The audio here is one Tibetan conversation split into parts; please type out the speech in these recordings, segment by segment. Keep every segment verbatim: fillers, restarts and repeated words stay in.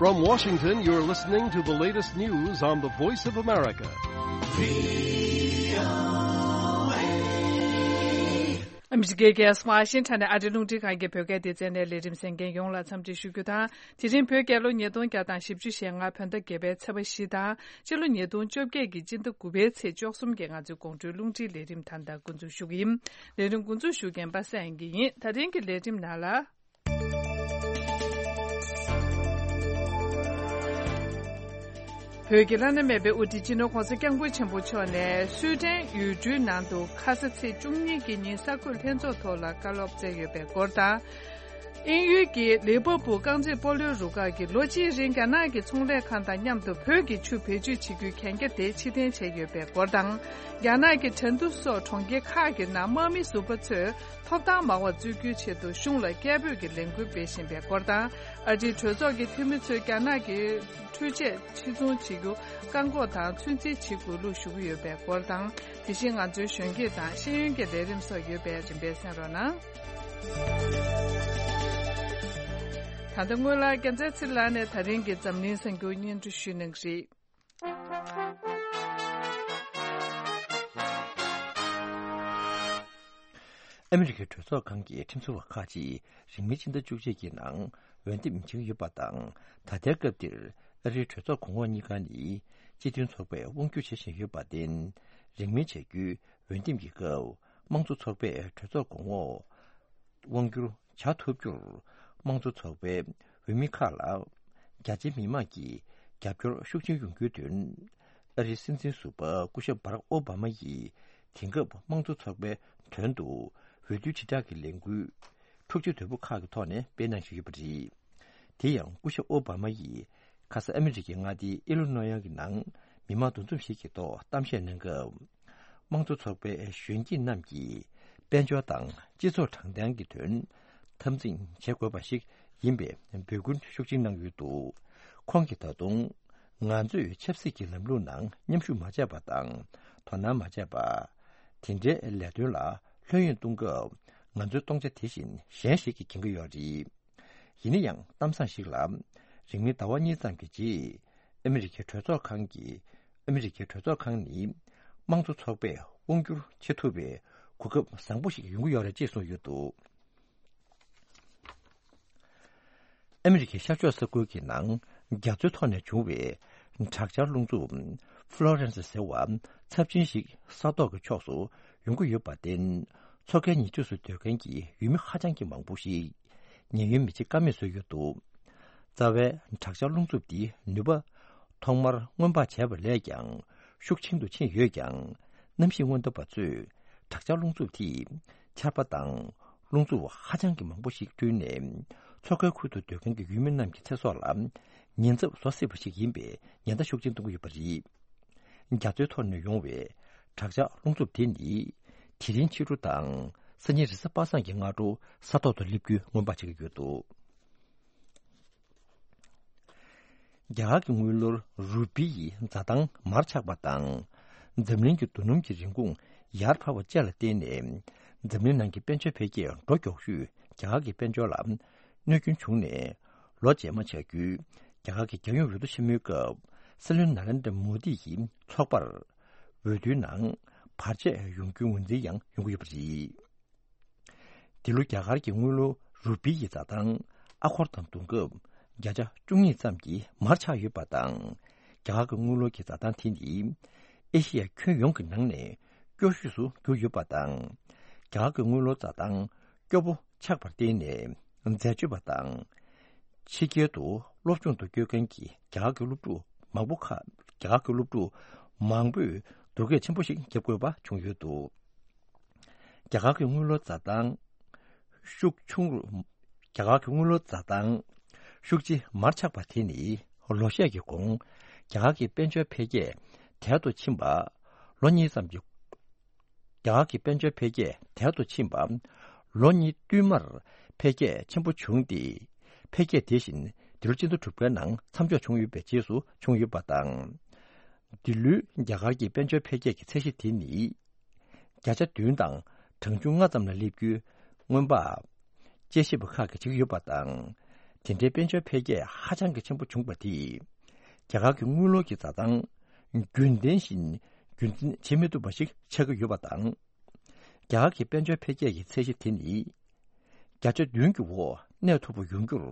From Washington, you're listening to the latest news on the Voice of America. ཨ་མི་རི་ཀའི་རྒྱལ་ས་ཝ་ཤིང་ཊོན་ནས་ཨ་རིའི་རླུང་འཕྲིན་ཁང་གི་བོད་སྐད་སྡེ་ཚན་ནས་ལས་རིམ་གསན་མཁན་ཡོངས་ལ་འཚམས་འདྲི་ཞུ་རྒྱུ་དང་། དེ་རིང་བོད་རྒྱལ་ལོ་ཉིས་སྟོང་བརྒྱ་དང་བཞི་བཅུ་ཞེ་ལྔ་བོད་ཟླ་བརྒྱད་པའི་ཚེས་པ་བཞི་དང་། སྤྱི་ལོ་ཉིས་སྟོང་བཅོ་བརྒྱད་ཀྱི་སྤྱི་ཟླ་དགུ་པའི་ཚེས་བཅུ་གསུམ་གྱི་ང་ཚོའི་དགོང་དྲོའི་རླུང་འཕྲིན་ལས་རིམ་ད་ལྟ་འགོ་འཛུགས་ཞུ་གི་ཡིན། ལས་རིམ་འགོ་འཛུགས་ཞུ་མཁན་པ་སངས་དབྱངས་སྐྱིད་ཡིན། ད་རིང་གི་ལས་རིམ་ནང་ལ། བོད་ཀྱི་བླ་ན་མེད་པའི་དབུ་ཁྲིད་སྤྱི་ནོར་༸གོང་ས་༸སྐྱབས་མགོན་ཆེན་པོ་མཆོག་ནས་སུའེ་ཏན་ཡུལ་གྲུའི་ནང་དུ་ཁ་ས་ཚེས་བཅུ་གཉིས་ཀྱི་ཉིན་གསར་འགོད་ལྷན་ཚོགས་ཐོག་ལ་བཀའ་སློབ་སྩལ་ཡོད་པའི་སྐོར་དང་། དབྱིན་ཡུལ་གྱི་ལི་ཝར་པུལ་རྐང་རྩེད་སྤོ་ལོའི་རུ་ཁག་གིས་ལོ་གཅིག་རིང་རྒྱ་ནག་གི་ཚོང་ལས་ཁང་དང་མཉམ་དུ་བོད་ཀྱི་ཆུ་བེད་སྤྱོད་བྱེད་རྒྱུའི་གན་རྒྱ་དེ་ཕྱིར་འཐེན་བྱས་ཡོད་པའི་སྐོར་དང་། རྒྱ་ནག་གི་ཁྲེང་ཏུའུ་སོགས་གྲོང་ཁྱེར་ཁག་གི་ནང་དམག་མི་ཟུར་པ་ཚོས་ཐོབ་ཐང་མང་བ་རྩོད་རྒྱུའི་ཆེད་དུ་གཞུང་ལ་སྐད་འབོད་ཀྱི་ལས་འགུལ་སྤེལ་བཞིན་པའི་སྐོར་དང་། ཨ་རིའི་གྲོས་ཚོགས་ཀྱི་འཐུས་མི་ཚོས་རྒྱ་ནག་གི་འཕྲུལ་ཆས་ཕྱིར་ཚོང་བྱེད་རྒྱུ་བཀག་འགོག་དང་ཚོད་འཛིན་བྱེད་དགོས་ལུགས་ཞུ་གི་ཡོད་པའི་སྐོར་དང་། དེ་བཞིན་ང་ཚོའི་གཞོན་སྐྱེས་དང་ཤེས་ཡོན་གྱི་ལས་རིམ་སོགས་ཡོད་པས་རིམ་པས་གསན་རོགས་གནང་། ད་ལྟ་སྔོན་ལ་རྒྱལ་མཚན་ཚེ་རིང་ལགས་ནས་ད་རིང་གི་འཛམ་གླིང་གསར་འགྱུར་སྙན་སྒྲོན་ཞུ་གནང་གི་རེད། ཨ་མི་རི་ཀའི་གྲོས་ཚོགས་ཁང་གི་ཁྲིམས་བཟོ་བ་ཁག་ཅིག་རིང་མིན་ཕྱི་ཟླ་བཅུ་གཅིག་གི་ནང་འོས་འདེམས་བྱེད་ཀྱི་ཡོད་པ་དང་། ད་ལྟའི་སྐབས་འདིར་ཨ་རིའི་གྲོས་ཚོགས་གོང་འོག་གཉིས་ཀ་ནི་སྤྱི་མཐུན་ཚོགས་པས་དབང་སྒྱུར་བྱེད་བཞིན་ཡོད་པར་བརྟེན། རིང་མིན་བྱ་རྒྱུའི་འོས་འདེམས་ཀྱི་སྐབས་དམངས་གཙོ་ཚོགས་པས་གྲོས་ཚོགས་གོང་འོག་དབང་སྒྱུར་བྱ་ཐུབ་རྒྱུར། དམངས་གཙོ་ཚོགས་པའི་འོས་མི་ཁག་ལ་རྒྱ་ཆེའི་མི་མང་གི་རྒྱབ་སྐྱོར་ཤུགས་ཆེན་ཡོང་རྒྱུའི་དོན། ཨ་རིའི་སྲིད་འཛིན་ཟུར་པ་སྐུ་ཞབས་བྷ་རག་ཨོ་བྷ་མ་ཡིས་དེང་སྐབས་དམངས་གཙོ་ཚོགས་པའི་དོན་དུ་འོས་བསྡུའི་དྲིལ་བསྒྲགས་ཀྱི་ལས་འགུལ་འཁྲུག་ཆ་དོད་པོ་ཁག་གི་ཐོག་ནས་སྤེལ་གནང་བཞིན་ཡོད་པ་རེད། དེ་ཡང་སྐུ་ཞབས་ཨོ་བྷ་མ་ཡིས་ཁ་ས་ཨ་མི་རི་ཀའི་མངའ་སྡེ་ཨི་ལོ་ནོ་ཡ་གི་ནང་མི་མང་འདུ་འཛོམས་ཤིག་གི་ཐོག་གཏམ་བཤད་གནང་སྐབས། དམངས་གཙོ་ཚོགས་པའི་གཞོན་སྐྱེས་རྣམས་ཀྱིས་དཔལ་འབྱོར་དང་སྤྱི་ཚོགས་དྲང་བདེན་གྱི་དོན་འཐབ་འཛིང་བྱེད་དགོས་པ་ཞིག་ཡིན་པའི་འབོད་སྐུལ་ཤུགས་ཆེན་གནང་ཡོད་འདུག་ཁོང་གིས་ད་དུང་། ང་ཚོས་ཆབ་སྲིད་ཀྱི་ལམ་ལུགས་ནང་མཉམ་ཞུགས་མ་བྱས་པ་དང་དོ་སྣང་མ་བྱས་པ། དེ་འདྲའི་ལས་དོན་ལ་ལྷོད་གཡེང་གཏོང་སྐབས་ང་ཚོའི་སྟོང་ཆ་དེ་བཞིན་གཞན་ཞིག་གིས་འགེང་གི་ཡོད་རེད། ཡིན་ན་ཡང་གཏམ་བཟང་ཞིག་ལ། རིང་མིན་ཟླ་བ་གཉིས་ཙམ་གྱི་རྗེས་ཨ་མི་རི་ཀའི་གྲོས་ཚོགས་ཁང་གི་ཨ་མི་རི་ཀའི་གྲོས་ཚོགས་ཁང་ནི་དམངས་གཙོ་ཚོགས་པས་དབང་བསྒྱུར་བྱེད་ཐུབ་པའི་གོ་སྐབས་བཟང་པོ་ཞིག་ཡོང་གི་ཡོད་རེད་ཅེས་གསུངས་ཡོད་འདུག་ཨ་མི་རི་ཀའི་ཤར་ཕྱོགས་ས་ཁུལ་གྱི་ནང་རྒྱ་མཚོའི་ཐོག་ནས་བྱུང་བའི་དྲག་ཆར་རླུང་འཚུབ་ཧྥ་ལོ་རེན་སི་ཟེར་བ་ཚབས་ཆེན་ཞིག་ས་ཐོག་གི་ཕྱོགས་སུ་ཡོང་གི་ཡོད་པར་བརྟེན། མཚོ་ཁའི་ཉེ་འཁྲིས་སུ་སྡོད་མཁན་གྱི་ཡུལ་མི་ཧ་ཅང་གི་མང་པོ་ཞིག་ཉེན་གཡོལ་མི་བྱེད་ཀ་མེད་བཟོས་ཡོད་འདུག་རྩ་བའི་དྲག་ཆར་རླུང་འཚུབ་འདིའི་ནུས་པ་ཐོག་མར་སྔོན་དཔག་བྱས་པ་ལས་ཀྱང་ཤུགས་ཆེན་དུ་ཕྱིན་ཡོད་ཀྱང་། གནམ་གཤིས་སྔོན་བརྡ་པ་ཚོས་དྲག་ཆར་རླུང་འཚུབ་དེས་ཆར་པ་དང་རླུང་འཚུབ་ཧ་ཅང་གི་མང་པོ་ཞིག་བསྐྲུན་ནས། མཚོ་ཁའི་ཁུལ་དུ་སྡོད་མཁན་གྱི་ཡུལ་མི་རྣམས་ཀྱི་ཚེ་སྲོག་ལ་ཉེན་ཚབས་བཟོ་སྲིད་པ་ཞིག་ཡིན་པའི་ཉེན་བརྡ་ཤུགས་ཆེན་གཏོང་གི་ཡོད་པ་རེད། རྒྱ་མཚོའི་ཐོག་ནས་ཡོང་བའི་དྲག་ཆར་རླུང་འཚུབ་དེ་ནི། དེ་རིང་ཕྱི་དྲོ་དང་སང་ཉིན་རེས་གཟའ་པ་སངས་ཀྱི་སྔ་དྲོ་ས་ཐོག་ཏུ་སླེབས་རྒྱུའི་སྔོན་དཔག་བྱེད་ཀྱི་ཡོད་འདུག་རྒྱ་གར་གྱི་དངུལ་ལོར་རུ་པི་ཡི་འཛའ་ཐང་མར་ཆག་པ་དང་། འཛམ་གླིང་གི་རྡོ་སྣུམ་གྱི་རིན་གོང་ཡར་འཕར་བ་བཅས་ལ་བརྟེན་ནས། འཛམ་གླིང་ནང་གི་དཔལ་འབྱོར་འཕེལ་རྒྱས་འགྲོ་མགྱོགས་ཤོས་རྒྱ་གར་གྱི་དཔལ་འབྱོར་ལ་གནོད་སྐྱོན་བྱུང་ནས། ལོ་རྗེས་མ་བྱ་རྒྱུའི་རྒྱ་གར་གྱི་རྒྱལ་ཡོངས་འོས་བསྡུ་ཆེན་མོའི་སྐབས། སྲིད་བློན་ནཱ་རེན་དྲ་མོ་དི་ཡི་ཚོགས་པར་འོས་བསྡུའི་ནང་བར་ཆད་ཡོང་རྒྱུའི་ངོས་འཛིན་ཡང་ཡོང་གི་ཡོད་པ་རེད། འདི་ལོ་རྒྱ་གར་གྱི་དངུལ་ལོར་རུ་པི་ཡི་འཛའ་ཐང་ཨ་སྒོར་དང་བསྡུར་སྐབས་བརྒྱ་ཆ་བཅུ་གཉིས་ཙམ་གྱིས་མར་ཆག་ཡོད་པ་དང་། རྒྱ་གར་གྱི་དངུལ་ལོར་གྱི་འཛའ་ཐང་དེ་ནི་ཨེ་ཤི་ཡ་ཁྱོན་ཡོངས་ཀྱི་ནང་ནས་སྐྱོ་ཤོས་སུ་གྱུར་ཡོད་པ་དང་། རྒྱ་གར་གྱི་དངུལ་ལོར་འཛའ་ཐང་སྐྱོ་པོ་ཆགས་པར་བརྟེན་ནས། འཛད་སྤྱོད་པ་དང་། ཕྱི་རྒྱལ་དུ་སློབ་སྦྱོང་དུ་བསྐྱོད་མཁན་གྱི་རྒྱ་གར་གྱི་སློབ་ཕྲུག་མང་པོ་ཁག་རྒྱ་གར་གྱི་སློབ་ཕྲུག་མང་པོས་སྡུག་སྐད་ཆེན་པོ་ཞིག་བརྒྱབ་དགོས་པ་བྱུང་ཡོད་འདུག་རྒྱ་གར་གྱི་དངུལ་ལོར་འཛའ་ཐང་ཤུགས་ཆུང་རུ། རྒྱ་གར་གྱི་དངུལ་ལོར་འཛའ་ཐང་ཤུགས་ཆེ་མར་ཆག་པ་དེ་ནི་ལོ་ཤས་ཀྱི་གོང་རྒྱ་གར་གྱི་དཔལ་འབྱོར་འཕེལ་རྒྱས་དལ་དུ་ཕྱིན་པ། ལོ་གཉིས་ཙམ་གྱི་རྒྱ་གར་གྱི་དཔལ་འབྱོར་འཕེལ་རྒྱས་དལ་དུ་ཕྱིན་པ། ལོ་གཉིས་བསྟུད་མར་འཕེལ་རྒྱས་ཆེན་པོ་བྱུང་སྟེ། འཕེལ་རྒྱས་དེ་བཞིན་འདི་ལོ་སྤྱི་ཟླ་དྲུག་པའི་ནང་མཚམས་འཇོག་བྱུང་ཡོད་པའི་རྗེས་སུ་བྱུང་ཡོད་པ་དང་། འདི་ལོའི་རྒྱ་གར་གྱི་དཔལ་འབྱོར་འཕེལ་རྒྱས་ཀྱི་ཚད་གཞི་དེ་ནི། བརྒྱ་ཆ་བདུན་དང་གྲངས་ཆུང་ལྔ་ཙམ་ལ་སླེབས་རྒྱུའི་སྔོན་དཔག་དཔྱད་ཞིབ་པ་ཁག་གིས་བྱེད་ཀྱི་ཡོད་པ་དང་། དེ་འདྲའི་དཔལ་འབྱོར་འཕེལ་རྒྱས་ཧ་ཅང་གི་ཆེན་པོ་བྱུང་བ་དེས། རྒྱ་གར་གྱི་དངུལ་ལོར་གྱི་འཛའ་ཐང་རྒྱུན་ལྡན་བཞིན་རྒྱུན་འཛིན་བྱེད་མི་ཐུབ་པ་ཞིག་ཆགས་ཀྱི་ཡོད་པ་དང་། རྒྱ་གར་གྱི་དཔལ་འབྱོར་འཕེལ་རྒྱས་ཀྱི་ཚད་གཞི་དེ་ནི། བརྒྱ་ཆ་བདུན་གྱི་འོག་གནས་ཐུབ་པ་ཡོང་རྒྱུར།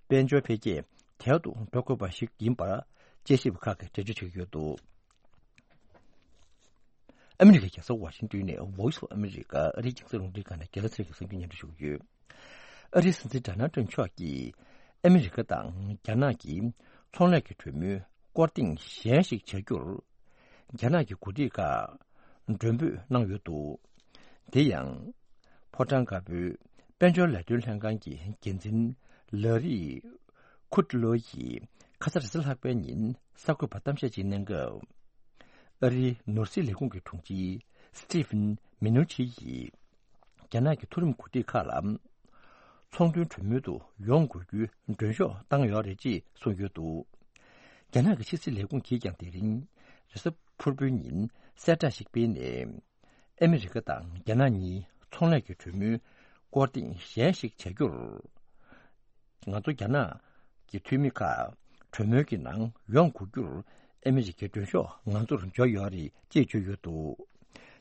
དཔལ་འབྱོར་འཕེལ་རྒྱས་དལ་དུ་འགྲོ་དགོས་པ་ཞིག་ཡིན་པར་དཔྱད་ཞིབ་ཁག་གིས་འགྲེལ་བརྗོད་བྱེད་ཀྱི་ཡོད་འདུག་ཨ་མི་རི་ཀའི་རྒྱལ་ས་ཝ་ཤིང་ཏོན་ནས་Voice of America ཨ་རིའི་རྒྱང་སྲིང་རླུང་འཕྲིན་ཁང་ནས་རྒན་ལགས་ཚེ་རིང་གིས་གསར་འགྱུར་སྙན་སྒྲོན་ཞུ་གི་ཡོད། ཨ་རིའི་སྲིད་འཛིན་ཌོ་ནལ་ཊམ་མཆོག་གིས་ཨ་མི་རི་ཀ་དང་རྒྱ་ནག་གི་ཚོང་ལས་ཀྱི་གྲོས་མོལ་སྐོར་ཐེངས་གཞན་ཞིག་བྱ་རྒྱུར། རྒྱ་ནག་གི་འགོ་ཁྲིད་ཁག་མགྲོན་འབོད་གནང་ཡོད་འདུག་དེ་ཡང་། ཕོ་བྲང་དཀར་པོའི་དཔལ་འབྱོར་ལས་དོན་ལྷན་ཁང་གི་འགན་འཛིན་ལ་རི་ཁུ་ཏི་ལོ་ཡིས་ཁ་ས་རེས་གཟའ་ལྷག་པའི་ཉིན་གསར་འགོད་པར་གཏམ་བཤད་ཅིག་གནང་སྐབས། ཨ་རིའི་ནོར་སྲིད་ལས་ཁུངས་ཀྱི་དྲུང་ཆེ་སི་ཊི་ཕན་མི་ནུ་ཆི་ཡིས། རྒྱ་ནག་གི་མཐོ་རིམ་འགོ་ཁྲིད་ཁག་ལ། ཚོང་དོན་གྲོས་མོལ་དུ་ཡོང་དགོས་རྒྱུའི་མགྲོན་ཤོག་བཏང་ཡོད་རེད་ཅེས་གསུངས་ཡོད་འདུག་རྒྱ་ནག་གི་ཕྱི་སྲིད་ལས་ཁུངས་ཀྱིས་ཀྱང་དེ་རིང་རེས་གཟའ་ཕུར་བུའི་ཉིན་གསལ་བསྒྲགས་ཤིག་སྤེལ་ནས། ཨ་མི་རི་ཀ་དང་རྒྱ་ནག་གཉིས་ཚོང་ལས་ཀྱི་གྲོས་མོལ་སྐོར་ཐེངས་གཞན་ཞིག་བྱ་རྒྱུར། ང་ཚོ་རྒྱ་ནག་གི་འཐུས་མི་ཁག་གྲོས་མོལ་གྱི་ནང་ཡོང་དགོས་རྒྱུར་ཨ་མི་རི་ཀའི་མགྲོན་ཤོག་ང་ཚོར་འབྱོར་ཡོད་རེད་ཅེས་བརྗོད་ཡོད་འདུག་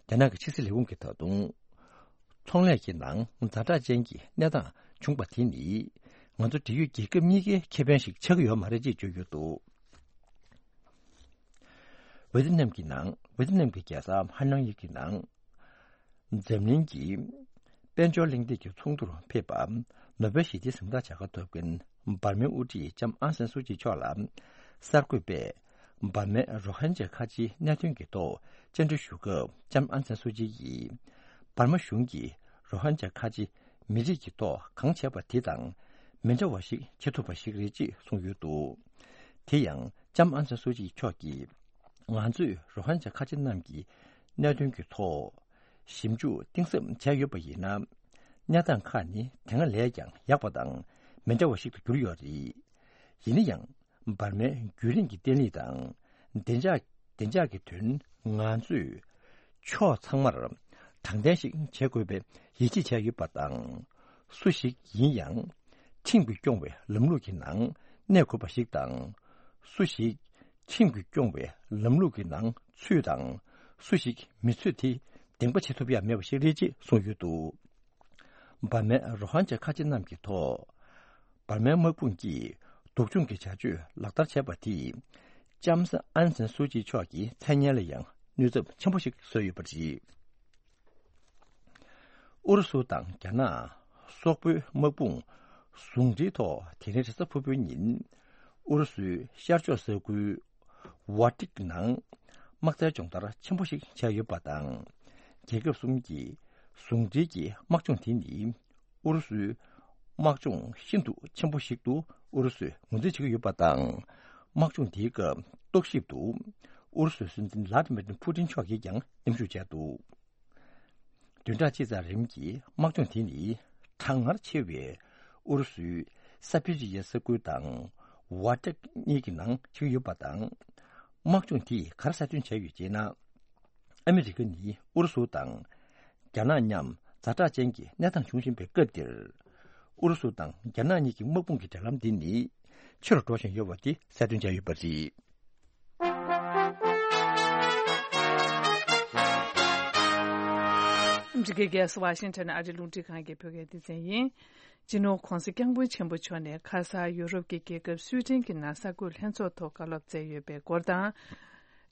རྒྱ་ནག་གི་ཕྱི་སྲིད་ལས་ཁུངས་ཀྱིས་ད་དུང་། ཚོང་ལས་ཀྱི་ནང་ཛ་དྲག་ཅན་གྱི་གནས་སྟངས་བྱུང་བ་དེ་ནི། ང་ཚོ་འབྲེལ་ཡོད་རྒྱལ་ཁབ་གཉིས་ཀའི་ཁེ་ཕན་ཞིག་ཆགས་ཀྱི་ཡོད་མ་རེད་ཅེས་བརྗོད་ཡོད་འདུག་ཝེ་ཏི་ནམ་གྱི་ནང་ཝེ་ཏི་ནམ་གྱི་རྒྱལ་ས་ཧ་ནང་ཡིག་གི་ནང་། འཛམ་གླིང་གི་དཔལ་འབྱོར་གླེང་སྟེགས་ཀྱི་ཚོགས་འདུར་ཕེབས་པ། ནོ་བེལ་ཞི་བདེའི་གཟེངས་རྟགས་བྱ་དགའ་ཐོབ་མཁན་འབར་མའི་དབུ་ཁྲིད་ལྕམ་ཨང་སན་སུའུ་ཅི་མཆོག་ལ། གསར་འགོད་པས་འབར་མའི་རོ་ཧན་ཇཱ་ཁ་ཆེའི་གནད་དོན་གྱི་ཐོག་བཅར་འདྲི་ཞུ་སྐབས་ལྕམ་ཨང་སན་སུའུ་ཅི་ཡིས། འབར་མ་གཞུང་གིས་རོ་ཧན་ཇཱ་ཁ་ཆེ་མི་རིགས་ཀྱི་ཐོག་གང་བྱས་པ་དེ་དང་མི་འདྲ་བ་ཞིག་བྱེད་ཐུབ་པ་ཞིག་རེད་ཅེས་གསུངས་ཡོད་འདུག་དེ་ཡང་ལྕམ་ཨང་སན་སུའུ་ཅི་མཆོག་གིས། ང་ཚོས་རོ་ཧན་ཇཱ་ཁ་ཆེ་རྣམས་ཀྱི་གནད་དོན་གྱི་ཐོག་ཞིབ་འཇུག་གཏིང་ཟབ་བྱས་ཡོད་པ་ཡིན་ན། གནས་སྟངས་ཁག་ནི་དེ་སྔ་ལས་ཀྱང་ཡག་པ་དང་མི་འདྲ་བ་ཞིག་ཏུ་གྱུར་ཡོད་རེད། ཡིན་ན་ཡང་། འབར་མའི་རྒྱུན་རིང་གི་བརྟན་ལྷིང་དང་། བདེ་འཇགས། བདེ་འཇགས་ཀྱི་དོན་ང་ཚོས་ཕྱོགས་ཚང་མར་དྲང་བདེན་ཞིག་བྱེད་དགོས་པའི་ཡིད་ཆེས་བྱས་ཡོད་པ་དང་། སུ་ཞིག་ཡིན་ཡང་ཁྲིམས་ཀྱིས་སྐྱོང་བའི་ལམ་ལུགས་ཀྱི་ནང་གནས་དགོས་པ་ཞིག་དང་། སུ་ཞིག་ཁྲིམས་ཀྱིས་སྐྱོང་བའི་ལམ་ལུགས་ཀྱི་ནང་ཚུད་དང་། སུ་ཞིག་མི་ཚུད་དེ་བདེན་པ་བྱེད་ཐུབ་ཡ་མེད་པ་ཞིག་རེད་ཅེས་གསུངས་ཡོད་འདུག་འབར་མའི་རོ་ཧན་ཇཱ་ཁ་ཆེ་རྣམས་ཀྱི་ཐོག་འབར་མའི་དམག་དཔུང་གིས་སྡུག་སྦྱོང་གི་བྱ་སྤྱོད་ལག་བསྟར་བྱས་པ་དེས། ལྕམ་ཨན་སན་སུའུ་ཅི་མཆོག་གི་མཚན་སྙན་ལ་ཡང་གནོད་ཚབས་ཆེན་པོ་ཞིག་བཟོས་ཡོད་པ་རེད། ཨུ་རུ་སུ་དང་རྒྱ་ནག་སོག་པོའི་དམག་དཔུང་ཟུང་འབྲེལ་ཐོག་དེ་རིང་རེས་གཟའ་ཕུར་བུའི་ཉིན། ཨུ་རུ་སུའི་ཤར་ཕྱོགས་ས་ཁུལ་ཝ་ཏིག་ནང་དམག་རྩལ་སྦྱོང་བརྡར་ཆེན་པོ་ཞིག་བྱས་ཡོད་པ་དང་། རྒྱལ་ཁབ་གསུམ་གྱི་ཟུང་འབྲེལ་གྱི་དམག་སྦྱོང་དེ་ནི། ཨུ་རུ་སུའི་དམག་སྦྱོང་ཤིན་ཏུ་ཆེན་པོ་ཞིག་ཏུ་ཨུ་རུ་སུས་ངོས་འཛིན་བྱེད་ཀྱི་ཡོད་པ་དང་། དམག་སྦྱོང་དེའི་སྐབས་རྟོག་ཞིབ་ཏུ་ཨུ་རུ་སུའི་སྲིད་འཛིན་ལྷ་དི་མི་ཏིན་ཕུ་ཏིན་མཆོག་གིས་ཀྱང་མཉམ་ཞུགས་བྱས་འདུག་བདུན་ཕྲག་གཅིག་ཙམ་རིང་གི་དམག་སྦྱོང་དེ་ནི་གྲང་ངར་ཆེ་བའི་ཨུ་རུ་སུའི་ས་པི་རི་ཡའི་ས་ཁུལ་དང་ཝ་ཏེག་གཉིས་ཀྱི་ནང་བྱེད་ཀྱི་ཡོད་པ་དང་། དམག་སྦྱོང་དེས་ག་རེ་གསལ་སྟོན་བྱས་ཡོད་ཅེ་ན། ཨ་མི་རི་ཀ་ནི་ཨུ་རུ་སུ་དང་རྒྱ་ནག་མཉམ་ཛ་དྲག་ཅན་གྱི་གནས་སྟངས་བྱུང་བཞིན་པའི་སྐབས་འདིར། ཨུ་རུ་སུ་དང་རྒྱ་ནག་གཉིས་ཀྱི་དམག་དཔུང་གི་འབྲེལ་ལམ་འདི་ནི་ཆེ་རུ་འགྲོ་བཞིན་ཡོད་པ་དེ་གསལ་སྟོན་བྱས་ཡོད་པ་རེད། ཨ་མི་རི་ཀའི་རྒྱལ་ས་ཝ་ཤིང་ཊོན་ཨ་རིའི་རླུང་འཕྲིན་ཁང་གི་བོད་སྐད་སྡེ་ཚན་ཡིན། སྤྱི་ནོར་༧གོང་ས་༧སྐྱབས་མགོན་ཆེན་པོ་མཆོག་ནས་ཁ་ས་ཡུ་རོབ་ཀྱི་རྒྱལ་ཁབ་སུའེ་ཏེན་གྱི་ནང་གསར་འགོད་ལྷན་ཚོགས་ཐོག་བཀའ་སློབ་སྩལ་ཡོད་པའི་སྐོར་དང་།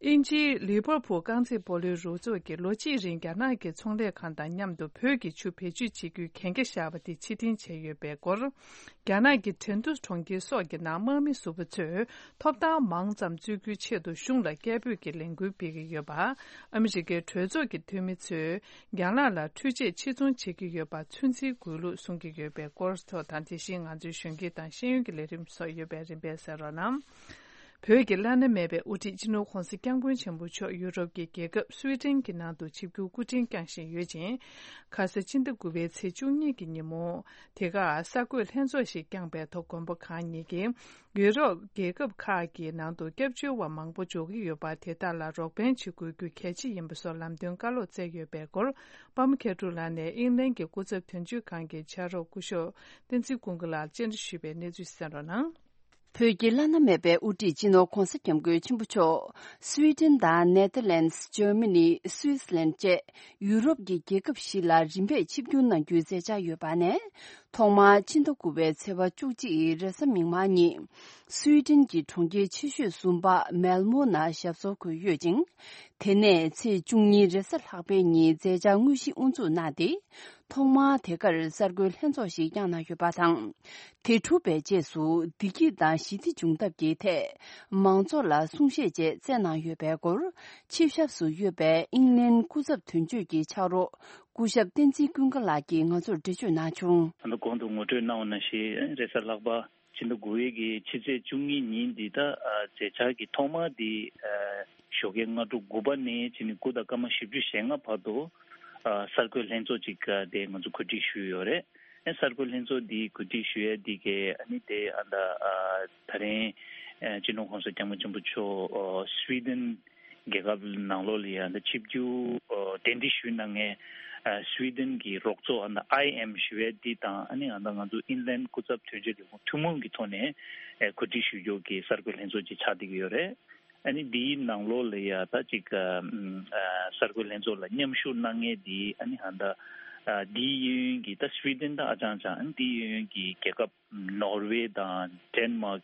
དབྱིན་ཇིའི་ལི་བར་ཕུལ་རྐང་རྩེད་སྤོ་ལོའི་རུ་ཚོགས་ཀྱིས་ལོ་གཅིག་རིང་རྒྱ་ནག་གི་ཚོང་ལས་ཁང་དང་མཉམ་དུ་བོད་ཀྱི་ཆུ་བེད་སྤྱོད་བྱེད་རྒྱུའི་གན་རྒྱ་བཞག་པ་དེ་ཕྱིར་འཐེན་བྱས་ཡོད་པའི་སྐོར། རྒྱ་ནག་གི་ཁྲེང་ཏུའུ་གྲོང་ཁྱེར་སོགས་ཀྱི་ནང་དམག་མི་ཟུར་པ་ཚོས་ཐོབ་ཐང་མང་ཙམ་རྩོད་རྒྱུའི་ཆེད་དུ་གཞུང་ལ་སྐད་འབོད་ཀྱི་ལས་འགུལ་སྤེལ་གྱི་ཡོད་པ། ཨ་མི་རི་ཀའི་གྲོས་ཚོགས་ཀྱི་འཐུས་མི་ཚོས་རྒྱ་ནག་ལ་འཕྲུལ་ཆས་ཕྱིར་ཚོང་བྱེད་ཀྱི་ཡོད་པ་ཚོད་འཛིན་དགོས་ལུགས་གསུང་གི་ཡོད་པའི་སྐོར་ཐོག་དང་། དེ་བཞིན་ང་ཚོའི་གཞོན་སྐྱེས་དང་ཤེས་ཡོན་གྱི་ལས་རིམ་སོགས་ཡོད་པས་རིམ་པས་གསན་རོགས་གནང་། བོད་ཀྱི་བླ་ན་མེད་པའི་དབུ་ཁྲིད་སྤྱི་ནོར་༸གོང་ས་༸སྐྱབས་མགོན་ཆེན་པོ་མཆོག་ཡུ་རོབ་ཀྱི་རྒྱལ་ཁབ་སུའེ་ཏེན་གྱི་ནང་དུ་ཆིབས་བསྒྱུར་སྐུ་ཕྲེང་བསྐྱངས་བཞིན་ཡོད་ཅིང་། ཁ་ས་ཕྱི་ཟླ་དགུ་པའི་ཚེས་བཅུ་གཉིས་ཀྱི་ཉིན་མོ། དེ་གར་གསར་འགོད་ལྷན་ཚོགས་ཤིག་བསྐྱངས་པའི་ཐོག་མགོན་པོ་གང་ཉིད་ཀྱིས། ཡུ་རོབ་རྒྱལ་ཁབ་ཁག་གི་ནང་དུ་སྐྱབས་བཅོལ་བ་མང་པོ་འབྱོར་གྱི་ཡོད་པ། དེ་དག་ལ་རོགས་ཕན་བྱེད་དགོས་རྒྱུ་གལ་ཆེ་ཡིན་པ་སོགས་ལམ་སྟོན་བཀའ་སློབ་སྩལ་ཡོད་པའི་སྐོར། པདྨ་མཁས་གྲུབ་ལགས་ནས་ཨིང་ལན་གྱི་སྐུ་ཚབ་དོན་གཅོད་ཁང་གི་ཕྱག་རོགས་སྐུ་ཞབས་བསྟན་འཛིན་ཀུན་དགའ་ལགས་བཅར་འདྲི་ཞུས་པའི་གནས་ཚུལ་གསན་རོགས་གནང་། བོད་ཀྱི་བླ་ན་མེད་པའི་དབུ་ཁྲིད་སྤྱི་ནོར་༸གོང་ས་༸སྐྱབས་མགོན་ཆེན་པོ་མཆོག་སུའེ་ཏེན་དང་ནེ་ཐར་ལན་སི། འཇར་མ་ནི། སུའི་སི་ལན་བཅས་ཡུ་རོབ་ཀྱི་རྒྱལ་ཁབ་བཞི་ལ་རིམ་པས་ཆིབས་བསྒྱུར་གནང་རྒྱུའི་མཛད་འཆར་ཡོད་པ་ནས། ཐོག་མར་ཕྱི་ཟླ་དགུ་པའི་ཚེས་པ་བཅུ་གཅིག་རེས་གཟའ་མིག་དམར་ཉིན། སུའེ་ཏེན་གྱི་གྲོང་ཁྱེར་ཆེ་ཤོས་གསུམ་པ་མེལ་མོ་ནང་ཞབས་སོར་འཁོད་ཡོད་ཅིང་། དེ་ནས་ཚེས་བཅུ་གཉིས་རེས་གཟའ་ལྷག་པའི་ཉིན་མཛད་འཆར་དངོས་གཞི་དབུ་འཛུགས་གནང་སྟེ། ཐོག་མར་དེ་གར་གསར་འགོད་ལྷན་ཚོགས་ཤིག་བསྐྱངས་གནང་ཡོད་པ་དང་། དེ་གྲུབ་པའི་རྗེས་སུ་བདེ་སྐྱིད་དང་ཞི་བདེ་འབྱུང་ཐབས་ཀྱི་ཐད། མང་ཚོགས་ལ་གསུང་བཤད་བཅས་སྩལ་གནང་ཡོད་པའི་སྐོར། ཆིབས་ཞབས་སུ་ཡོད་པའི་ཨིང་ལན་སྐུ་ཚབ་དོན་གཅོད་ཀྱི་ཕྱག་རོགས་སྐུ་ཞབས་བསྟན་འཛིན་ཀུན་དགའ་ལགས་ཀྱིས་ང་ཚོར་འགྲེལ་བརྗོད་གནང་བྱུང་། ད་ལྟ་གོང་དུ་ངོ་སྤྲོད་གནང་བ་ནང་བཞིན་རེས་གཟའ་ལྷག་པ། ཕྱི་ཟླ་དགུ་པའི་གི་ཕྱི་ཚེས་བཅུ་གཉིས་ཉིན་འདི་ད་ཨ་མཛད་འཆར་གྱི་ཐོག་མ་འདི་ཨ་ཞོགས་ཀའི་སྔ་དྲོ་དགུ་པ་ནས་བྱས་ནས་དགུ་དང་སྐར་མ་བཞི་བཅུ་ཞེ་ལྔ་བར་དུ་ཨ་གསར་འགོད་ལྷན་ཚོགས་ཅིག་ཨ་དེ་ང་ཚོ་གོ་སྒྲིག་ཞུས་ཡོད་རེད། ཨ་གསར་འགོད་ལྷན་ཚོགས་འདི་གོ་སྒྲིག་ཞུ་ཡས་འདི་གའི་ཨ་ནི་དེ་ཨ་ད་ཨ་ད་རིང་ཨ་སྤྱི་ནོར་༸གོང་ས་༸སྐྱབས་མགོན་ཆེན་པོ་མཆོག་ཨ་སུའེ་ཏེན་རྒྱལ་ཁབ་ནང་ལོགས་ལ་ཡང་ད་ཆིབས་བསྒྱུར་ཨ་གདན་འདྲེན་ཞུས་གནང་མཁན་ཨ་སུའེ་ཏེན་གྱི་རོགས་ཚོགས་ཨ་ད་ཨའི་ཨེམ་ཞུ་ཡས་འདི་དང་ཨ་ནི་ཨ་ད་ང་ཚོ་ཨིན་ལན་སྐུ་ཚབ་དོན་གཅོད་ལས་ཁུངས་ཐུན་མོང་གི་ཐོག་ནས་ཨ་གོ་སྒྲིག་ཞུ་རྒྱུ་གི་གསར་འགོད་ལྷན་ཚོགས་ཅིག་ཆགས་བསྡད་ཀྱི་ཡོད་རེད། ཨ་ནི་འདིའི་ནང་ལོགས་ལ་ཡ་ད་ཅིག་ཨ་ཨ་གསར་འགོད་ལྷན་ཚོགས་ལ་མཉམ་ཞུགས་གནང་མཁན་འདི་ཨ་ནི་ཨ་ད་ཨ་འདིའི་གཡས་གཡོན་གྱི་ད་སུའེ་ཏེན་ད་ཨ་ཅང་ཅང་ཨ་ནི་འདིའི་གཡས་གཡོན་གྱི་རྒྱལ་ཁབ་ནོར་ཝེ་དང་ཌེན་མཱག་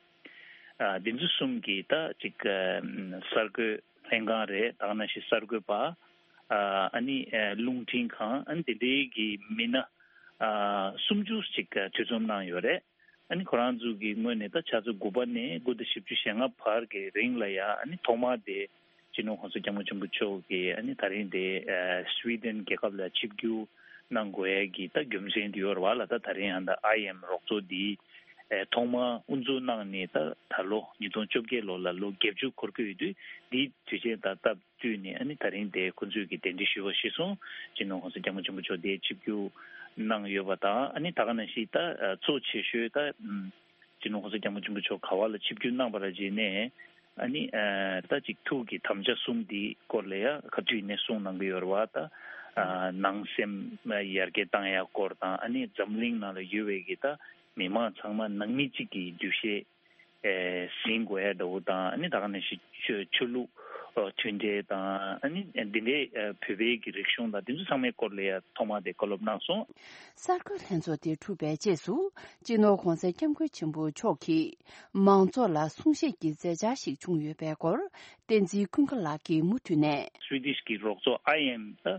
ཨ་འདི་ཚོ་གསུམ་གྱི་ད་ཅིག་ཨ་གསར་འགོད་ལྷན་ཁང་རེད། ད་ག་ནང་བཞིན་གསར་འགོད་པ་ཨ་ཨ་ནི་ཨ་རླུང་འཕྲིན་ཁང་ཨ་ནི་དེ་འདྲའི་གི་མི་སྣ་ཨ་སུམ་ཅུ་ཅིག་གྲོས་འཆམ་གནང་ཡོད་རེད། ཨ་ནི་ཁོ་རང་ཚོ་གི་ངོས་ནས་ད་ཆ་ཚོད་དགུ་པ་ནས་དགུ་དང་བཞི་བཅུ་ཞེ་ལྔ་བར་གྱི་རིང་ལ་ཡ་ཨ་ནི་ཐོག་མར་དེ་སྤྱི་ནོར་༸གོང་ས་༸སྐྱབས་མགོན་ཆེན་པོ་མཆོག་གིས་ཨ་ནི་ད་རིང་དེ་ཨ་སུའེ་ཏེན་རྒྱལ་ཁབ་ལ་ཆིབས་བསྒྱུར་གནང་དགོས་ཡ་གི་ད་རྒྱུ་མཚན་དེ་ཡོད་རེད་བ་ལ། ད་ད་རིང་ཨ་ད་ཨའི་ཨེམ་རོགས་ཚོགས་འདི་ཨ་ཐོག་མར་དབུ་འཛུགས་གནང་ནས་ད་ད་ལོ་ཉིས་སྟོང་བཅོ་བརྒྱད་ལོ་ལ་ལོ་བརྒྱད་ཅུ་འཁོར་གྱི་ཡོད་དུས་འདིའི་དུས་ཆེན་དང་སྟབས་བསྟུན་ནས་ཨ་ནི་ད་རིང་དེ་ཁོང་ཚོས་ཀྱི་གདན་འདྲེན་ཞུས་པ་གཞིར་བཟུང་སྤྱི་ནོར་༸གོང་ས་༸སྐྱབས་མགོན་ཆེན་པོ་མཆོག་དེ་ཆིབས་བསྒྱུར་གནང་ཡོད་པ་དང་ཨ་ནི་ད་ག་ནང་བཞིན་ད་གཙོ་ཆེ་ཤོས་ད་སྤྱི་ནོར་༸གོང་ས་༸སྐྱབས་མགོན་ཆེན་པོ་མཆོག་ག་བ་ལ་ཆིབས་བསྒྱུར་གནང་བ་ལ་བརྟེན་ནས་ཨ་ནི་ད་ཅིག་ཐུགས་ཀྱི་དམ་བཅའ་གསུམ་འདི་སྐོར་ལ་ཡ་ག་དུས་ནས་གསུངས་གནང་གི་ཡོད་རེད་བ། ད་ནང་སེམས་ཡར་རྒྱས་བཏང་ཡ་སྐོར་དང་ཨ་ནི་འཛམ་གླིང་ནང་ལ་ཡོད་པའི་གི་ད་མི་མང་ཚང་མ་ནང་མི་གཅིག་གི་འདུ་ཤེས། ཨེ་ཟིན་དགོས་ཡ་འདྲ་བོ་དང་ཨ་ནི་ད་ག་ནང་བཞིན་ཆོས་ཆོས་ལུགས་ཨ་མཐུན་འབྲེལ་དང་ཨ་ནི་འདི་འདྲའི་ཨ་བོད་པའི་གི་རིག་གཞུང་དང་འདི་ཚོ་ཚང་མའི་སྐོར་ལ་ཡ་ཐོག་མ་དེ་བཀའ་སློབ་གནང་སོང་། གསར་འགོད་ལྷན་ཚོགས་དེ་གྲུབ་པའི་རྗེས་སུ་སྤྱི་ནོར་༸གོང་ས་༸སྐྱབས་མགོན་ཆེན་པོ་མཆོག་གིས་མང་ཚོགས་ལ་གསུང་བཤད་ཀྱི་མཛད་འཆར་ཞིག་བྱུང་ཡོད་པའི་སྐོར་བསྟན་འཛིན་ཀུན་དགའ་ལགས་ཀྱིས་མུ་མཐུད་ནས། སུའི་ཌིཤ་གི་རོགས་ཚོགས་ཨའི་ཨེམ་ད་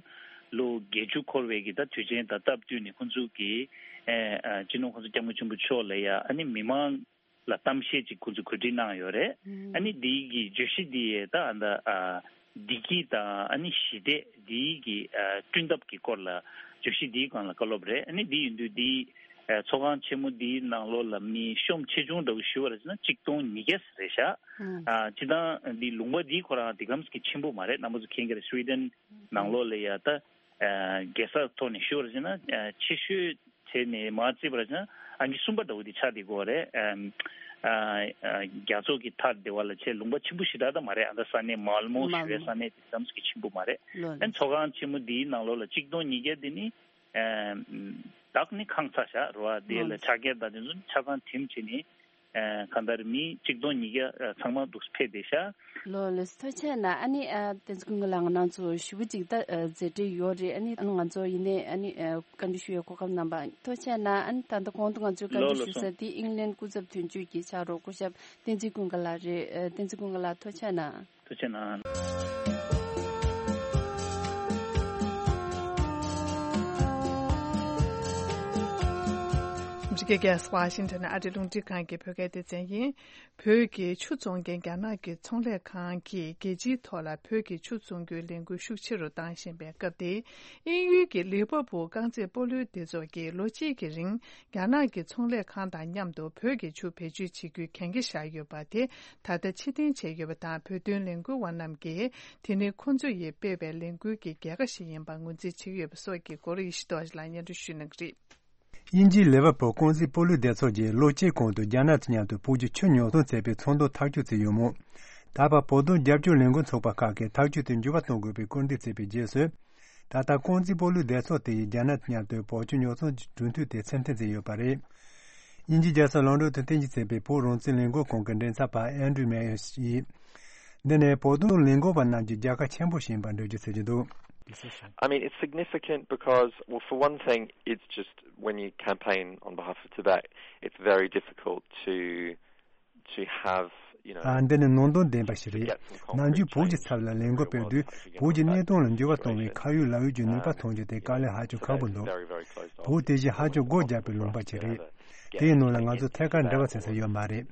ལོ་བརྒྱད་ཅུ་འཁོར་བའི་གི་ད་དུས་ཆེན་དང་སྟབས་བསྟུན་ནས་ཁོང་ཚོ་གིས་ཨེ་ཨ་སྤྱི་ནོར་༸གོང་ས་༸སྐྱབས་མགོན་ཆེན་པོ་མཆོག་ལ་ཡ་ཨ་ནི་མི་མང་ལ་གཏམ་བཤད་ཅིག་ཁོང་ཚོས་གོ་སྒྲིག་གནང་ཡོད་རེད། ཨ་ནི་འདིའི་གི་བརྗོད་གཞི་འདི་ད་ཨ་ད་ཨ་བདེ་སྐྱིད་དང་ཨ་ནི་ཞི་བདེ་འདིའི་གི་ཨ་བསྐྲུན་ཐབས་ཀྱི་སྐོར་ལ་བརྗོད་གཞི་འདིའི་སྒང་ལ་བཀའ་སློབ་རེད། ཨ་ནི་འདི་ཡིན་དུས་འདི་ཨ་ཚོགས་ཁང་ཆེན་མོ་འདིའི་ནང་ལོགས་ལ་མི་ཤོམ་ཆེ་ཆུང་འདྲ་བོ་ཞུ་བ་རེད་ཟེར་ན་གཅིག་སྟོང་ཉིས་བརྒྱ་རེད་ཤག་ཨ་སྤྱིར་བཏང་འདི་ལུང་པ་འདི་ཁོ་རང་འདི་གམ་གྱི་ཆེན་པོ་མ་རེད། རྣམ་པ་ཚོ་མཁྱེན་གྱི་རེད། སུའི་ཌེན་ནང་ལོགས་ལ་ཡ་ད། ཨ་རྒྱལ་ས་ཐོག་ནས་ཞུ་བ་ཟེར་ན་ཨ་ཆེ་ཤོས་བྱས་ནས་མར་བརྩིས་པ་ཟེར་ན་ཨང་ཀི་གསུམ་པ་འདྲ་བོ་དེ་ཆགས་བསྡད་ཀྱི་ཡོད་རེད། ཨ་ཨ་རྒྱ་མཚོ་གི་མཐའ་སྡེ་བ་ལ་བྱས་ལུང་པ་ཆེན་པོ་ཞེ་དྲག་ད་མ་རེད། ཨ་ད་ས་གནས་མལ་མོ་ཞུ་བའི་ས་གནས་དེ་ཙམ་ཞིག་ཆེན་པོ་མ་རེད། ཨ་ཚོགས་ཁང་ཆེན་མོ་འདིའི་ནང་ལོགས་ལ་གཅིག་སྟོང་ཉིས་བརྒྱ་དེ་ནི་ཨ་བདག་ནི་ཁང་ཚ་བཞག་རོ་བ་དེ་ལ་ཕྱག་འཁྱེར་དང་དེ་ཚོ་ཆ་ཚང་འགྲིམ་བྱས་ནས། ཨ་གང་ལྟར་མི་གཅིག་སྟོང་ཉིས་བརྒྱ་ཨ་ཚང་མ་འདུག་ཕེབས་བསྡད་ཤག་ལོ་ལོ་ཐུགས་རྗེ་གནང་། ཨ་ནི་ཨ་བསྟན་འཛིན་ཀུན་དགའ་ལགས་ང་རང་ཚོ་ཞུ་བ་ཅིག་ད་ཨ་མཛད་འཕྲིན་ཡོད་རེད། ཨ་ནི་ང་ཚོ་ཡིན་ནའི་ཨ་ནི་ཨ་བཀའ་འདྲི་ཞུ་ཡའི་གོ་སྐབས་གནང་བ་ཐུགས་རྗེ་གནང་། ཨ་ནི་ད་ལྟ་གོང་དུ་ང་ཚོས་བཀའ་འདྲི་ཞུ་ས་དེ་ཨིང་ལན་སྐུ་ཚབ་དོན་གཅོད་ཀྱི་ཕྱག་རོགས་སྐུ་ཞབས་བསྟན་འཛིན་ཀུན་དགའ་ལགས་རེད། ཨ་བསྟན་འཛིན་ཀུན་དགའ་ལགས་ཐུགས་རྗེ་གནང་། ཐུགས་རྗེ་གནང་། འགྲིག་ འདི་ག་ཝ་ཤིང་ཊོན་ཨ་རིའི་རླུང་འཕྲིན་ཁང་གི་བོད་སྐད་སྡེ་ཚན་ཡིན། བོད་ཀྱི་ཆུ་བཙོང་མཁན་རྒྱ་ནག་གི་ཚོང་ལས་ཁང་གིས་རྒྱལ་སྤྱིའི་ཐོག་ལ་བོད་ཀྱི་ཆུ་བཙོང་རྒྱུའི་ལས་འགུལ་ཤུགས་ཆེ་རུ་བཏང་བཞིན་པའི་སྐབས་དེ། དབྱིན་ཡུལ་གྱི་ལི་ཝར་པུལ་རྐང་རྩེད་སྤོ་ལོའི་སྡེ་ཚོགས་ཀྱིས་ལོ་གཅིག་གི་རིང་རྒྱ་ནག་གི་ཚོང་ལས་ཁང་དང་མཉམ་དུ་བོད་ཀྱི་ཆུ་བེད་སྤྱོད་བྱེད་རྒྱུའི་གན་རྒྱ་བཞག་ཡོད་པ་དེ་ད་ལྟ་ཕྱིར་འཐེན་བྱས་ཡོད་པ་དང་། བོད་དོན་ལས་འགུལ་བ་རྣམས་ཀྱིས་དེ་ནི་ཁོ་ཚོ་ཡིས་སྤེལ་བའི་ལས་འགུལ་གྱི་རྒྱལ་ཁ་ཞིག་ཡིན་པར་ངོས་འཛིན་བྱེད་ཀྱི་ཡོད་པ་སོགས་ཀྱི་སྐོར་ཡེ་ཤེས་རྡོ་རྗེ་ལགས་སྙན་སྒྲོན་ཞུ་གནང་གི་རེད། དབྱིན་ཇིའི་ལེ་ཝར་པུལ་རྐང་རྩེད་སྤོ་ལོའི་སྡེ་ཚོགས་ཀྱིས་ལོ་གཅིག་གོང་དུ་རྒྱ་ནག་དང་མཉམ་དུ་བོད་ཀྱི་ཆུ་ཉོ་ཚོང་བྱེད་པའི་ཚོགས་འདུ་ཐག་གཅོད་བྱས་ཡོད་མོད། ད་བར་བོད་དོན་རྒྱབ་སྐྱོར་ལས་འགུལ་ཚོགས་པ་ཁག་གིས་ཐག་གཅོད་དེ་འགྱུར་བ་གཏོང་དགོས་པའི་སྐུལ་འདེད་བྱས་པའི་རྗེས་སུ། ད་ལྟ་རྐང་རྩེད་སྤོ་ལོའི་སྡེ་ཚོགས་དེ་ཡིས་རྒྱ་ནག་དང་མཉམ་དུ་བོད་ཆུ་ཉོ་ཚོང་གི་གྲོས་མཐུན་དེ་ཕྱིར་འཐེན་བྱས་ཡོད་པ་རེད། དབྱིན་ཇིའི་རྒྱལ་ས་ལོན་ཌོན་དུ་རྟེན་གཞི་བྱས་པའི་བོད་རང་བཙན་ལས་འགུལ་ཁང་གི་མགྲིན་ཚབ་པ་ཨན་ཌྲུ་མེ་ཡར་ཡིས། འདི་ནི་བོད་དོན་ལས་འགུལ་བ་རྣམས་ཀྱི་རྒྱལ་ཁ་ཆེན་པོ་ཞིག་ཡིན་པར་འགྲེལ་བརྗོད་བྱེད་ཀྱི་འདུག I mean, it's significant because, well, for one thing, it's just when you campaign on behalf of Tibet, it's very difficult to to have, you know, ཨ། འདི་ནི་ནང་དོན་ལྡན་པ་ཞིག་རེད། ནམ་རྒྱུན་བོད་ཀྱི་ཚབ་ལ་ལས་འགུལ་སྤེལ་དུས། བོད་ཀྱི་གནས་སྟངས་ལ་འགྱུར་བ་གཏོང་བའི་ཁ་ཡོད་ལག་ཡོད་ཀྱི་ནུས་པ་ཐོན་རྒྱུ་དེ་དཀའ་ལས་ཧ་ཅང་ཁག་པོ་འདུག་བོད་དེ་བཞིན་ཧ་ཅང་སྒོ་བརྒྱབ་པའི་ལུང་པ་ཞིག་རེད། དེའི་ནང་ལ་ང་ཚོ་ཐད་ཀར་འབྲེལ་བ་བྱེད་ས་ཡོད་མ་རེད།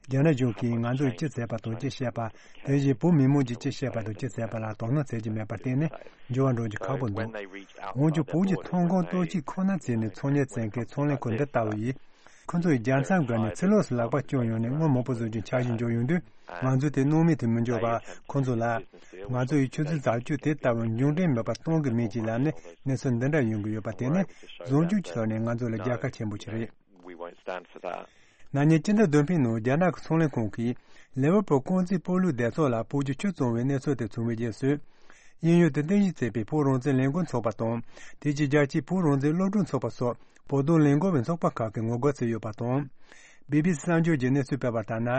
རྒྱ་ནག་གཞུང་གིས་ང་ཚོས་ཅི་བྱས་པ་དང་ཅི་བཤད་པ། དེ་བཞིན་བོད་མི་མང་གིས་ཅི་བཤད་པ་དང་ཅི་བྱས་པ་ལ་དོ་སྣང་བྱེད་ཀྱི་མེད་པར་བརྟེན་ནས་འགྱུར་བ་འགྲོ་རྒྱུ་ཁག་པོ་འདུག་འོན་ཀྱང་། བོད་ཀྱི་ཐོན་ཁུངས་སྟོབས་ཆེ་ཁོ་ན་བརྩིས་ནས་ཚོང་གཉེར་བྱེད་མཁན་ཚོང་ལས་ཁང་འདི་ལྟ་བུ་ཡིས། ཁོ་ཚོ་ཡིས་རྒྱལ་མཚམས་བརྒལ་ནས་ཕྱི་ལོགས་སུ་ལག་པ་བསྐྱོན་ཡོང་ནས་དངུལ་མང་པོ་བཟོ་རྒྱུ་འཆར་གཞི་འཇོག་ཡོང་དུས། ང་ཚོས་དེ་སྣང་མེད་དུ་མི་འཇོག་པར། ཁོ་ཚོ་ལ་ང་ཚོ་ཡི་ཆུ་ཚོད་རྫབ་ཆུ་དེ་ལྟ་བུ་འབྱུང་འབྲས་མེད་པར་གཏོང་གི་མིན་ཅེས་ལབ་ནས། གནས་ཚུལ་འདི་འདྲ་ཡོང་གི་ཡོད་པ་དེ་ནི་བཟང་སྤྱོད་ཀྱི་ཐོག་ནས་ང་ཚོ་ལ་རྒྱལ་ཁ་ཆེན་པོ་ཞིག་རེད། ན་ནིང་སྤྱི་ཟླ་བདུན་པའི་ནང་རྒྱ་ནག་གི་ཚོང་ལས་ཁང་གིས་ལེ་ཝར་པུལ་རྐང་རྩེད་སྤོ་ལོའི་སྡེ་ཚོགས་ལ་བོད་ཀྱི་ཆུ་བཙོང་བའི་གནས་ཚུལ་དེ་བྱུང་བའི་རྗེས་སུ། དབྱིན་ཡུལ་དུ་རྟེན་གཞི་བྱས་པའི་བོད་རང་བཙན་ལས་འགུལ་ཚོགས་པ་དང་། དེ་རྗེས་རྒྱལ་སྤྱིའི་བོད་རང་བཙན་སློབ་ཕྲུག་ཚོགས་པ་སོགས་བོད་དོན་ལས་འགུལ་བའི་ཚོགས་པ་ཁག་གིས་ངོ་རྒོལ་བྱས་ཡོད་པ་དང་། བི་བི་སི་གསར་འགྱུར་གྱིས་གནས་ཚུལ་སྤེལ་བ་ལྟར་ན།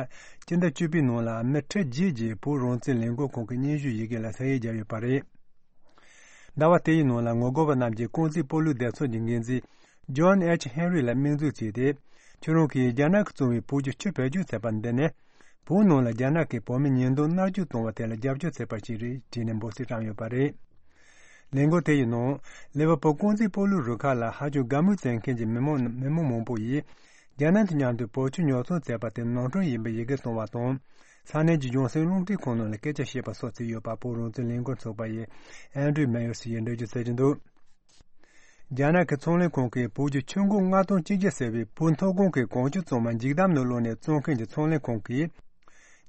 སྤྱི་ཟླ་བཅུ་པའི་ནང་ལ་མི་ཁྲི་བརྒྱད་ཀྱིས་བོད་རང་བཙན་ལས་འགུལ་ཁང་གི་སྙན་ཞུ་ཡི་གེ་ལ་ས་ཡིག་བརྒྱབ་ཡོད་པ་རེད། ཟླ་བ་དེའི་ནང་ལ་ངོ་རྒོལ་བ་རྣམས་ཀྱིས་རྐང་རྩེད་སྤོ་ལོའི་སྡེ་ཚོགས་ཀྱི་འགན་འཛིན་ཇོན་ཨེཆ་ཧེན་རི་ལ་མིང་འཛུགས་བྱས་ཏེ། ཁྱོད་རང་གིས་རྒྱ་ནག་གིས་བཙོང་བའི་བོད་ཀྱི་ཆུ་བེད་སྤྱོད་བྱས་པ་འདི་ནི། བོད་ནང་ལ་རྒྱ་ནག་གིས་བོད་མི་ཉེས་རྡུང་མནར་གཅོད་གཏོང་བ་དེ་ལ་རྒྱབ་སྐྱོར་བྱས་པ་ཞིག་རེད་བྲིས་ནས་འབོད་ཚིག་བཀྲམ་ཡོད་པ་རེད། ལས་འགུལ་དེ་ཡི་ནང་། ལེ་ཝར་པུལ་རྐང་རྩེད་སྤོ་ལོའི་རུ་ཁག་ལ་ཧ་ཅང་དགའ་མོས་བྱེད་མཁན་གྱི་མི་མང་མི་མང་མང་པོ་ཡིས། རྒྱ་ནག་དང་མཉམ་དུ་བོད་ཆུ་ཉོ་ཚོང་བྱས་པ་དེ་ནོར་འཁྲུལ་ཡིན་པའི་ཡི་གེ་བྱུང་བ་དང་། ས་གནས་ཀྱི་གཞུང་སྲིད་རླུང་འཕྲིན་ཁང་ནང་ལ་སྐད་ཆ་བཤད་པ་སོགས་བྱས་ཡོད་པ་བོད་རང་བཙན་ལས་འགུལ་ཚོགས་པ་ཡི་ཨན་ཌྲུ་མེ་ཡར་སི་ཡིས་འགྲེལ་བརྗོད་བྱེད་ཀྱི་འདུག་རྒྱ་ནག་གི་ཚོང་ལས་ཁང་གིས་བོད་ཀྱི་ཆུ་འགོ་ལྔ་སྟོང་གཅིག་བརྒྱ་ཟེར་བའི་བོད་མཐོ་སྒང་གི་གངས་ཆུ་གཙང་མ་འཇིགས་སྡང་ནང་བླུགས་ནས་བཙོང་མཁན་གྱི་ཚོང་ལས་ཁང་གིས།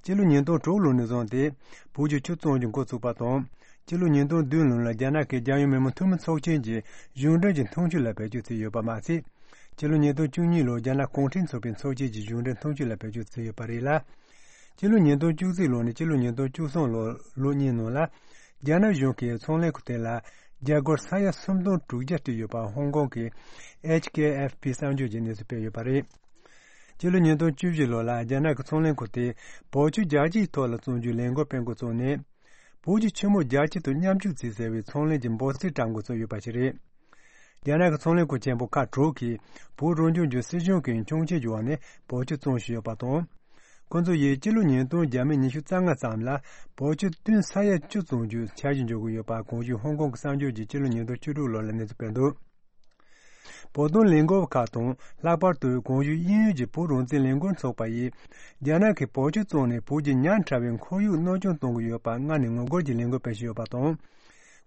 སྤྱི་ལོ་ཉིས་སྟོང་དྲུག་ལོ་ནས་བཟུང་སྟེ། བོད་ཀྱི་ཆུ་བཙོང་རྒྱུ་འགོ་བཙུགས་པ་དང་། སྤྱི་ལོ་ཉིས་སྟོང་བདུན་ལོ་ལ་རྒྱ་ནག་གི་རྒྱལ་ཡོངས་མི་མང་འཐུས་མི་ཚོགས་ཆེན་གྱིས་གཞུང་འབྲེལ་གྱི་འཐུང་ཆུ་ལ་བེད་སྤྱོད་བྱས་ཡོད་པ་མ་ཟད། སྤྱི་ལོ་ཉིས་སྟོང་བཅུ་གཉིས་ལོར་རྒྱ་ནག་གུང་ཁྲན་ཚོགས་པའི་ཚོགས་ཆེན་གྱིས་གཞུང་འབྲེལ་འཐུང་ཆུ་ལ་བེད་སྤྱོད་བྱས་ཡོད་པ་རེད་ལ། སྤྱི་ལོ་ཉིས་སྟོང་བཅུ་གཅིག་ལོ་ནས་སྤྱི་ལོ་ཉིས་སྟོང་བཅུ་གསུམ་ལོ་ལོ་གཉིས་ནང་ལ། རྒྱ་ནག་གཞུང་གིས་ཚོང་ལས་ཁང་དེ་ལ་རྒྱ་སྒོར་ས་ཡ་སུམ་སྟོང་དྲུག་བརྒྱ་སྤྲད་ཡོད་པ་ཧོང་ཀོང་གི་ཨེཆ་ཀེ་ཨེཕ་པི་གསར་འགྱུར་གྱིས་གནས་ཚུལ་སྤེལ་ཡོད་པ་རེད། སྤྱི་ལོ་ཉིས་སྟོང་བཅུ་བཞི་ལོ་ལ་རྒྱ་ནག་གི་ཚོང་ལས་ཁང་དེས་བོད་ཆུ་རྒྱལ་སྤྱིའི་ཐོག་ལ་བཙོང་རྒྱུའི་ལས་འགུལ་སྤེལ་འགོ་བཙུགས་ནས། བོད་ཀྱི་ཆུ་མོ་རྒྱལ་སྤྱི་དང་མཉམ་སྤྱོད་བྱེད་ཟེར་བའི་ཚོང་ལས་ཀྱི་འབོད་ཚིག་བཀྲམ་འགོ་བཙུགས་ཡོད་པ་ཞིག་རེད། རྒྱ་ནག་གི་ཚོང་ལས་ཁང་ཆེན་པོ་ཁག་དྲུག་གིས་བོད་རང་སྐྱོང་ལྗོངས་སྲིད་གཞུང་གི་འཆིང་སྐྱོན་བྱུང་བ་ནས་བོད་ཆུ་བཙོང་བཞིན་ཡོད་པ་དང་། ཁོ་ཚོ་ཡིས་སྤྱི་ལོ་ཉིས་སྟོང་བརྒྱ་མེད་ཉི་ཤུ་རྩ་ལྔ་ཙམ་ལ་བོད་ཆུ་ཏུན་ས་ཡ་བཅུ་བཙོང་རྒྱུའི་འཆར་གཞི་འཇོག་གི་ཡོད་པ་གོང་ཞུས་ཧོང་ཀོང་གི་གསར་འགྱུར་གྱིས་སྤྱི་ལོ་ཉིས་སྟོང་བཅུ་དྲུག་ལོ་ལ་གནས་ཚུལ་སྤེལ་འདུག་བོད་དོན་ལས་འགུལ་བ་ཁག་དང་། ལྷག་པར་དུ་གོང་ཞུས་དབྱིན་ཡུལ་གྱི་བོད་རང་བཙན་ལས་འགུལ་ཚོགས་པ་ཡིས། རྒྱ་ནག་གིས་བོད་ཆུ་བཙོང་ནས་བོད་ཀྱི་ཉག་ཕྲ་བའི་ཁོར་ཡུག་གནོད་སྐྱོན་གཏོང་གི་ཡོད་པར་སྔར་ནས་ངོ་རྒོལ་གྱི་ལས་འགུལ་སྤེལ་བཞིན་ཡོད་པ་དང་།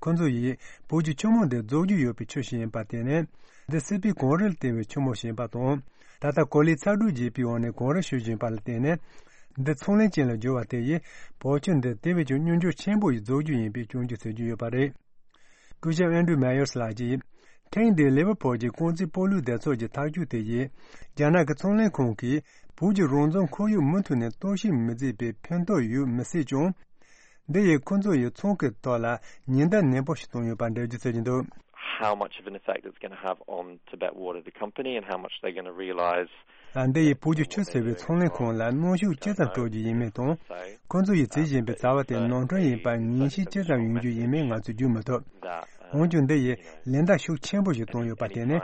ཁོ་ཚོ་ཡིས་བོད་ཀྱི་ཆུ་མོ་འདི་རྫོགས་རྒྱུ་ཡོད་པའི་ཆུ་ཞིག་ཡིན་པར་བརྟེན་ནས། འདི་སྲིད་པའི་གངས་རི་ལ་བརྟེན་པའི་ཆུ་མོ་ཞིག་ཡིན་པ་དང་། ད་ལྟ་གོ་ལའི་ཚ་དྲོད་རྒྱས་པའི་འོག་ནས་གངས་རི་བཞུར་བཞིན་པ་ལ་བརྟེན་ནས། འདི་ཚོང་ལས་ཅན་ལ་བསྒྱུར་བ་དེ་ཡིས་བོད་ཆུ་འདི་དེ་བས་ཀྱང་མྱུར་མགྱོགས་ཆེན་པོ་ཡིས་རྫོགས་རྒྱུ་ཡིན་པའི་སྐྱོན་བརྗོད་བྱེད་ཀྱི་ཡོད་པ་རེད། སྐུ་ཞབས་ཨན་ཌྲུ་མེ་ཡར་སི་ལགས་ཀྱིས། ཐེངས་འདིའི་ལེ་ཝར་པུལ་གྱི་རྐང་རྩེད་སྤོ་ལོའི་སྡེ་ཚོགས་ཀྱི་ཐག་གཅོད་དེ་ཡིས། རྒྱ་ནག་གི་ཚོང་ལས་ཁང་གིས་བོད་ཀྱི་རང་བཙན་ཁོར་ཡུག་མུ་མཐུད་ནས་གཏོར་བཤིག་མི་བྱེད་པའི་ཕན་ཐོགས་ཡོད་མི་སྲིད་ཀྱང་། འདི་ཡིས་ཁོ་ཚོ་ཡི་ཚོང་གི་ཐོག་ལ་ཉེན་བརྡ་ནན་པོ་ཞིག་བཏང་ཡོད་པར་འགྲེལ་བརྗོད་བྱེད་ཀྱི་འདུག How much of an effect it's going to have on Tibet Water, the company, and how much they're going to realize. ཨ། འདི་ཡིས་བོད་ཀྱི་ཆུ་ཟེར་བའི་ཚོང་ལས་ཁང་ལ་གནོན་ཤུགས་ཅི་ཙམ་སྤྲོད་རྒྱུ་ཡིན་མིན་དང་། ཁོ་ཚོ་ཡིས་བྱེད་བཞིན་པའི་བྱ་བ་དེ་ནོར་འཁྲུལ་ཡིན་པར་ངེས་ཤེས་ཅི་ཙམ་ཡོང་རྒྱུ་ཡིན་མིན་ང་ཚོས་བརྗོད་མི་ཐུབ། འོན་ཀྱང་འདི་ཡིས་ལན་བརྡ་ཤུགས་ཆེན་པོ་ཞིག་བཏང་ཡོད་པར་བརྟེན་ནས།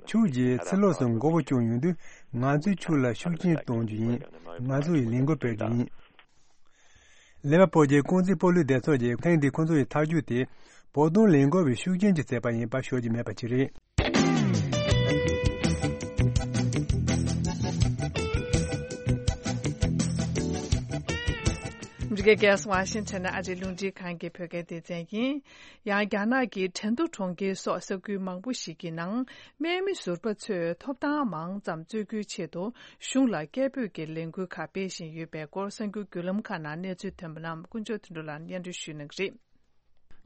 ཁྱོད་ཀྱིས་ཕྱི་ལོགས་སུ་མགོ་བོ་བཅུག་ཡོང་དུས། ང་ཚོས་ཁྱོད་ལ་ཤུགས་རྐྱེན་གཏོང་རྒྱུ་ཡིན། ང་ཚོ་ཡིས་ལས་འགུལ་སྤེལ་རྒྱུ་ཡིན། ལེ་ཝར་པུལ་གྱི་རྐང་རྩེད་སྤོ་ལོའི་སྡེ་ཚོགས་ཀྱིས་ཐེངས་འདིའི་ཁོ་ཚོ་ཡི་ཐག་གཅོད་དེ། བོད་དོན་ལས་འགུལ་བའི་ཤུགས་རྐྱེན་གྱིས་བྱས་པ་ཡིན་པ་ཤོད་རྒྱུ་མེད་པ་ཅིག་རེད། འདི་ག་ཝ་ཤིང་ཊོན་ཨ་རིའི་རླུང་འཕྲིན་ཁང་གི་བོད་སྐད་སྡེ་ཚན་ཡིན། ཡང་རྒྱ་ནག་གི་ཁྲིན་ཏུའུ་གྲོང་ཁྱེར་སོགས་ས་ཁུལ་མང་པོ་ཞིག་གི་ནང་། སྨན་མི་ཟུར་པ་ཚོས་ཐོབ་ཐང་མང་ཙམ་རྩོད་རྒྱུའི་ཆེད་དུ། གཞུང་ལ་སྐད་འབོད་ཀྱི་ལས་འགུལ་ཁག་སྤེལ་བཞིན་ཡོད་པའི་སྐོར། གསར་འགྱུར་བརྒྱུད་ལམ་ཁག་ནང་གནས་ཚུལ་ཐོན་པ་རྣམས་དཀོན་མཆོག་དོན་གྲུབ་ལགས་སྙན་སྒྲོན་ཞུ་གནང་གི་རེད།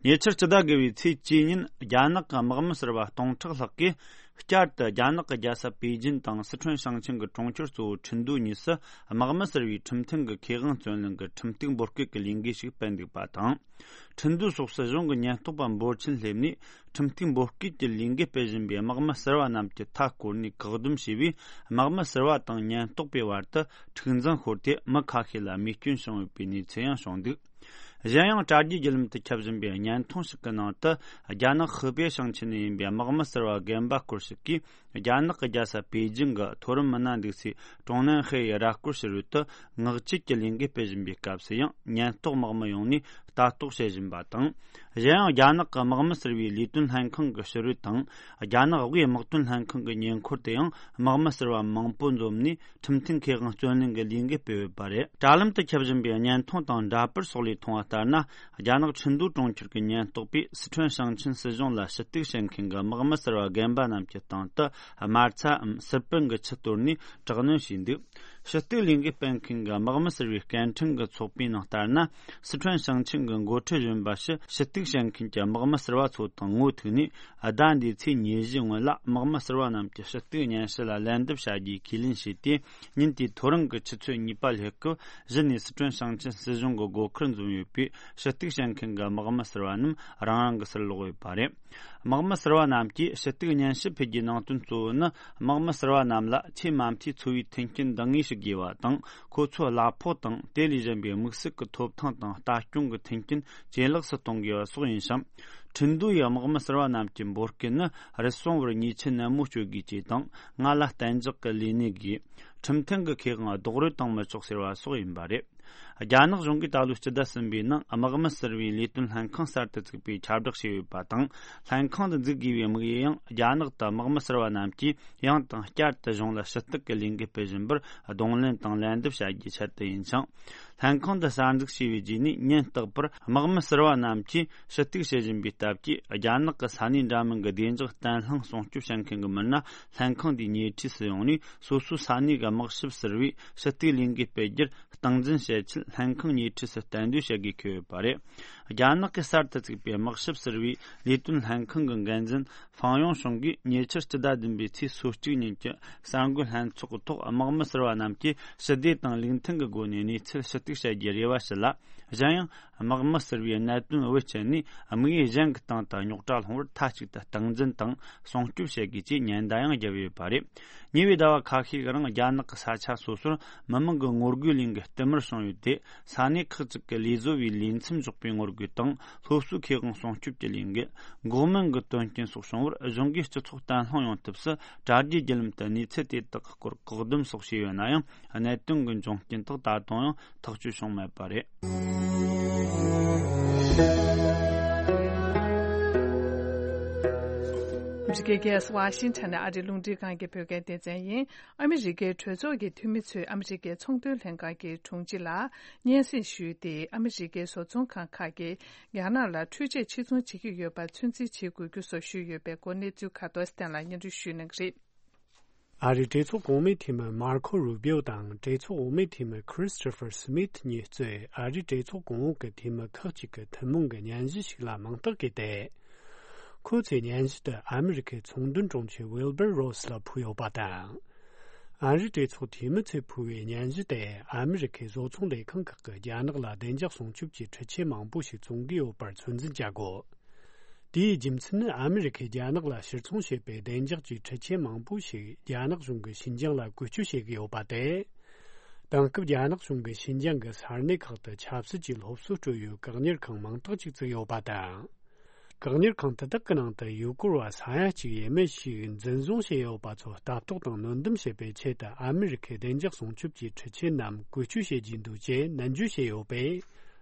ཉེ་ཆར་སྤྱི་ཟླ་དགུ་པའི་ཚེས་གཅིག་ཉིན། རྒྱ་ནག་གི་དམག་མི་ཟུར་པ་སྟོང་ཕྲག་ལྷག་གིས་བསྐྱར་དུ་རྒྱ་ནག་གི་རྒྱལ་ས་པེ་ཅིན་དང་སི་ཁྲོན་ཞིང་ཆེན་གྱི་གྲོང་ཁྱེར་གཙོ་བོ་ཁྲིན་ཏུའུ་གཉིས་སུ། དམག་མི་ཟུར་པའི་ཁྲིམས་མཐུན་གྱི་ཁེ་དབང་བརྩོན་ལེན་གྱི་ཁྲིམས་གཏུག་འབོད་སྐུལ་གྱི་ལས་འགུལ་ཞིག་སྤེལ་འདུག་པ་དང་། ཁྲིན་ཏུའུ་སོགས་སུ་གཞུང་གི་ཉེན་རྟོག་པ་འབོར་ཆེན་སླེབས་ནས། ཁྲིམས་གཏུག་འབོད་སྐུལ་གྱི་ལས་འགུལ་སྤེལ་བཞིན་པའི་དམག་མི་ཟུར་པ་རྣམས་ཀྱི་མཐའ་བསྐོར་ནས་བཀག་སྡོམ་བྱས་པས། དམག་མི་ཟུར་པ་དང་ཉེན་རྟོག་པའི་བར་དུ་འཁྲུག་འཛིང་ཤོར་ཏེ། མི་ཁ་ཤས་ལ་རྨས་སྐྱོན་བྱུང་ཡོད་པའི་གནས་ཚུལ་ཡང་བྱུང་འདུག་གཞན་ཡང་། དྲ་རྒྱའི་བརྒྱུད་ལམ་དུ་ཁྱབ་བཞིན་པའི་བརྙན་ཐུང་ཞིག་གི་ནང་དུ། རྒྱ་ནག་ཧི་པེ་ཞིང་ཆེན་ནས་ཡིན་པའི་དམག་མི་ཟུར་པ་རྒན་པ་སྐོར་ཞིག་གིས། རྒྱ་ནག་གི་རྒྱལ་ས་པེ་ཅིང་གི་མཐོ་རིམ་མི་སྣ་འདུག་སའི་ཀྲུང་ནན་ཧེ་ཡི་ར་སྐོར་ཕྱི་རོལ་དུ། ངག་བཅད་ཀྱི་ལས་འགུལ་སྤེལ་བཞིན་པའི་སྐབས་སུ་ཡང་། ཉེན་རྟོག་དམག་མི་ཡོང་ནས་ལྟ་རྟོག་བྱེད་བཞིན་པ་དང་། གཞན་ཡང་། རྒྱ་ནག་གི་དམག་མི་ཟུར་པའི་ལས་དོན་ལྷན་ཁང་གི་ཕྱི་རོལ་དང་། རྒྱ་ནག་དབུས་དམག་དོན་ལྷན་ཁང་གི་ཉེ་འཁོར་དུ་ཡང་། དམག་མི་ཟུར་པ་མང་པོ་འཛོམས་ནས། ཁྲིམས་མཐུན་ཁེ་དབང་བརྩོན་ལེན་གྱི་ལས་འགུལ་སྤེལ་ཡོད་པ་རེད། དྲ་ལམ་དུ་ཁྱབ་བཞིན་པའི་བརྙན་ཐུང་དང་འདྲ་པར་སོགས་ལས་མཐོང་བ་ལྟར་ན། རྒྱ་ནག་ཁྲིན་ཏུའུ་གྲོང་ཁྱེར་གྱི་ཉེན་རྟོག་པས་སི་ཁྲོན་ཞིང་ཆེན་སྲིད་གཞུང་ལ་ཞུ་གཏུག་བྱེད་མཁན་གྱི་དམག་མི་ཟུར་པ་རྒན་པ་རྣམས་ཀྱི་སྟེང་དུ། དམར་ཚྭའམ་སིར་པན་གྱི་ཆུ་གཏོར་ནས་དྲག་གནོན་བྱས་འདུག་ཞུ་གཏུག་ལས་འགུལ་སྤེལ་མཁན་གྱི་དམག་མི་ཟུར་པའི་སྐད་འཕྲིན་གྱི་ཚོགས་པའི་ནང་ལྟར་ན། སི་ཁྲོན་ཞིང་ཆེན་གྱི་འགོ་ཁྲིད་གཞོན་པ་ཞིག་ཞུ་གཏུག་བྱེད་མཁན་གྱི་དམག་མི་ཟུར་པ་ཚོ་དང་ངོ་ཐུག་ནས། ཟླ་འདིའི་ཚེས་ཉེར་བཞི་སྔོན་ལ། དམག་མི་ཟུར་པ་རྣམས་ཀྱི་ཞུ་གཏུག་སྙན་ཞུ་ལ་ལན་འདེབས་བྱ་རྒྱུའི་ཁས་ལེན་བྱས་ཏེ། ཉིན་དེའི་ཐོ་རངས་ཀྱི་ཆུ་ཚོད་གཉིས་པ་ལྷག་གི་གཞི་ནས་སི་ཁྲོན་ཞིང་ཆེན་སྲིད་གཞུང་གི་སྒོ་ཁར་འཛོམས་ཡོད་པའི་ཞུ་གཏུག་བྱེད་མཁན་གྱི་དམག་མི་ཟུར་པ་རྣམས་རང་རང་གི་སར་ལོག་ཡོད་པ་རེད། དམག་མི་ཟུར་པ་རྣམས་ཀྱིས་ཞུ་གཏུག་སྙན་ཞུ་ཕུལ་རྒྱུའི་ནང་དོན་གཙོ་བོ་ནི། དམག་མི་ཟུར་པ་རྣམས་ལ་ཆེས་མ་མཐའི་འཚོ་བའི་མཐུན་རྐྱེན་འདང་ངེས་ཤིག་དགོས་པ་དང་། ཁོ་ཚོའི་གླ་ཕོགས་དང་དེ་ལས་གཞན་པའི་དམིགས་བསལ་གྱི་ཐོབ་ཐང་དང་ལྟ་སྐྱོང་གི་མཐུན་རྐྱེན་ཇེ་ལེགས་སུ་གཏོང་དགོས་པ་སོགས་ཡིན་ཞིང་། ཁྲིན་ཏུའུ་ཡི་དམག་མི་ཟུར་པ་རྣམས་ཀྱི་འབོད་སྐུལ་ནི། རུལ་སུངས་པར་ཉེས་ཆད་ནན་མོ་གཅོད་དགོས་ཅེས་དང་། ང་ལ་གཏན་འཇགས་ཀྱི་ལས་གནས་དགོས། ཁྲིམས་མཐུན་གྱི་ཁེ་དབང་རྡོག་རོལ་བཏང་མི་ཆོག་ཟེར་བ་སོགས་ཡིན་པ་རེད། རྒྱ་ནག་གཞུང་གིས་ད་ལོའི་སྤྱི་ཟླ་གསུམ་པའི་ནང་། དམག་མི་ཟུར་པའི་ལས་དོན་ལྷན་ཁང་གསར་དུ་བཙུགས་པའི་ཁྱབ་བསྒྲགས་བྱས་ཡོད་པ་དང་། ལྷན་ཁང་འདི་འཛུགས་དགོས་པའི་དམིགས་ཡུལ་ཡང་། རྒྱ་ནག་ཏུ་དམག་མི་ཟུར་པ་རྣམས་ཀྱིས་ཡང་དང་བསྐྱར་དུ་གཞུང་ལ་ཞུ་གཏུག་གི་ལས་འགུལ་སྤེལ་བཞིན་པར་གདོང་ལེན་དང་ལན་འདེབས་བྱ་རྒྱུའི་ཆེད་དུ་ཡིན་ཞིང་། ལྷན་ཁང་འདི་གསར་འཛུགས་བྱས་པའི་རྗེས་ནས། ཉིན་རྟག་པར་དམག་མི་ཟུར་པ་རྣམས་ཀྱིས་ཞུ་གཏུག་བྱེད་བཞིན་པའི་སྟབས་ཀྱིས། རྒྱ་ནག་གི་ས་གནས་འདྲ་མིན་གྱི་བདེ་འཇགས་བརྟན་ལྷིང་སྲུང་སྐྱོབ་བྱེད་མཁན་གྱི་མི་སྣ་ལྷན་ཁང་འདིའི་ཉེ་འཁྲིས་སུ་ཡོང་ནས། སོ་སོའི་ས་གནས་ཀྱི་དམག་ཞབས་ཟུར་པས་ཞུ་གཏུག་ལས་འགུལ་སྤེལ་རྒྱུར་སྟངས་འཛིན་བྱེད་ཆེད། ལྷན་ཁང་ཉེ་འཁྲིས་སུ་གཏན་སྡོད་བྱེད་དགོས་ཀྱི་ཡོད་པ་རེད། རྒྱ་ནག་གིས་གསར་དུ་བཙུགས་པའི་དམག་ཞབས་ཟུར་པའི་ལས་དོན་ལྷན་ཁང་གི་འགན་འཛིན་ཧྥང་ཡུང་ཧྲུང་གིས། ཉེ་ཆར་སྤྱི་ཟླ་བདུན་པའི་ཚེས་སོ་གཅིག་ཉིན་གྱི་གསར་འགོད་ལྷན་ཚོགས་ཀྱི་ཐོག་དམག་མི་ཟུར་པ་རྣམས་ཀྱིས་ཞི་བདེ་དང་ལུགས་མཐུན་གྱི་སྒོ་ནས་གནས་ཚུལ་ཞུ་གཏུག་བྱ་རྒྱུའི་རེ་བ་ཞུས་ལ། གཞན་ཡང་། དམག་མི་ཟུར་པའི་གནད་དོན་བེད་སྤྱད་ནས། དམིགས་ཡུལ་གཞན་གྱི་སྟེང་དུ་རྙོག་དྲ་སློང་བར་མཐའ་གཅིག་ཏུ་སྟངས་འཛིན་དང་སྲུང་སྐྱོབ་བྱེད་དགོས་ཅེས་ཉེན་བརྡ་ཡང་བརྒྱབ་ཡོད་པ་རེད། ཉེ་བའི་ཟླ་བ་ཁ་ཤས་ཀྱི་རིང་། རྒྱ་ནག་གི་ས་ཆ་སོ་སོར་མི་མང་གི་ངོ་རྒོལ་ལས་འགུལ་བསྟུད་མར་བྱུང་ཡོད་དེ། ས་གནས་ཁག་ཅིག་གི་ལས་བཟོ་བའི་ལས་མཚམས་འཇོག་པའི་ངོ་རྒོལ་དང་། སློབ་གསོའི་ཁེ་དབང་སྲུང་སྐྱོབ་ཀྱི་ལས་འགུལ། འགོག་སྨན་གྱི་དོན་རྐྱེན་སོགས་བྱུང་བར། གཞུང་གིས་སྤྱི་ཚོགས་བརྟན་ལྷིང་ཡོང་ཐབས་སུ། དྲ་རྒྱའི་བརྒྱུད་ལམ་དུ་གནས་ཚུལ་དེ་དག་གི་སྐོར་བཀག་སྡོམ་སོགས་བྱས་ཡོད་ན་ཡང་། གནད་དོན་གྱི་འབྱུང་རྐྱེན་དག་ད་དུང་ཡང་ཐག་གཅོད་བྱུང་མེད་པ་རེད། འདི་ག་ཝ་ཤིང་ཊོན་ཨ་རིའི་རླུང་འཕྲིན་ཁང་གི་བོད་སྐད་སྡེ་ཚན་ཡིན། ཨ་མི་རི་ཀའི་གྲོས་ཚོགས་ཀྱི་འཐུས་མི་ཚོས་ཨ་མི་རི་ཀའི་ཚོང་དོན་ལྷན་ཁང་གི་དྲུང་ཆེ་ལ་སྙན་སེང་ཞུས་ཏེ། ཨ་མི་རི་ཀའི་བཟོ་ཚོང་ཁང་ཁག་གིས་རྒྱ་ནག་ལ་འཕྲུལ་ཆས་ཕྱིར་ཚོང་བྱེད་ཀྱི་ཡོད་པར་ཚོད་འཛིན་བྱེད་དགོས་རྒྱུ་སོགས་ཞུས་ཡོད་པའི་སྐོར། གནས་ཚུལ་ཁ་ཐོར་སྟན་ལ་སྙན་སྒྲོན་ཞུ་གནང་གི་རེད། ཨ་རིའི་གྲོས་ཚོགས་གོང་མའི་འཐུས་མི་མར་ཁོ་རུ་བིའོ་དང་གྲོས་ཚོགས་འོག་མའི་འཐུས་མི་ཁྲིས་ཊོ་ཕར་སི་མིཐ་གཉིས་གཙོས་ཨ་རིའི་གྲོས་ཚོགས་གོང་འོག་གི་འཐུས་མི་ཁག་ཅིག་གི་ཐུན་མོང་གི་སྙན་ཞུ་ཞིག་ལ་མིང་རྟགས་བཀོད་དེ། ཁོ་ཚོས་སྙན་ཞུ་དེ་ཨ་མི་རི་ཁའི་ཚོང་དོན་དྲུང་ཆེ་ཝིལ་བར་རོ་སི་ལ་ཕུལ་ཡོད་པ་དང་། ཨ་རིའི་གྲོས་ཚོགས་འཐུས་མི་ཚོས་ཕུལ་བའི་སྙན་ཞུ་དེ་ཨ་མི་རི་ཁའི་བཟོ་ཚོང་ལས་ཁང་ཁག་གིས་རྒྱ་ནག་ལ་བདེ་འཇགས་སྲུང་སྐྱོབ་ཀྱི་འཕྲུལ་ཆས་མང་པོ་ཞིག་བཙོང་གི་ཡོད་པར་ཚོད་འཛིན་བྱ་དགོས། དེའི་རྒྱུ་མཚན་ནི། ཨ་མི་རི་ཁས་རྒྱ་ནག་ལ་ཕྱིར་ཚོང་བྱེད་པའི་བདེ་འཇགས་ཀྱི་འཕྲུལ་ཆས་མང་པོ་ཞིག་རྒྱ་ནག་གཞུང་གིས་ཤིན་ཅང་ལ་བཀོལ་སྤྱོད་བྱེད་ཀྱི་ཡོད་པ་སྟེ། དེང་སྐབས་རྒྱ་ནག་གཞུང་གིས་ཤིན་ཅང་གི་ས་གནས་ཁག་ཏུ་ཆབ་སྲིད་ཀྱི་སློབ་གསོ་སྤྲོད་ཡུལ་བཀག་ཉར་ཁང་མང་དག་ཅིག་བཙུགས་ཡོད་པ་དང་། བཀག་ཉར་ཁང་དེ་དག་གི་ནང་དུ་ཡུལ་སྐོར་བ་ས་ཡ་གཅིག་ཡས་མས་ཤིག་འཛིན་བཟུང་བྱས་ཡོད་པ་ཚོ་ལྟ་རྟོག་དང་སྣོན་སྡོམ་བྱེད་པའི་ཆེད་དུ། ཨ་མི་རི་ཁའི་བདེ་འཇགས་སྲུང་སྐྱོབ་ཀྱི་འཕྲུལ་ཆས་རྣམས་བཀོལ་སྤྱོད་བྱེད་ཀྱི་འདུག་ཅེས་ནན་བརྗོད་བྱས་ཡོད་པས།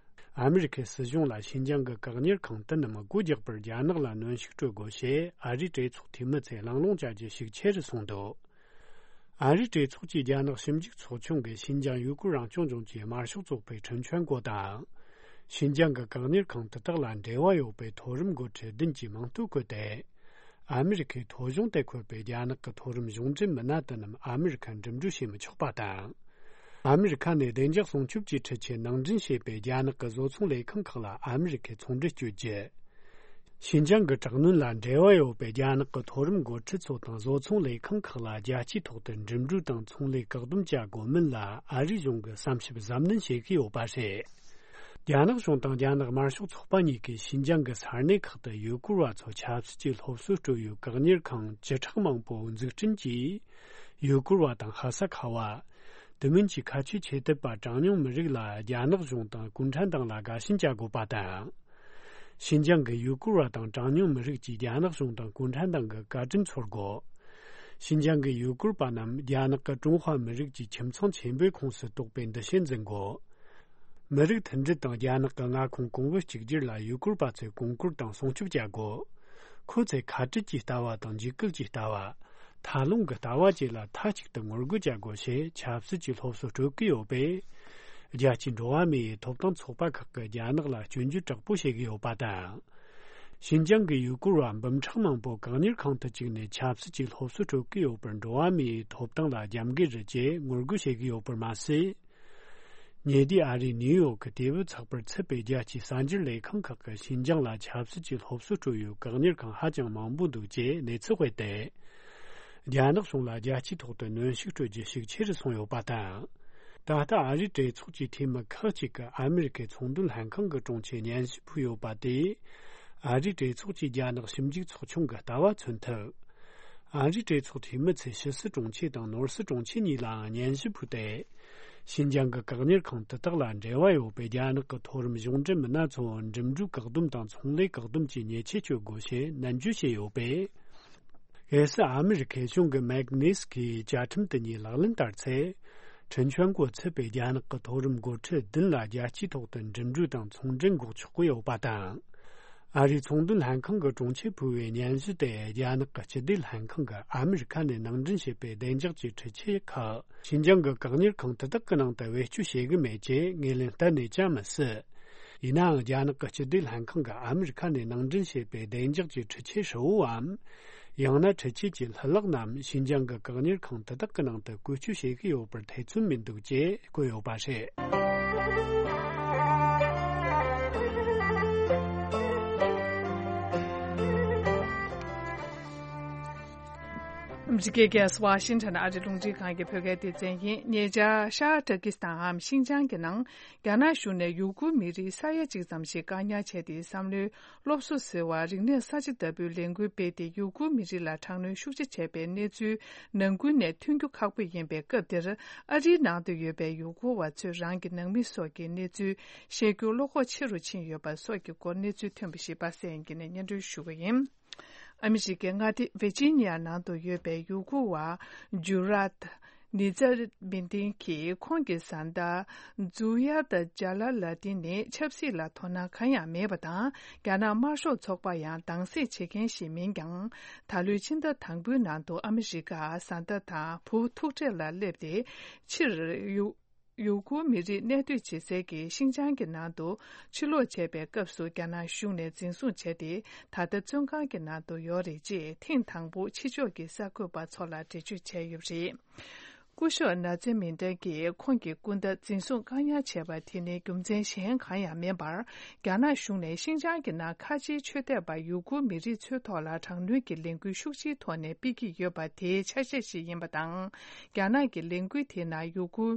ཨ་མི་རི་ཁའི་སྲིད་གཞུང་ལ་ཤིན་ཅང་གི་བཀག་ཉར་ཁང་དེ་རྣམས་སྒོ་རྒྱག་པར་རྒྱ་ནག་ལ་གནོན་ཤུགས་སྤྲོད་དགོས་ཞེས་ཨ་རིའི་གྲོས་ཚོགས་འཐུས་མི་ཚོས་གླེང་སློང་བྱ་རྒྱུ་ཤུགས་ཆེ་རུ་སོང་འདུག། ཨ་རིའི་གྲོས་ཚོགས་ཀྱི་རྒྱ་ནག་ཞིབ་འཇུག་ཚོགས་ཆུང་གིས་ཤིན་ཅང་ཡུ་གུར་རང་སྐྱོང་ལྗོངས་ཀྱི་དམར་ཤོག་ཚོགས་པའི་ཁྲིན་ཆོན་ཀོ་དང་། ཤིན་ཅང་གི་བཀག་ཉར་ཁང་དེ་དག་ལ་འབྲེལ་བ་ཡོད་པའི་མཐོ་རིམ་འགོ་ཁྲིད་བདུན་གྱིས་མིང་རྟོགས་བཀོད་དེ། ཨ་མི་རི་ཁའི་ཐོ་གཞུང་དུ་འཁོད་པའི་རྒྱ་ནག་གི་མཐོ་རིམ་གཞུང་འབྲེལ་མི་སྣ་དེ་རྣམས་ཨ་མི་རི་ཁར་འགྲིམ་འགྲུལ་བྱེད་མི་ཆོག་པ་དང་། ཨ་མི་རི་ཁ་ནས་བདེ་འཇགས་སྲུང་སྐྱོབ་ཀྱི་འཕྲུལ་ཆས་ནང་འདྲེན་བྱེད་པའི་རྒྱ་ནག་གི་བཟོ་ཚོང་ལས་ཁང་ཁག་ལ་ཨ་མི་རི་ཁས་ཚོང་འབྲེལ་གཅོད་རྒྱུ། ཤིན་ཅང་གི་དྲག་གནོན་ལ་འབྲེལ་བ་ཡོད་པའི་རྒྱ་ནག་གི་མཐོ་རིམ་འགོ་ཁྲིད་ཚོ་དང་བཟོ་ཚོང་ལས་ཁང་ཁག་ལ་རྒྱལ་སྤྱིའི་ཐོག་ཏུ་འགྲིམ་འགྲུལ་དང་ཚོང་ལས་བཀག་སྡོམ་བྱ་དགོས་མིན་ལ་ཨ་རིའི་གཞུང་གིས་བསམ་ཞིབ་གཟབ་ནན་བྱེད་ཀྱི་ཡོད་པ་རེད། རྒྱ་ནག་གཞུང་དང་རྒྱ་ནག་དམར་ཤོག་ཚོགས་པ་གཉིས་ཀས་ཤིན་ཅང་གི་ས་གནས་ཁག་ཏུ་ཡུ་གུར་བ་ཚོ་ཆབ་སྲིད་ཀྱི་སློབ་གསོ་སྤྲོད་ཡུལ་བཀག་ཉར་ཁང་བཅུ་ཕྲག་མང་པོ་འཛུགས་སྐྲུན་གྱིས། ཡུ་གུར་བ་དང་ཧ་ས་ཁ་བ། དེ་མིན་གྱི་ཁ་ཆེ་ཆེ་དད་པ་གྲངས་ཉུང་མི་རིགས་ལ་རྒྱ་ནག་གཞུང་དང་གུང་ཁྲན་ཏང་ལ་དགའ་ཞེན་བྱ་དགོས་པ་དང་། ཤིན་ཅང་གི་ཡུ་གུར་བ་དང་གྲངས་ཉུང་མི་རིགས་ཀྱིས་རྒྱ་ནག་གཞུང་དང་གུང་ཁྲན་ཏང་གི་བཀའ་དྲིན་ཚོར་དགོས། ཤིན་ཅང་གི་ཡུ་གུར་པ་རྣམས་རྒྱ་ནག་གི་ཀྲུང་ཧྭ་མི་རིགས་ཀྱི་ཁྱིམ་ཚང་ཆེན་པོའི་ཁོངས་སུ་གཏོགས་པའི་འདུ་ཤེས་འཛིན་དགོས། མི་རིགས་མཐུན་སྒྲིལ་དང་རྒྱ་ནག་གི་མངའ་ཁོངས་གོང་བུ་གཅིག་གྱུར་ལ་ཡུ་གུར་པ་ཚོས་གོང་བཀུར་དང་སྲུང་སྐྱོབ་བྱ་དགོས། ཁོ་ཚོས་ཁ་བྲལ་གྱི་ལྟ་བ་དང་འཇིགས་སྐུལ་གྱི་ལྟ་བ། མཐའ་ལྷུང་གི་ལྟ་བ་བཅས་ལ་མཐའ་གཅིག་ཏུ་ངོ་རྒོལ་བྱ་དགོས་ཞེས་ཆབ་སྲིད་ཀྱི་སློབ་གསོ་སྤྲོད་ཀྱི་ཡོད་པས། རྒྱལ་སྤྱིའི་འགྲོ་བ་མིའི་ཐོབ་ཐང་ཚོགས་པ་ཁག་གིས་རྒྱ་ནག་ལ་སྐྱོན་བརྗོད་དྲག་པོ་བྱེད་ཀྱི་ཡོད་པ་དང་། ཤིན་ཅང་གི་ཡུ་གུར་བ་འབུམ་ཕྲག་མང་པོ་བཀག་ཉར་ཁང་དུ་བཅུག་ནས་ཆབ་སྲིད་ཀྱི་སློབ་གསོ་སྤྲོད་ཀྱི་ཡོད་པར་འགྲོ་བ་མིའི་ཐོབ་ཐང་ལ་རྒྱབ་འགལ་རེད་ཅེས་ངོ་རྒོལ་བྱེད་ཀྱི་ཡོད་པར་མ་ཟད། ཉེ་དུས་ཨ་རིའི་ནིའུ་ཡོག་གི་དེ་བོད་ཚགས་པར་ཚུད་པའི་རྒྱལ་སྤྱིའི་གསར་འགྱུར་ལས་ཁང་ཁག་གིས་ཤིན་ཅང་ལ་ཆབ་སྲིད་ཀྱི་སློབ་གསོ་སྤྲོད་ཡུལ་བཀག་ཉར་ཁང་ཧ་ཅང་མང་པོ་འདུག་ཅེས་གནས་ཚུལ་སྤེལ་ཏེ། རྒྱ་ནག་གཞུང་ལ་རྒྱལ་སྤྱིའི་ཐོག་ཏུ་གནོན་ཤུགས་སྤྲོད་རྒྱུ་ཤུགས་ཆེ་རུ་སོང་ཡོད་པ་དང་། ད་ལྟ་ཨ་རིའི་གྲོས་ཚོགས་ཀྱི་འཐུས་མི་ཁག་ཅིག་གིས་ཨ་མི་རི་ཀའི་ཚོང་དོན་ལྷན་ཁང་གི་དྲུང་ཆེར་སྙན་ཞུ་ཕུལ་ཡོད་པ་དེས། ཨ་རིའི་གྲོས་ཚོགས་ཀྱིས་རྒྱ་ནག་ཞིབ་འཇུག་ཚོགས་ཆུང་གི་ལྟ་བ་མཚོན་ཐུབ། ཨ་རིའི་གྲོས་ཚོགས་འཐུས་མི་ཚོས་ཕྱི་སྲིད་དྲུང་ཆེ་དང་ནོར་སྲིད་དྲུང་ཆེ་གཉིས་ལའང་སྙན་ཞུ་ཕུལ་ཏེ། ཤིན་ཅང་གི་བཀག་ཉར་ཁང་དེ་དག་ལ་འབྲེལ་བ་ཡོད་པའི་རྒྱ་ནག་གི་མཐོ་རིམ་གཞུང་འབྲེལ་མི་སྣ་ཚོ་འགྲིམ་འགྲུལ་བཀག་སྡོམ་དང་ཚོང་ལས་བཀག་སྡོམ་གྱི་ཉེས་ཆད་གཅོད་དགོས་ཞེས་ནན་བརྗོད་བྱས་ཡོད་པས། གལ་སྲིད་ཨ་མི་རི་ཁའི་གཞུང་གིས་མེག་ནེ་སི་ཀིའི་བཅའ་ཁྲིམས་དེ་ཉིད་ལག་ལེན་བསྟར་ཚེ། ཁྲིན་ཆོན་ཀོ་ཚུད་པའི་རྒྱ་ནག་གི་མཐོ་རིམ་འགོ་ཁྲིད་བདུན་ལ་རྒྱལ་སྤྱིའི་ཐོག་ཏུ་འགྲིམ་འགྲུལ་དང་ཚོང་འབྲེལ་འགོག་ཆོག་གི་ཡོད་པ་དང་། ཨ་རིའི་ཚོང་དོན་ལྷན་ཁང་གི་དྲུང་ཆེས་ཕུལ་བའི་སྙན་ཞུ་དེ་རྒྱ་ནག་གི་སྤྱི་བདེ་ལྷན་ཁང་གིས་ཨ་མི་རི་ཁ་ནས་ནང་འདྲེན་བྱས་པའི་བདེ་འཇགས་ཀྱི་འཕྲུལ་ཆས་ཁག་ཤིན་ཅང་གི་བཀག་ཉར་ཁང་དེ་དག་གི་ནང་དུ་བེད་སྤྱོད་བྱེད་གི་མེད་ཅེས་ངོས་ལེན་གཏན་ནས་བྱ་མི་སྲིད། ཡིན་ནའང་རྒྱ་ནག་གི་སྤྱི་བདེ་ལྷན་ཁང་གིས་ཨ་མི་རི་ཁ་ནས་ནང་འདྲེན་བྱས་པའི་བདེ་འཇགས་ཀྱི་འཕྲུལ་ཆས་ཧྲིལ་བོའམ། ཡང་ན་འཕྲུལ་ཆས་ཀྱི་ལྷུ་ལག་རྣམས་ཤིན་ཅང་གི་བཀག་ཉར་ཁང་དེ་དག་གི་ནང་དུ་བཀོལ་སྤྱོད་བྱེད་ཀྱི་ཡོད་པར་ཐེ་ཚོམ་མི་འདུག་ཅེས་བཀོད་ཡོད་པ་རེད། ཨ་མི་རི་ཀའི་རྒྱལ་ས་ཝ་ཤིང་ཊོན་ཨ་རི་རླུང་འཕྲིན་ཁང་གི་བོད་སྐད་སྡེ་ཚན་ཡིན། ཉེ་ཆར་ཤར་ཏུར་ཀི་སི་ཐན་འམ་ཤིན་ཅང་གི་ནང་རྒྱ་ནག་གཞུང་ནས་ཡུ་གུར་མི་རིགས་ས་ཡ་གཅིག་ཙམ་ཞིག་བཀག་ཉར་བྱས་ཏེ། བསམ་བློའི་སློབ་གསོ་ཟེར་བ་རིག་གནས་གསར་བརྗེ་ལྟ་བུའི་ལས་འགུལ་སྤེལ་ཏེ། ཡུ་གུར་མི་རིགས་ལ་དྲག་གནོན་ཤུགས་ཆེ་བྱས་པའི་གནས་ཚུལ་ནང་ཁུལ་ནས་ཐོན་རྒྱུ་ཁག་པོ་ཡིན་པའི་སྐབས་འདིར། ཨ་རིའི་ནང་དུ་ཡོད་པའི་ཡུ་གུར་བ་ཚོས་རང་གི་ནང་མི་སོགས་ཀྱི་གནས་ཚུལ་ཤེས་རྒྱུར་བློ་ཁོག་ཆེ་རུ་ཕྱིན་ཡོད་པ་སོགས་ཀྱི་སྐོར་གནས་ཚུལ་ཐོན་པ་ཞིག་པ་སངས་སྐྱིད་ནས་སྙན་སྒྲོན་ཞུ་གི་ཡིན། ཨ་མི་རི་ཀའི་མངའ་སྡེ་ཝེར་ཇི་ནི་ཡ་ནང་དུ་ཡོད་པའི་ཡུ་གུར་བ་ཇུ་རཱཏ་ནི་ཛ་མི་ཏིན་གྱིས་ཁོང་གི་བཟའ་ཟླ་ཛུ་ཡ་ཏ་ཇ་ལ་ལ་ཏིན་ནི་ཆབ་སྲིད་ལ་དོ་སྣང་གང་ཡང་མེད་པ་དང་། རྒྱ་ནག་དམར་ཤོག་ཚོགས་པ་ཡང་དྭངས་གསལ་བྱེད་མཁན་ཞིག་མིན་ཀྱང་། ད་ལོའི་ཕྱི་ཟླ་དང་པོའི་ནང་དུ་ཨ་མི་རི་ཀ་བཟའ་ཟླ་དང་བུ་ཐུག་འཕྲད་ལ་སླེབས་ཏེ། ཕྱིར་ཡུ་ཡུ་གུར་མི་རིགས་གནས་སྡོད་བྱེད་སའི་གི་ཤིན་ཅང་གི་ནང་དུ་ཕྱིར་ལོག་བྱས་པའི་སྐབས་སུ། རྒྱ་ནག་གཞུང་ནས་འཛིན་བཟུང་བྱས་ཏེ། ད་ལྟ་བཙོན་ཁང་གི་ནང་དུ་ཡོད་རེད་ཅེས་ཐེངས་དང་པོ་ཕྱི་ཕྱོགས་ཀྱི་གསར་འགོད་པ་ཚོ་ལ་འགྲེལ་བརྗོད་བྱས་ཡོད་པ་རེད། སྐུ་ཞབས་ནཱ་ཛེ་མིན་ཏན་གྱིས་ཁོང་གི་སྐུ་ཟླ་འཛིན་བཟུང་བཀག་ཉར་བྱས་པ་དེ་ནི་རྒྱུ་མཚན་གཞན་གང་ཡང་མིན་པར། རྒྱ་ནག་གཞུང་ནས་ཤིན་ཅང་གི་ནང་ཁ་ཆེའི་ཆོས་དད་པ་ཡུ་གུར་མི་རིགས་ཚོའི་ཐོག་ལ་དྲག་གནོན་གྱི་ལས་འགུལ་ཤུགས་ཆེའི་ཐོག་ནས་སྤེལ་གྱི་ཡོད་པ་དེའི་ཆ་ཤས་ཤིག་ཡིན་པ་དང་། རྒྱ་ནག་གི་ལས་འགུལ་དེའི་ནང་ཡུ་གུར་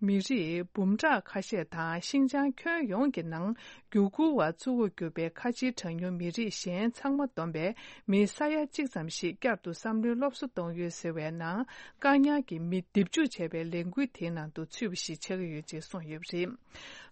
མི་རིགས་འབུམ་ཕྲག་ཁ་ཤས་དང་། ཤིན་ཅང་ཁྱོན་ཡོངས་ཀྱི་ནང་ཡུ་གུར་བ་གཙོ་བོར་གྱུར་པའི་ཁ་ཆེའི་གྲངས་ཉུང་མི་རིགས་གཞན་ཚང་མ་བསྡོམས་པའི་མི་ས་ཡ་གཅིག་ཙམ་ཞིག་བསྐྱར་དུ་བསམ་བློའི་སློབ་གསོ་གཏོང་ཡུལ་ཟེར་བའི་ནང་བཀག་ཉར་གྱི་མི་འདེབས་འཇུག་བྱས་པའི་ལས་འགུལ་དེའི་ནང་དུ་ཚུད་པ་ཞིག་ཆགས་ཀྱི་ཡོད་ཅེས་གསུངས་ཡོད་པ་རེད།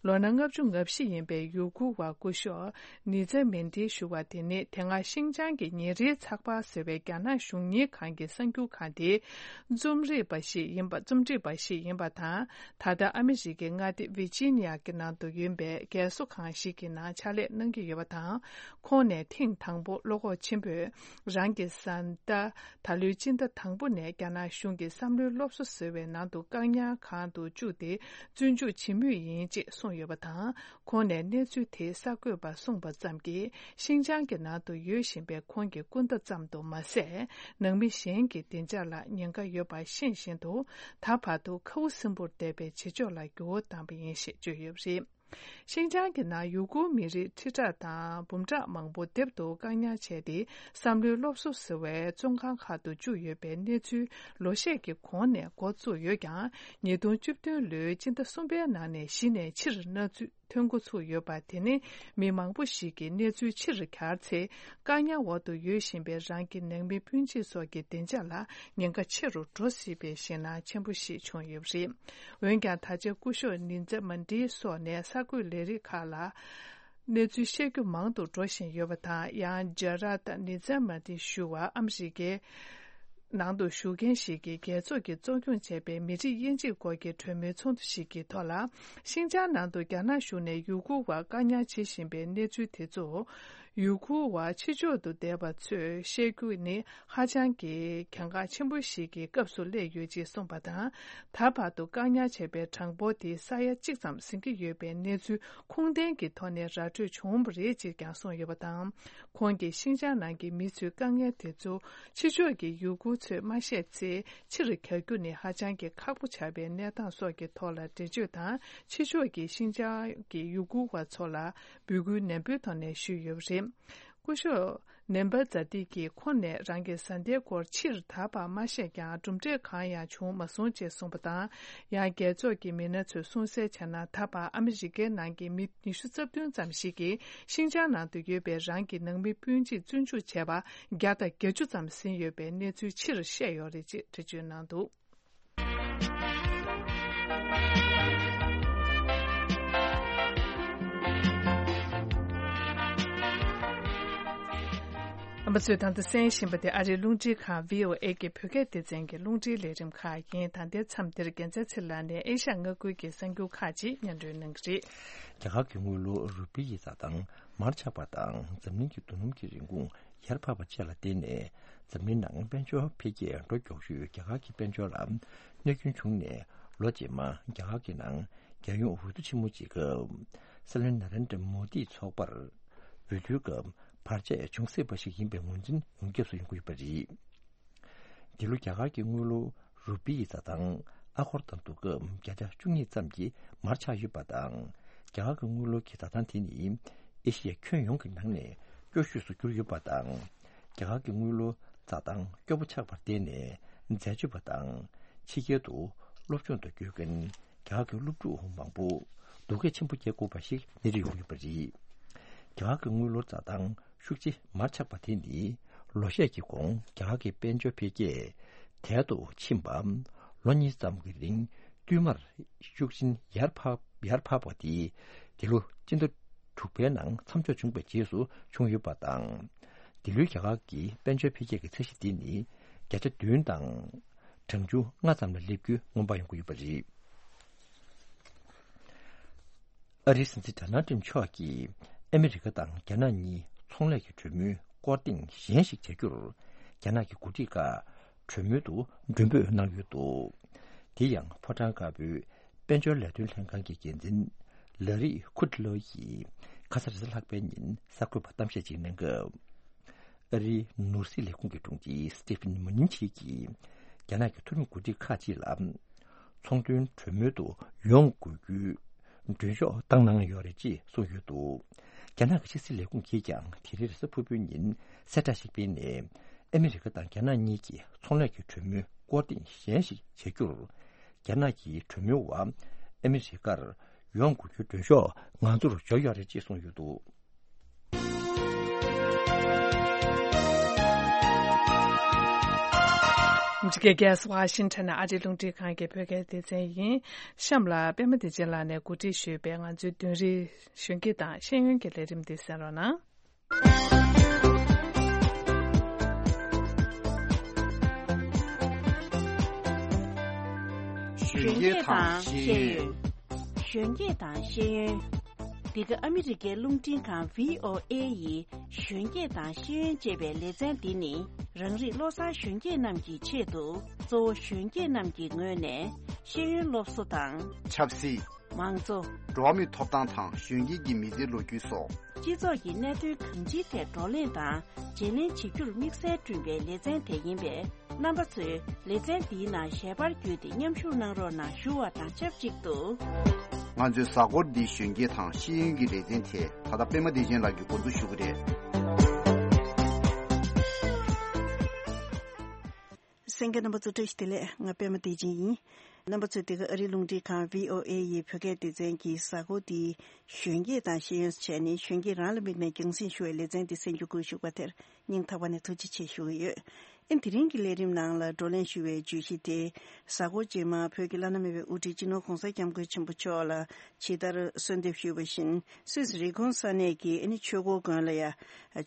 ལོ་ན་ལྔ་བཅུ་ང་བཞི་ཡིན་པའི་ཡུ་གུར་བ་སྐུ་ཞབས་ནི་ཛ་མིན་ཏི་ཞུ་བ་དེ་ནི། དེ་སྔ་ཤིང་ཅང་གི་ཉིན་རེའི་ཚགས་པར་ཟེར་བའི་རྒྱ་ནག་གཞུང་གཉེར་ཁང་གི་གསར་འགྱུར་ཁང་དེའི་རྩོམ་སྒྲིག་པ་ཞིག་ཡིན་པ། རྩོམ་སྒྲིག་པ་ཞིག་ཡིན་པ་དང་། ད་ལྟ་ཨ་མི་རི་ཀའི་མངའ་སྡེ་ཝི་ཇི་ནི་ཡ་གི་ནང་དུ་ཡོད་པའི་རྒས་གསོ་ཁང་ཞིག་གི་ནང་ཕྱག་ལས་གནང་གི་ཡོད་པ་དང་། ཁོང་ནས་ཐེངས་དང་པོ་བློ་ཁོག་ཆེན་པོས་རང་གི་བཟའ་ཟླ། ད་ལོའི་སྤྱི་ཟླ་དང་པོ་ནས་རྒྱ་ནག་གཞུང་གིས་བསམ་བློའི་སློབ་གསོ་ཟེར་བའི་ནང་དུ་བཀག་ཉར་ཁང་དུ་བཅུག་སྟེ་བཙོན་འཇུག་བྱེད་མུས་ཡིན་ཅེས་གསུངས་ཡོད་པ་དང་། ཁོང་ནས་གནས་ཚུལ་དེ་གསར་འགོད་པར་གསུངས་པ་ཙམ་གྱིས། ཤིན་ཅང་གི་ནང་དུ་ཡོད་བཞིན་པའི་ཁོང་གི་སྐུ་ཟླ་ཙམ་དུ་མ་ཟད། ནང་མི་གཞན་གྱི་བདེ་འཇགས་ལ་ཉེན་ཁ་ཡོད་པ་ཤེས་བཞིན་དུ། ད་བར་དུ་ཁ་བུ་སིམ་པོར་བསྡད་པའི་བྱེད་ཕྱོགས་ལ་འགྱུར་བ་བཏང་པ་ཡིན་ཞེས་བརྗོད་ཡོད་པ་རེད། ཤིན་ཅང་གི་ནང་ཡུ་གུར་མི་རིགས་ཁྲི་ཕྲག་དང་འབུམ་ཕྲག་མང་པོ་སྡེབ་ཏུ་བཀག་ཉར་བྱས་ཏེ། བསམ་བློའི་སློབ་གསོ་ཟེར་བའི་བཙོན་ཁང་ཁག་ཏུ་བཅུག་ཡོད་པའི་གནས་ཚུལ་ལོ་ཤས་ཀྱི་གོང་ནས་འགོ་བཙུགས་ཡོད་ཀྱང་། ཉིས་སྟོང་བཅུ་བདུན་ལོའི་སྤྱི་ཟླ་གསུམ་པའི་ནང་ནས་གཞི་ནས་ཕྱིར་མནའ་མཐུན་འགོ་ཚུགས་ཡོད་པ། དེ་ནི་མི་མང་པོ་ཞིག་གིས་གནས་ཚུལ་ཕྱིར་གྱར་ཚེ། བཀག་ཉར་འོག་ཏུ་ཡོད་བཞིན་པའི་རང་གི་ནང་མི་སྤུན་མཆེད་སོགས་ཀྱི་བདེ་འཇགས་ལ་ཉེན་ཁ་ཆེ་རུ་འགྲོ་སྲིད་པའི་ཞེད་སྣང་ཆེན་པོ་ཞིག་བྱུང་ཡོད་པ་རེད། འོན་ཀྱང་། ད་ཆ་སྐུ་ཞབས་ནི་ཛ་མན་ཏི་སོགས་ནས་གསར་འགོད་ལས་རིགས་ཁག་ལ་གནས་ཚུལ་བཤད་རྒྱུ་མང་དུ་འགྲོ་བཞིན་ཡོད་པ་དང་། ཡང་ཇ་ར་ཏ་ནི་ཛ་མན་ཏི་ཞུ་བ་ཨ་མི་རི་ཀའི་ནང་དུ་བཞུགས་མཁན་ཞིག་གིས་རྒྱལ་ཚོགས་ཀྱིས་གཙོ་སྐྱོང་བྱས་པའི་མི་རིགས་དབྱེ་འབྱེད་སྐོར་གྱི་གྲོས་མོལ་ཚོགས་འདུ་ཞིག་གི་ཐོག་ལ། ཤིན་ཅང་ནང་དུ་རྒྱ་ནག་གཞུང་ནས་ཡུ་གུར་བ་བཀག་ཉར་བྱེད་བཞིན་པའི་གནས་ཚུལ་དེ་ཚོ། ཡུ་གུར་བ་ཕྱི་ཕྱོགས་དུ་བསྡད་པ་ཚོས་བཤད་རྒྱུ་ནི་ཧ་ཅང་གི་གལ་འགངས་ཆེན་པོ་ཞིག་གི་སྐབས་སུ་སླེབས་ཡོད་ཅེས་གསུངས་པ་དང་། ད་བར་དུ་བཀག་ཉར་བྱས་པའི་གྲངས་འབོར་དེ་ས་ཡ་གཅིག་ཙམ་ཟིན་གྱི་ཡོད་པའི་གནས་ཚུལ་ཁུངས་ལྡན་གྱི་ཐོག་ནས་ར་སྤྲོད་བྱུང་བ་རེད་ཅེས་ཀྱང་གསུངས་ཡོད་པ་དང་། ཁོང་གིས་ཤིན་ཅང་ནང་གི་མི་ཚོའི་དཀའ་ངལ་དེ་ཚོ་ཕྱི་ཕྱོགས་ཀྱི་ཡུ་གུར་ཚོས་མ་ཤེས་ཚེ། ཕྱིར་གྱར་རྒྱུ་ནི་ཧ་ཅང་གི་ཁག་པོ་ཆགས་པའི་གནས་སྟངས་སོགས་ཀྱི་ཐོག་ལ་འགྲེལ་བརྗོད་དང་། ཕྱི་ཕྱོགས་ཀྱིས་ཤིན་ཅང་གི་ཡུ་གུར་བ་ཚོ་ལ་འབོད་སྐུལ་ནན་པོའི་ཐོག་ནས་ཞུས་ཡོད་པ་རེད། སྐུ་ཞབས་ནེམ་བྷ་ཛ་ཏི་ཀྱིས་ཁོང་ནས་རང་གི་བཟའ་ཟླའི་སྐོར་ཕྱིར་ད་བར་མ་བཤད་ཀྱང་། གྲུབ་འབྲས་གང་ཡང་བྱུང་མ་སོང་ཅེས་གསུངས་པ་དང་། ཡང་རྒྱལ་ཚོགས་ཀྱི་མི་སྣ་ཚོས་གསུངས་གསལ་བྱས་ན། ད་བར་ཨ་མི་རི་ཀའི་ནང་གི་མི་ཉི་ཤུ་རྩ་བདུན་ཙམ་ཞིག་གིས་ཤིན་ཅང་ནང་དུ་ཡོད་པའི་རང་གི་ནང་མི་སྤུན་མཆེད་བཙོན་འཇུག་བྱས་པ་བརྒྱ་དང་བརྒྱད་ཅུ་ཙམ་ཟིན་ཡོད་པའི་གནས་ཚུལ་ཕྱིར་བཤད་ཡོད་རེད་ཅེས་འགྲེལ་བརྗོད་གནང་འདུག་རྣམ་པ་ཚོས་ད་ལྟ་གསན་བཞིན་པ་དེ་ཨ་རིའི་རླུང་འཕྲིན་ཁང་བྷི་ཨོ་ཨེ་གི་བོད་སྐད་སྡེ་ཚན་གྱི་རླུང་འཕྲིན་ལས་རིམ་ཁག་ཡིན། ད་ལྟའི་མཚམས་འདིར་རྒྱལ་མཚན་ཚེ་ལགས་ནས་ཨེ་ཤ་ཡ་མངའ་ཁུལ་གྱི་གསར་འགྱུར་ཁག་ཅིག་སྙན་སྒྲོན་གནང་གི་རེད། རྒྱ་གར་གྱི་དངུལ་ལོར་རུ་པི་ཡི་འཛའ་ཐང་མར་ཆག་པ་དང་འཛམ་གླིང་གི་རྡོ་སྣུམ་གྱི་རིན་གོང་ཡར་འཕར་བ་བཅས་ལ་བརྟེན་ནས། འཛམ་གླིང་ནང་དཔལ་འབྱོར་འཕེལ་རྒྱས་འགྲོ་མགྱོགས་ཤོས་རྒྱ་གར་གྱི་དཔལ་འབྱོར་ལ་གནོད་སྐྱོན་བྱུང་ནས། ལོ་རྗེས་མ་རྒྱ་གར་གྱི་ནང་རྒྱལ་ཡོངས་འོས་བསྡུ་ཆེན་མོ་ཅིག་སྐབས། སྲིད་བློན་ན་རེན་དྲ་མོ་དིས་ཚོགས་པར་འོས་བསྡུའི་སྐབས་བར་ཆད་བྱུང་སྲིད་པ་ཞིག་ཡིན་པའི་ངོས་འཛིན་ཡོངས་ཁྱབ་སུ་ཡོང་གི་ཡོད་པ་རེད། འདི་ལོ་རྒྱ་གར་གྱི་དངུལ་ལོར་རུ་པི་ཡི་འཛའ་ཐང་ཨ་སྒོར་དང་བསྡུར་སྐབས་བརྒྱ་ཆ་བཅུ་གཉིས་ཙམ་གྱིས་མར་ཆག་ཡོད་པ་དང་། རྒྱ་གར་གྱི་དངུལ་ལོར་གྱི་འཛའ་ཐང་དེ་ནི་ཨེ་ཤི་ཡའི་ཁྱོན་ཡོངས་ཀྱི་ནང་ནས་སྐྱོ་ཤོས་སུ་གྱུར་ཡོད་པ་དང་། རྒྱ་གར་གྱི་དངུལ་ལོར་འཛའ་ཐང་སྐྱོ་པོ་ཆགས་པར་བརྟེན་ནས། འཛད་སྤྱོད་པ་དང་ཕྱི་རྒྱལ་དུ་སློབ་སྦྱོང་དུ་བསྐྱོད་མཁན་རྒྱ་གར་གྱི་སློབ་ཕྲུག་མང་པོ་སྡུག་སྐད་ཆེན་པོ་སྐྱེ་དགོས་པ་ཞིག་སྣེ་ཁྲིད་ཡོང་ཡོད་པ་རེད། རྒྱ་གར་གྱི་དངུལ་ལོར་འཛའ་ཐང་ཤུགས་ཆེ་མར་ཆག་པ་དེ་ནི་ལོ་ཤས་ཀྱི་གོང་རྒྱ་གར་གྱི་དཔལ་འབྱོར་འཕེལ་རྒྱས་དལ་དུ་ཕྱིན་པ། ལོ་གཉིས་ཙམ་གྱི་རིང་བསྟུད་མར་ཤུགས་ཆེན་ཡར་འཕར་ཡར་འཕར་བ་དེ་འདི་ལོ་སྤྱི་ཟླ་དྲུག་པའི་ནང་མཚམས་འཇོག་བྱུང་བའི་རྗེས་སུ་བྱུང་ཡོད་པ་དང་། འདི་ལོའི་རྒྱ་གར་གྱི་དཔལ་འབྱོར་འཕེལ་རྒྱས་ཀྱི་ཚད་གཞི་འདི་ནི་བརྒྱ་ཆ་བདུན་དང་གྲངས་ཆུང་ལྔ་ཙམ་ལ་སླེབས་རྒྱུ་སྔོན་དཔག་ཡོང་གི་ཡོད་པ་རེད། ཨ་རིའི་སྲིད་འཛིན་ཌོ་ནལ་ཊམ་མཆོག་གིས་ཨ་མི་རི་ཀ་དང་རྒྱ་ནག་གཉིས་ཚོང་ལས་ཀྱི་གྲོས་མོལ་སྐོར་ཐེངས་གཞན་ཞིག་བྱ་རྒྱུར་རྒྱ་ནག་གི་འགོ་ཁྲིད་ཁག་གྲོས་མོལ་དུ་མགྲོན་འབོད་གནང་ཡོད་འདུག་དེ་ཡང་ཕོ་བྲང་དཀར་པོའི་དཔལ་འབྱོར་ལས་དོན་ལྷན་ཁང་གི་འགན་འཛིན་ལ་རི་ཁུད་ལོ་ཡིས་ཁ་ས་རེས་གཟའ་ལྷག་པའི་ཉིན་གསར་འགོད་པར་གཏམ་བཤད་ཅིག་གནང་སྐབས། ཨ་རིའི་ནོར་སྲིད་ལས་ཁུངས་ཀྱི་དྲུང་ཆེ་སི་ཏི་ཕིན་མུ་ནིན་ཆི་གིས་རྒྱ་ནག་གི་མཐོ་རིམ་འགོ་ཁྲིད་ཁག་ཅིག་ལ་ཚོང་དོན་གྲོས་མོལ་དུ་ཡོང་དགོས་རྒྱུའི་མགྲོན་ཤོག་བཏང་གནང་ཡོད་རེད་ཅེས་གསུངས་ཡོད་འདུག་རྒྱ་ནག་གི་ཕྱི་སྲིད་ལས་ཁུངས་ཀྱིས་ཀྱང་དེ་རིང་རེས་གཟའ་ཕུར་བུའི་ཉིན་གསལ་བསྒྲགས་ཤིག་སྤེལ་ནས། ཨ་མི་རི་ཀ་དང་རྒྱ་ནག་གཉིས་ཀྱིས་ཚོང་ལས་ཀྱི་གྲོས་མོལ་སྐོར་ཐེངས་གཞན་ཞིག་བྱ་རྒྱུར། རྒྱ་ནག་གི་གྲོས་མོལ་བ་ཨ་མི་རི་ཀར་ཡོང་དགོས་རྒྱུའི་མགྲོན་ཤོག་ང་ཚོར་འབྱོར་ཡོད་རེད་ཅེས་གསུངས་ཡོད་འདུག་འདི་ག་རྒྱལ་ས་ཝ་ཤིང་ཊོན་ནས་ཨ་རིའི་རླུང་འཕྲིན་ཁང་གི་བོད་སྐད་སྡེ་ཚན་ཡིན། གཤམ་ལ་པད་མ་བདེ་ཆེན་ལགས་ནས་གོ་སྒྲིག་ཞུས་པའི་ང་ཚོའི་བདུན་རེའི་གཞོན་སྐྱེས་དང་ཤེས་ཡོན་གྱི་ལས་རིམ་འདི་གསན་རོགས་གནང་། གཞོན་སྐྱེས་དང་ཤེས་ཡོན། གཞོན་སྐྱེས་དང་ཤེས་ཡོན། འདི་ག་ཨ་མི་རི་ཀའི་རླུང་འཕྲིན་ཁང་V O A ཡི་གཞོན་སྐྱེས་དང་ཤེས་ཡོན་ཅེས་པའི་ལེ་ཚན་འདི་ནི་རང་རིགས་བློ་བཟང་གཞོན་སྐྱེས་རྣམས་ཀྱི་ཆེད་དུ། གཙོ་བོ་གཞོན་སྐྱེས་རྣམས་ཀྱི་ངོས་ནས་ཤེས་ཡོན་སློབ་གསོ་དང་། ཆབ་སྲིད། མང་གཙོ། འགྲོ་བ་མིའི་ཐོབ་ཐང་དང་གཞོན་སྐྱེས་ཀྱི་མི་ཚེའི་ལོ་རྒྱུས་སོགས། སྤྱི་ཚོགས་ཀྱི་གནད་དོན་གང་ཅིའི་ཐད་བགྲོ་གླེང་དང་བརྗེ་ལེན་བྱེད་རྒྱུར་དམིགས་བསལ་བསྐྲུན་པའི་ལེ་ཚན་དེ་ཡིན་པས། རྣམ་པ་ཚོས་ལེ་ཚན་འདིའི་ནང་ཞལ་པར་བརྒྱུད་དེ་མཉམ་ཞུགས་གནང་རོགས་གནང་ཞུ་བ་དང་ཆབས་ཅིག་ཏུ། ང་ཚོའི་གཟའ་འཁོར་འདིའི་གཞོན་སྐྱེས་དང་ཤེས་ཡོན་གྱི་ལེ་ཚན་དེ་ད་ལྟ་པད་མ་བདེ་ཆེན་ལགས་ཀྱིས་འགོ་འཛུགས་ཞུ་གི་རེད། གསན་མཁན་རྣམ་པ་ཚོ་བཀྲ་ཤིས་བདེ་ལེགས། ང་པད་མ་བདེ་ཆེན་ཡིན། རྣམ་པ་ཚོས་འདི་ག་ཨ་རིའི་རླུང་འཕྲིན་ཁང་V O A ཡི་བོད་སྐད་སྡེ་ཚན་གྱི་གཟའ་འཁོར་འདིའི་གཞོན་སྐྱེས་དང་ཤེས་ཡོན་བྱས་ནས་གཞོན་སྐྱེས་རང་ལ་དམིགས་ནས་རྒྱང་སྲིང་ཞུ་བའི་ལེ་ཚན་འདི་གསན་རྒྱུ་དགོས་ཞུ་བ་དེར་སྙིང་ཐག་པ་ནས་ཐུགས་རྗེ་ཆེ་ཞུ་གི་ཡོད། ཨེ་དེ་རིང་གི་ལས་རིམ་ནང་ལ་བགྲོ་གླེང་ཞུ་བའི་བརྗོད་གཞི་དེ། གཟའ་འཁོར་རྗེས་མ་བོད་ཀྱི་བླ་ན་མེད་པའི་དབུ་ཁྲིད་སྤྱི་ནོར་༧གོང་ས་༧སྐྱབས་མགོན་ཆེན་པོ་མཆོག་ལ་ཇི་ལྟར་གསོལ་འདེབས་ཞུས་པ་བཞིན། སུད་སི་རི་ཀོན་ས་གནས་ཀྱི་ཨ་ནི་ཆོས་འཁོར་དགོན་ལ་ཡ།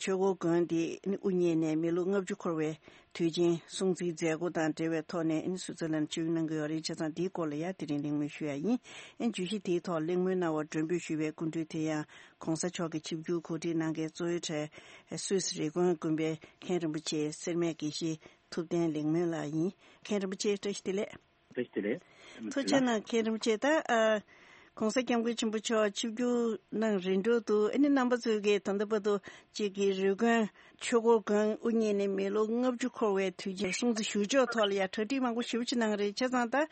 ཆོས་འཁོར་དགོན་དེ་ཨ་ནི་དབུ་བརྙེས་ནས་མི་ལོ་ལྔ་བཅུ་འཁོར་བའི་དུས་ཆེན་སྲུང་བརྩིའི་མཛད་སྒོ་དང་འབྲེལ་བའི་ཐོག་ནས་ཨ་ནི་སུད་སི་ལན་ཆིབས་གནང་གི་ཡོད་རེད། བྱས་ཙང་འདིའི་སྐོར་ལ་ཡ་དེ་རིང་གླེང་མོལ་ཞུ་ཡ་ཡིན། ཨ་ནི་བརྗོད་གཞི་དེའི་ཐོག་གླེང་མོལ་གནང་བར་མགྲོན་འབོད་ཞུས་པའི་སྐུ་མགྲོན་དེ་ཡང་༧གོང་ས་མཆོག་གི་ཆིབས་བསྒྱུར་གོ་སྒྲིག་གནང་མཁན་གཙོ་བོའི་གྲས་སུད་སི་རི་ཀོན་དགོན་པའི་མཁན་རིན་པོ་ཆེ་སེར་སྨད་དགེ་བཤེས་ཐུབ་བསྟན་ལེགས་སྨོན་ལགས་ཡིན། མཁན་རིན་པོ་ཆེ་བཀྲ་ཤིས་བདེ་ལེགས། བཀྲ་ཤིས་བདེ་ལེགས། ཐུགས་རྗེ་གནང་། མཁན་རིན་པོ་ཆེ། ད་ཨ་༧གོང་ས་༧སྐྱབས་མགོན་ཆེན་པོ་མཆོག་ཆིབས་བསྒྱུར་གནང་རན་འགྲོ་འདུག་ཨ་ནི་རྣམ་པ་ཚོས་ཀྱིས་ད་ལྟ་བར་དུ་གཅིག་གི་རི་ཀོན་ཆོས་འཁོར་དགོན་དབུ་བརྙེས་ནས་མི་ལོ་ལྔ་བཅུ་འཁོར་བའི་དུས་ཆེན་སྲུང་བརྩི་ཞུ་ཕྱོགས་ཐོག་ལ་ཡང་གྲ་སྒྲིག་མང་པོ་ཞེ་པོ་ཅིག་གནང་རེད། བྱས་ཙང་ད་ཨ་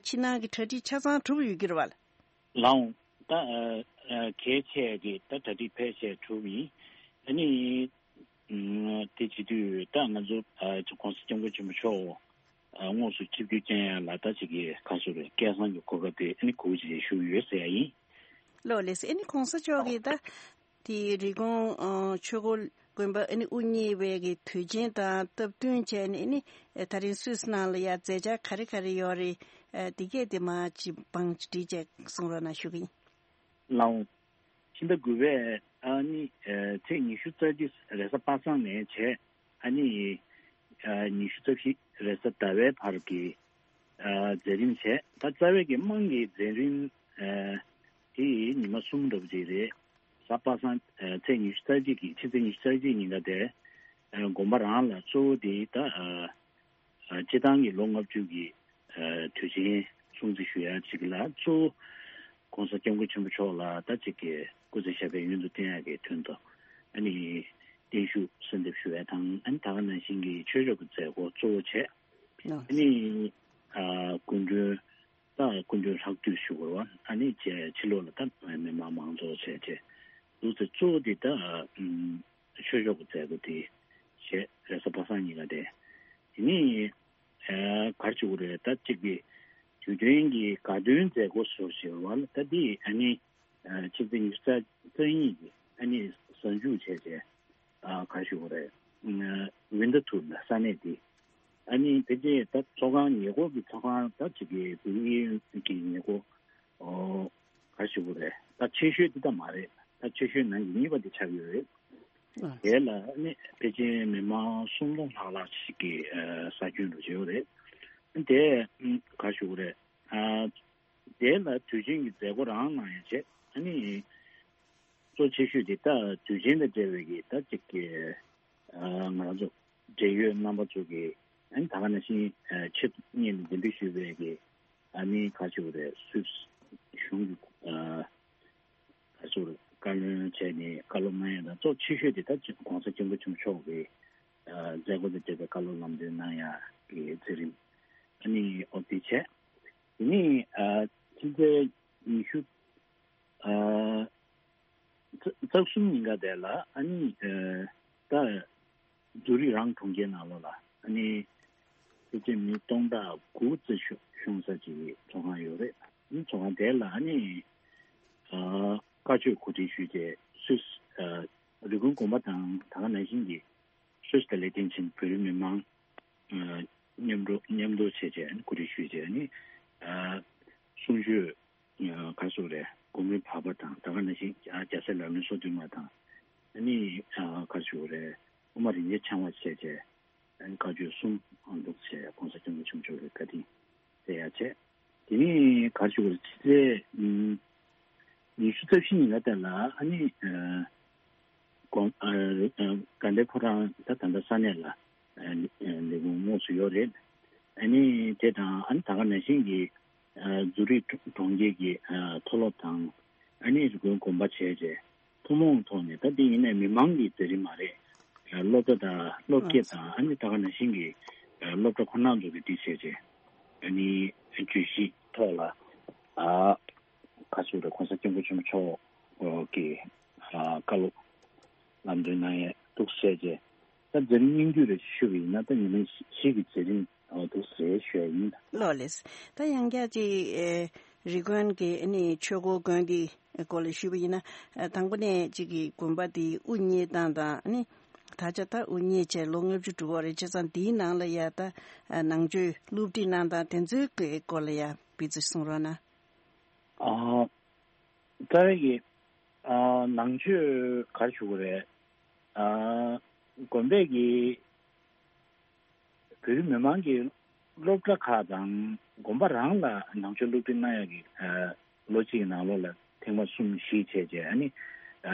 ཕྱི་ནང་གི་གྲ་སྒྲིག་ཆ་ཚང་གྲུབ་ཡོད་ཀྱི་རེད་བ། ལགས་འོང་། ད་ཨ་ཨ་གལ་ཆེ་གི་ད་གྲ་སྒྲིག་ཕལ་ཆེར་གྲུབ་ཡིན། ཨ་ནི། ཨུམ། དེ་བྱེད་དུས་ད་ང་ཚོ་ཨ་༧གོང་ས་༧སྐྱབས་མགོན་ཆེན་པོ་མཆོག་ཨ་དངོས་སུ་ཆིབས་བསྒྱུར་བསྐྱོན་ཡ་ལ་ད་ཅིག་གི་ག་ཟེར་རེད། སྐལ་བཟང་གི་གོ་སྐབས་དེ་ཨ་ནི་གོ་བརྗེ་ཞུ་ཡོད་ཟེར་ཡ་ཡིན། ལགས་ལགས་སོ། ཨ་ནི་༧གོང་ས་མཆོག་གིས་ད་དེ་རི་ཀོན་ཨ་ཆོས་འཁོར་དགོན་པ་ཨ་ནི་དབུ་བརྙེས་པའི་གི་དུས་ཆེན་དང་སྟབས་བསྟུན་བྱས་ནས་ཨ་ནི་ད་རིང་སུད་སི་ནང་ལ་ཡ་མཛད་འཆར་ག་རེ་ག་རེ་ཡོད་རེད། ཨ་དེ་གས་དེ་མར་ཅིག་བང་ཅིག་བསྒྲིགས་བྱས་གསུང་རོགས་གནང་ཞུ་གི་ཡིན། ལགས་འོང་། ཕྱི་ཟླ་དགུ་པའི་ཨ་ནི་ཨ་ཚེས་ཉི་ཤུ་རྩ་གཅིག་རེས་གཟའ་པ་སངས་ནས་བྱས། ཨ་ནི་ཨ་ཉི་ཤུ་རྩ་བཞི་རེས་གཟའ་ཟླ་བའི་བར་གྱི་ཨ་མཛད་རིམ་བྱས། ད་རྩ་བའི་གི་དམངས་ཀྱི་མཛད་རིམ་ཨ་དེ་ཉི་མ་གསུམ་འདྲ་པོ་ཅིག་རེད། གཟའ་པ་སངས་ཨ་ཚེས་ཉི་ཤུ་རྩ་གཅིག་གི་ཕྱི་ཚེས་ཉི་ཤུ་རྩ་གཅིག་ཉིན་ཀ་དེ་ཨ་དགོན་པ་རང་ལ་གཙོ་བོ་དེ་ད་ཨ། ཨ་སྤྱི་བཏང་གི་ལོ་ལྔ་བཅུ་གི་ཨ་དུས་ཆེན་སྲུང་བརྩི་ཞུ་ཡ་ཅིག་ལ་གཙོ་བོ་༧གོང་ས་༧སྐྱབས་མགོན་ཆེན་པོ་མཆོག་ལ་ད་ཅིག་གི་སྐུ་ཚེ་ཞབས་པད་ཡུན་དུ་བརྟན་ཡ་གི་དོན་དུ་ཨ་ནི་བརྟན་བཞུགས་གསོལ་འདེབས་ཞུ་ཡ་དང་། ཨ་ནི་ད་ག་ནང་བཞིན་གྱི་ཆོས་ཕྱོགས་ཀྱི་མཛད་སྒོ་གཙོ་བོ་བྱས། ཨ་ནི་ཨ་སྐུ་མགྲོན་ད་སྐུ་མགྲོན་ལྷག་འདུས་ཞུ་དགོས་པ། ཨ་ནི་བྱས་ཕྱི་ལོགས་ལ་ད་མི་མང་མང་ཚོགས་བྱས་བྱས་འདུག་ཚེ་གཙོ་བོ་དེ་ད་ཨ་ཆོས་ཕྱོགས་ཀྱི་མཛད་སྒོ་དེ་བྱས། རེས་གཟའ་པ་སངས་ཉིན་ཀ་དེ། དེ་ནས་ཨ་ག་རེ་ཞུ་དགོས་རེད། ད་གཅིག་གི་དུས་སྟོན་གྱི་དགའ་སྟོན་མཛད་སྒོ་ཟེར་བ་ལ་ད་འདི་ཨ་ནི་ཨ་ཆིབས་བསྒྱུར་ཉི་ཤུ་རྩ་གཉིས་ཀྱི་ཨ་ནི་གཟའ་མཇུག་བྱས་བྱས་ཨ་ག་རེ་ཞུ་དགོས་རེད། ཨ་ཝིན་ཊར་ཐུར་ལ་ས་གནས་འདི་ཨ་ནི་ཕལ་ཆེར་ད་ཚོགས་ཁང་ཉེ་འཁོར་གྱི་ཚོགས་ཁང་ད་གཅིག་གི་བོད་ཡིག་གི་ཉེ་འཁོར་ཨོ་ག་རེ་ཞུ་དགོས་རེད། ད་ཆེ་ཤོས་འདི་ད་མ་རེད། ད་ཆེ་ཤོས་ནང་གི་གཉིས་པ་འདི་ཆགས་ཡོད་རེད། ཨ་དེ་ལ་ནི་ཕལ་ཆེར་མི་མང་སུམ་སྟོང་ལྷག་ལྷག་ཅིག་གི་ཨ་ས་ཁྱོན་དུ་བྱས་ཡོད་རེད། དེ་ཨ་ག་རེ་ཞུ་དགོས་རེད། ཨ་དེ་ལ་དུས་ཆེན་གྱི་མཛད་སྒོ་རང་གནང་ཡ་བྱས། ཨ་ནི་གཙོ་ཆེ་ཤོས་དེ་ད་དུས་ཆེན་དང་འབྲེལ་བའི་གི་ད་ཅིག་གི་ཨ་ང་རང་ཚོ་འབྲེལ་ཡོད་རྣམ་པ་ཚོ་གི་ཨ་ནི་ད་ག་ནང་བཞིན་ཨ་ཆེད་དུ་སྙན་ལ་འདེམས་སྒྲུག་ཞུས་པའི་གི་ཨ་ནི་ག་རེ་ཞུ་དགོས་རེད། སུད་སི་གཞུང་གི་ཨ་ག་རེ་ཞུ་དགོས་རེད། བཀའ་བློན་བྱས་ནས་བཀའ་སློབ་གནང་ཡ་དང་གཙོ་ཆེ་ཤོས་དེ་ད་༧གོང་ས་༧སྐྱབས་མགོན་ཆེན་པོ་མཆོག་གི་ཨ་མཛད་སྒོ་དང་འབྲེལ་བའི་བཀའ་སློབ་ལམ་སྟོན་གནང་ཡ་གི་མཛད་རིམ་ཨ་ནི་ཨོ་དེ་བྱས། དེ་ནས་ཨ་ཕྱི་ཚེས་ཉི་ཤུ་ཨ་རྩ་རྩ་གསུམ་ཉིན་ཀ་དེ་ལ་ཨ་ནི་ཨ་ད་ཛུ་རིག་རང་གྲོང་ཁྱེར་ནང་ལོགས་ལ་ཨ་ནི་ཕལ་ཆེར་མི་སྟོང་ཕྲག་དགུ་ཙམ་ཤོང་ཤོང་ས་ཅིག་གི་ཚོགས་ཁང་ཡོད་རེད། ཨ་ནི་ཚོགས་ཁང་དེ་ལ་ཨ་ནི་ཨ་བཀའ་ཆོས་གོ་སྒྲིག་ཞུས་ཏེ་སུད་སི་ཨ་རི་ཀོན་དགོན་པ་དང་ད་ག་ནང་བཞིན་གྱི་སུད་སི་དང་ལེག་ཏེན་ཆིན་བོད་རིགས་མི་མང་ཨ་མཉམ་འགྲོ་མཉམ་དུ་བྱས་བྱས་ཨ་ནི་གོ་སྒྲིག་ཞུས་བྱས་ཨ་ནི་ཨ་གསུང་ཆོས་ཨ་ག་རེ་ཟེར་དགོས་རེད། དགོན་པའི་བར་པ་དང་ད་ག་ནང་བཞིན་ཨ་རྒྱལ་སྲས་ལག་ལེན་སོ་བདུན་མ་དང་ཨ་ནི་ཨ་ག་རེ་ཟེར་དགོས་རེད། དབུ་མ་རིན་ཆེན་འཆང་བ་བྱས་བྱས་ཨ་ནི་བཀའ་ཆོས་གསུམ་ཨ་འདུག་བྱས་༧གོང་ས་༧སྐྱབས་མགོན་ཆེན་པོ་མཆོག་གི་བཀའ་དྲིན་དེ་ཡ་བྱས། དེ་ནས་ག་རེ་ཞུ་དགོས་རེད། ཕྱི་ཚེས་ཨུམ་ཉི་ཤུ་རྩ་བཞི་ཉིན་ལ་དེ་ལ་ཨ་ནི་ཨ་དགོན་ཨ་ཨ་དགའ་ལྡན་ཕོ་བྲང་ད་ད་ལྟ་ས་གནས་ལ་ཨ་ཨ་ལས་ཁུངས་དངོས་སུ་ཡོད་རེད། ཨ་ནི་དེ་དང་ཨ་ནི་ད་ག་ནང་བཞིན་གྱི་ཨ་ཛུ་རིག་གྲོང་ཁྱེར་གྱི་ཨ་མཐོ་སློབ་དང་ཨ་ནི་རི་ཀོན་དགོན་པ་བྱས་རྗེས་ཐུན་མོང་ཐོག་ནས། ད་འདི་ཡིན་ནའི་མི་མང་གི་མཛད་རིམ་མ་རེད། སློབ་གྲྭ་དང་སློབ་དགེ་དང་ཨ་ནི་ད་ག་ནང་བཞིན་གྱི་སློབ་གྲྭ་ཁོ་ན་ཚོ་གི་འདི་བྱས་རྗེས་ཨ་ནི་བརྗོད་གཞི་ཐོག་ལ་ཨ་ག་ཟེར་རེད། ༸གོང་ས་༸སྐྱབས་མགོན་ཆེན་པོ་མཆོག་གི་ཨ་བཀའ་སློབ་ལམ་སྟོན་གནང་ཡས་འདུག་བྱས་རྗེས། ད་མཛད་རིམ་སྙིང་བསྡུས་རེ་ཞུས་པ་ཡིན་ན། ད་ཉི་མ་བཞི་གི་མཛད་རིམ་འདུག་ཟེར་ཞུ་ཡ་ཡིན། ལགས་ལགས། ད་ཡང་བསྐྱར་ཅིག་ཨེ་རི་ཀོན་གྱི་ཨ་ནི་ཆོས་འཁོར་དགོན་འདི་སྐོར་ལ་ཞུས་པ་ཡིན་ན། ཨ་དང་པོ་ནས་ཅིག་གི་དགོན་པ་འདི་དབུ་བརྙེས་སྟངས་དང་། ཨ་ནི་ད་ཆ་ད་དབུ་བརྙེས་བྱས་ལོ་ལྔ་བཅུ་འགྲོ་གི་རེད། བྱས་ཙང་འདིའི་ནང་ལ་ཡ་ད་ཨ་ནང་ཆོས་སློབ་ཁྲིད་གནང་སྟངས་དེ་ཚོའི་གི་སྐོར་ལ་ཡ་ཕར་ཅིག་གསུང་རོགས་གནང་། ཨ་རྩ་བའི་གི་ཨ་ནང་ཆོས་ག་རེ་ཞུ་དགོས་རེད། ཨ་དགོན་པའི་གི་བོད་རིགས་མི་མང་གི་སློབ་གྲྭ་ཁག་དང་དགོན་པ་རང་ལ་ནང་ཆོས་སློབ་ཁྲིད་གནང་ཡག་གི་ཨ་ལོ་གཅིག་གི་ནང་ལོགས་ལ་ཐེངས་མ་གསུམ་བཞི་བྱས་རྗེས། ཨ་ནི་ཨ་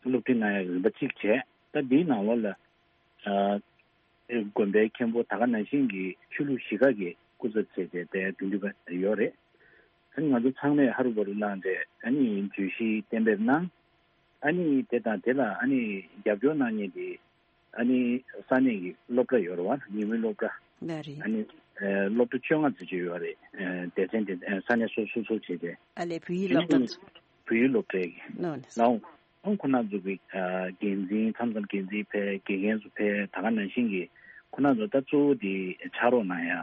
སློབ་ཁྲིད་གནང་ཡག་གི་རིམ་པ་གཅིག་བྱས། ད་འདིའི་ནང་ལོགས་ལ་ཨ་དགོན་པའི་མཁན་པོ་ད་ག་ནང་བཞིན་གྱི་ཆོས་ལུགས་གཞི་ཁག་གི་སྐུ་ཚབ་བྱས་རྗེས་དེ་དགེ་འདུན་པ་ཡོད་རེད། ཨ་ནི་ང་ཚོ་ཚང་མས་ཧ་རུ་བ་རུ་གནང་སྟེ་ཨ་ནི་བརྗོད་གཞི་གཏན་འབེབས་གནང་། ཨ་ནི་དེ་དང་དེ་ལ་ཨ་ནི་རྒྱབ་སྐྱོར་གནང་མཁན་དེ་ཨ་ནི་ས་གནས་ཀྱི་སློབ་གྲྭ་ཡོད་རེད་བ། ཉིན་མོའི་སློབ་གྲྭ། ལགས་རེད། ཨ་ནི་ཨ་སློབ་གྲྭ་བཅོ་ལྔ་ཙམ་ཅིག་ཡོད་རེད། ཨ་སྡེ་ཚན་དེ་ཨ་ས་གནས་སོ་སོ་སོ་བྱས་ཏེ། ཨ་ལས་བོད་ཡིག་སློབ་གྲྭ། བོད་ཡིག་སློབ་གྲྭའི་ལགས་ལགས། ཨང་ཁོ་ན་ཚོ་གི་ཨ་འགན་འཛིན། མཚམས་མཚམས་འགན་འཛིན་ཕེབས། དགེ་རྒན་ཚོ་ཕེབས། ད་ག་ནང་བཞིན་གྱི་ཁོ་ན་ཚོ་ད་གཙོ་བོ་དེ་ཕྱག་རོགས་གནང་ཡ་ཨ་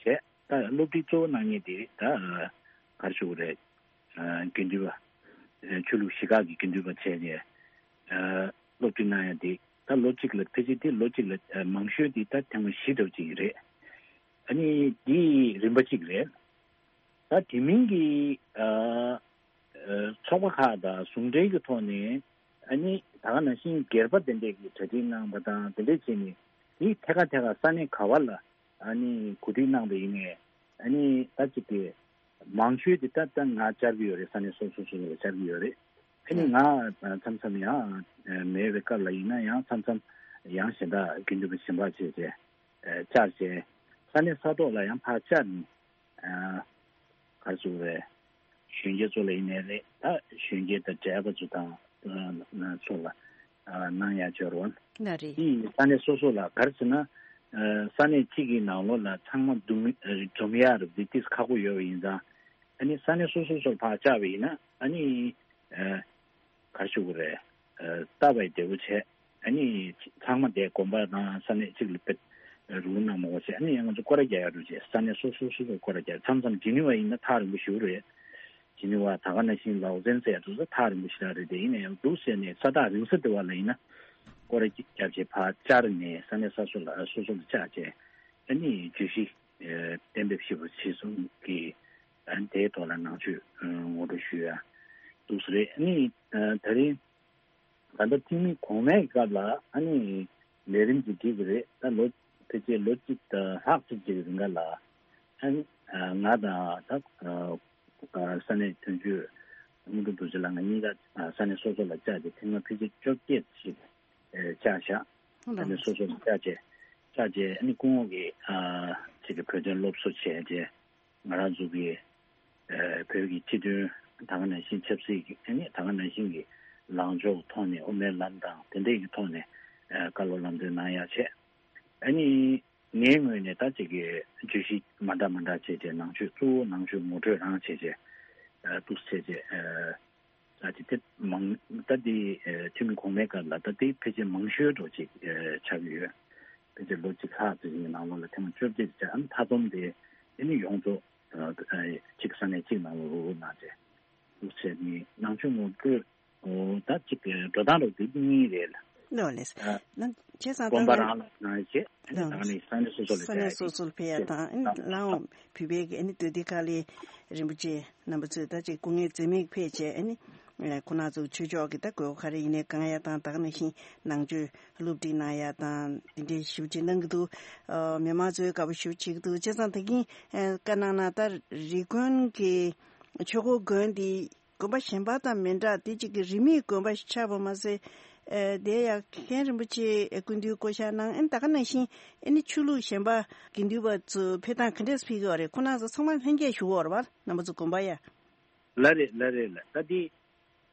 བྱས། ད་སློབ་ཁྲིད་གཙོ་བོ་གནང་མཁན་དེ་ད་ག་རེ་ཞུ་དགོས་རེད། ཨ་དགེ་འདུན་པ། ཨ་ཆོས་ལུགས་གཞི་ཁག་གི་དགེ་འདུན་པ་བྱས་ནས་ཨ་སློབ་ཁྲིད་གནང་ཡ་དེ་ད་ལོ་གཅིག་ལ། ཕལ་ཆེར་དེ་ལོ་གཅིག་ལ་ཨ་མང་ཤོས་དེ་ད་ཐེངས་མ་བཞི་འདྲ་བོ་ཅིག་རེད། ཨ་ནི་དེ་རིམ་པ་གཅིག་རེད། ད་དེ་མིན་གྱི་ཨ་ཨ་ཚོགས་པ་ཁག་དང་ཟུང་འབྲེལ་གྱི་ཐོག་ནས། ཨ་ནི་ད་ག་ནང་བཞིན་སྒེར་པ་དེ་འདྲས་ཀྱིས་གྲ་སྒྲིག་གནང་བ་དང་དེ་འདྲས་བྱས་ནས། དེ་ཐད་ཀ་ཐད་ཀ་ས་གནས་ག་བ་ལ་ཨ་ནི་གོ་སྒྲིག་གནང་བ་ཡིན་ནའི། ཨ་ནི་ད་ཅིག་གི་མང་ཤོས་དེ་ད་ལྟ་ང་བཅར་གྱི་ཡོད་རེད། ས་གནས་སོ་སོ་སོ་སོ་ལ་བཅར་གྱི་ཡོད་རེད། ཨ་ནི་ང་མཚམས་མཚམས་ཡང་མེད་པའི་སྐབས་ལ་ཡིན་ན་ཡང་མཚམས་མཚམས་ཡང་གཞན་དག་དགེ་འདུན་པ་གཞན་པ་བྱས་བྱས་བཅར་བྱས། ས་གནས་ས་ཐོག་ལ་ཡང་ཕར་བཅར་ནས། ཨ་ག་རེ་ཟེར་དགོས་རེད། གཞོན་སྐྱེས་ཚོ་ལ་ཡིན་ནའི་རེད། ད་གཞོན་སྐྱེས་དང་བགྲེས་པ་ཚོ་དང་ཨ་ཚོ་ལ་ཨ་གནང་ཡ་སྦྱོར་བ། ལགས་རེད། དེ་ཡིས་ས་གནས་སོ་སོ་ལ་ག་རེ་ཟེར་ན། ཨ་ས་གནས་གཅིག་གི་ནང་ལོགས་ལ་ཚང་མ་འཛོམས་ཨ་འཛོམས་ཡ་རེད། འདི་ཏིས་ཁག་པོ་ཡོད་པ་ཡིན་ཙང་། ཨ་ནི་ས་གནས་སོ་སོ་སོར་ཕར་བཅར་བ་ཡིན་ན། ཨ་ནི་ཨ་ག་རེ་ཞུ་དགོས་རེད། ཨ་ལྟ་བའི་བདེ་བོ་བྱས། ཨ་ནི་ཚང་མ་དེ་དགོན་པ་དང་ས་གནས་གཅིག་ལ་དཔེ་རུ་གནང་མ་དགོས་བྱས། ཨ་ནི་ཡང་ང་ཚོ་སྐོར་ར་རྒྱག་ཡ་རུ་བྱས། ས་གནས་སོ་སོ་སོ་སོར་སྐོར་ར་རྒྱག་མཚམས་མཚམས་ཇི་ནི་ཝ་ཡིན་ན་ཐག་རིང་པོ་ཞེ་པོ་རེད། ཇི་ནི་ཝ་ད་ག་ནང་བཞིན་ལའོ་ཙན་ཟེར་ཡ་དེ་ཚོ་ཐག་རིང་པོ་ཞེ་དྲག་རེད། དེ་ཡིན་ན་ཡང་འདུག་ཟེར་ནས་ས་ཐག་རིང་ས་དེ་བ་ལ་ཡིན་ན་སྐོར་ར་རྒྱབ་བྱས་ཕར་བཅར་ནས། ས་གནས་ས་སོ་ལ་སོ་སོ་ལ་བཅར་བྱས། ཨ་ནི་བརྗོད་གཞི་ཨ་གཏན་འབེབས་ཞེ་པོ་བྱས་སོང་གི། ཨ་ནི་དེའི་ཐོག་ལ་ནང་ཆོས་ཨ་ངོ་སྤྲོད་ཞུ་ཡ་འདུག་ས་རེད། ཨ་ནི་ཨ་ད་རིང་ད་ལྟ་འཐུས་མི་གོང་མའི་སྐབས་ལ་ཨ་ནི་ལས་རིམ་ཅིག་སྒྲིག་གི་རེད། ད་ལོ་ཕལ་ཆེར་ལོ་གཅིག་དང་ལྷག་ཅིག་ཅིག་གི་རིང་ག་ལ། ཨ་ནི་ང་དང་ད་ས་གནས་དོན་གཅོད་དངོས་གྲུབ་རྡོ་རྗེ་ལགས། ང་གཉིས་ཀ་ས་གནས་སོ་སོ་ལ་བཅར་ཏེ་ཐེངས་མ་ཕལ་ཆེར་བཅོ་བརྒྱད་ཅིག་བཅར་བཞག་ཨ་ནི་སོ་སོ་ལ་བཅར་བྱས་བཅར་བྱས། ཨ་ནི་སྐུ་ངོ་གིས་ཨ་ཅིག་གི་བོད་དོན་སློབ་གསོ་བྱས་བྱས། ང་རང་ཚོ་གི་ཨ་བོད་ཀྱི་སྤྱི་དོན། ད་ག་ནང་བཞིན་ཆབ་སྲིད་ཀྱི། ཨ་ནི་ད་ག་ནང་བཞིན་གྱི་ལངས་ཕྱོགས་ཐོག་ནས། དབུ་མའི་ལམ་དང་དེ་འདྲའི་གི་ཐོག་ནས་ཨ་བཀའ་སློབ་ལམ་སྟོན་གནང་ཡ་བྱས། ཨ་ནི་ངའི་ངོས་ནས་ད་ཅིག་གི་བརྗོད་གཞི་མ་འདྲ་མ་འདྲ་བྱས་བྱས། ནང་ཆོས་གཙོ་བོ་ནང་ཆོས་ངོ་སྤྲོད་རང་བྱས་བྱས། ཨ་འདུག་བྱས་བྱས། ཨ་ད་ཅིག་དེ་མང་། ད་དེ་ཨ་འཐུས་མི་གོང་མའི་སྐབས་ལ་ད་དེ་ཕལ་ཆེར་མང་ཤོས་འདྲ་ཅིག་ཨ་ཆགས་ཀྱི་ཡོད། ཕལ་ཆེར་ལོ་གཅིག་ལྷག་ཙམ་ཞིག་གི་ནང་ལོགས་ལ་ཐེངས་མ་བཅོ་བརྒྱད་ཅིག་བཅར། ཨ་ནི་མཐའ་སྡོམ་དེ་ཨ་ནི་ཡོངས་རྫོགས་ཨ་གཅིག་ས་གནས་གཅིག་ནང་ལ་རུབ་རུབ་གནང་བྱས། འདུག་བྱས་ནས་ནང་ཆོས་ངོ་སྤྲོད། འོ་ད་ཅིག་འགྲོ་སྟངས་རོགས་དེ་གཉིས་རེད་ལ། ལོ་ལེས། ཨ་ན་བྱས་ཙང་དགོན་པ་ད་རང་ལ་གནང་བྱས། ཨ་ནི་ད་ནི་ས་གནས་སོ་སོ་ལ་ས་གནས་སོ་སོ་ལ་ཕེབས་ཡ་དང་། ཨ་ནི་ལའང་བོད་པའི་གི་ཨ་ནི་འདུས་སྡེ་ཁག་ལས་རིན་པོ་ཆེ་རྣམ་པ་ཚོས་ད་ཅིག་སྐུ་ངལ་འཛེམས་མེད་ཕེབས་བྱས། ཨ་ནི་ ཁོ་ན་ཚོ་ཆོས་ཕྱོགས་ཀྱི་ད་དགོས་མཁོ་ག་རེ་ཡིན་ནའི་གང་ཡ་དང་། ད་ག་ནང་བཞིན་ནང་ཆོས་སློབ་ཁྲིད་གནང་ཡ་དང་དེ་འདྲའི་ཞིབ་ཅིག་གནང་གི་འདུག་ཨ། མི་མང་ཚོའི་དགའ་པོ་ཞིབ་བྱེད་ཀྱི་འདུག་བྱས་ཙང་ད་གིན་བཀའ་གནང་ན། ད་རི་དགོན་གྱི་ཆོས་འཁོར་དགོན་འདི་དགོན་པ་གཞན་པ་དང་མི་འདྲ། དེ་གཅིག་གི་རིས་མེད་དགོན་པ་ཞིག་ཆགས་པ་མ་ཟད། ཨ། དེ་ཡང་མཁན་རིན་པོ་ཆེ་སྐུ་མདུན་བསྐོ་བཞག་གནང་། ཨ་ནི་ད་ག་ནང་བཞིན་ཨ་ནི་ཆོས་ལུགས་གཞན་པ་དགེ་འདུན་པ་ཚོ་ཕེབས་སྟངས་ག་འདྲས་ཕེབས་ཀྱི་ཡོད་རེད། ཁོང་རྣམ་ཚོ་ཚང་མ་ལྷན་རྒྱས་བཞུགས་ཡོད་རེད་པ། རྣམ་པ་ཚོ་དགོན་པ་ཡ། ལགས་རེད། ལགས་རེད། ལགས། ད་དེ་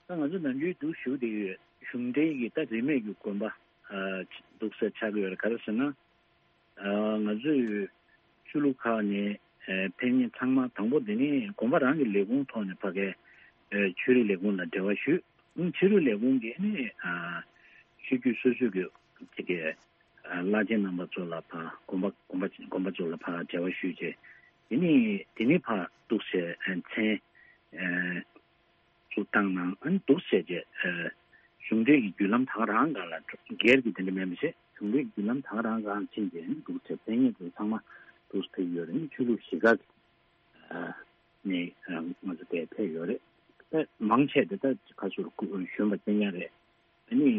ད་ང་ཚོ་ནམ་རྒྱུན་འདུག་ཞུ་བསྡད་ཡོད། གཞུང་འབྲེལ་གྱི་ད་རིས་མེད་ཀྱི་དགོན་པ་ཨ་འདུག་སེ་ཆགས་ཀྱི་ཡོད་རེད། ག་རེ་ཟེར་ན། ཨ། ང་ཚོས་ཆོས་ལུགས་ཁག་ནས་ཨ་ཕེབས་མཁན་ཚང་མ་དང་པོ་དེ་ནས་དགོན་པ་རང་གི་ལས་ཁུངས་ཐོག་ནས་ཕ་གིའི་ཨ་ཆོས་རིག་ལས་ཁུངས་ལ་འབྲེལ་བ་ཞུས། ཨ་ནི་ཆོས་རིག་ལས་ཁུངས་ཀྱིས་ནི་ཨ་ཆོས་བརྒྱུད་སོ་སོ་གི་ཅིག་གི་ཨ་བླ་ཆེན་རྣམ་པ་ཚོ་ལ་ཕར་དགོན་པ་དགོན་པ་དགོན་པ་ཚོ་ལ་ཕར་འབྲེལ་བ་ཞུས་བྱས། དེ་ནས་དེ་ནས་ཕར་འདུག་སེ་ཨ་མཚན་ཨ་ཚུར་བཏང་གནང་། ཨ་ནི་འདུག་སེ་བྱས་ཨ་གཞུང་འབྲེལ་གྱི་བརྒྱུད་ལམ་ད་ག་རང་སྒང་ལ། སྒེར་གྱི་དེ་འདྲ་མིན་པ་བྱས། གཞུང་འབྲེལ་བརྒྱུད་ལམ་ད་ག་རང་སྒང་ཕྱིན་བྱས་ཨ་ནི་འདུག་སེ་ཕེབས་མཁན་ཚོ་ཚང་མ་འདུག་སེ་ཕེབས་ཡོད་རེད། ཨ་ནི་ཆོས་ལུགས་བཞི་ཁག་གི་ཨ་ནས་ཨ་ང་ཚོ་དེར་ཕེབས་ཡོད་རེད། ད་མང་ཆེ་དེ་ད་ག་ཚོད་གཞོན་པ་བཙན་ཉག་རེད། ཨ་ནི་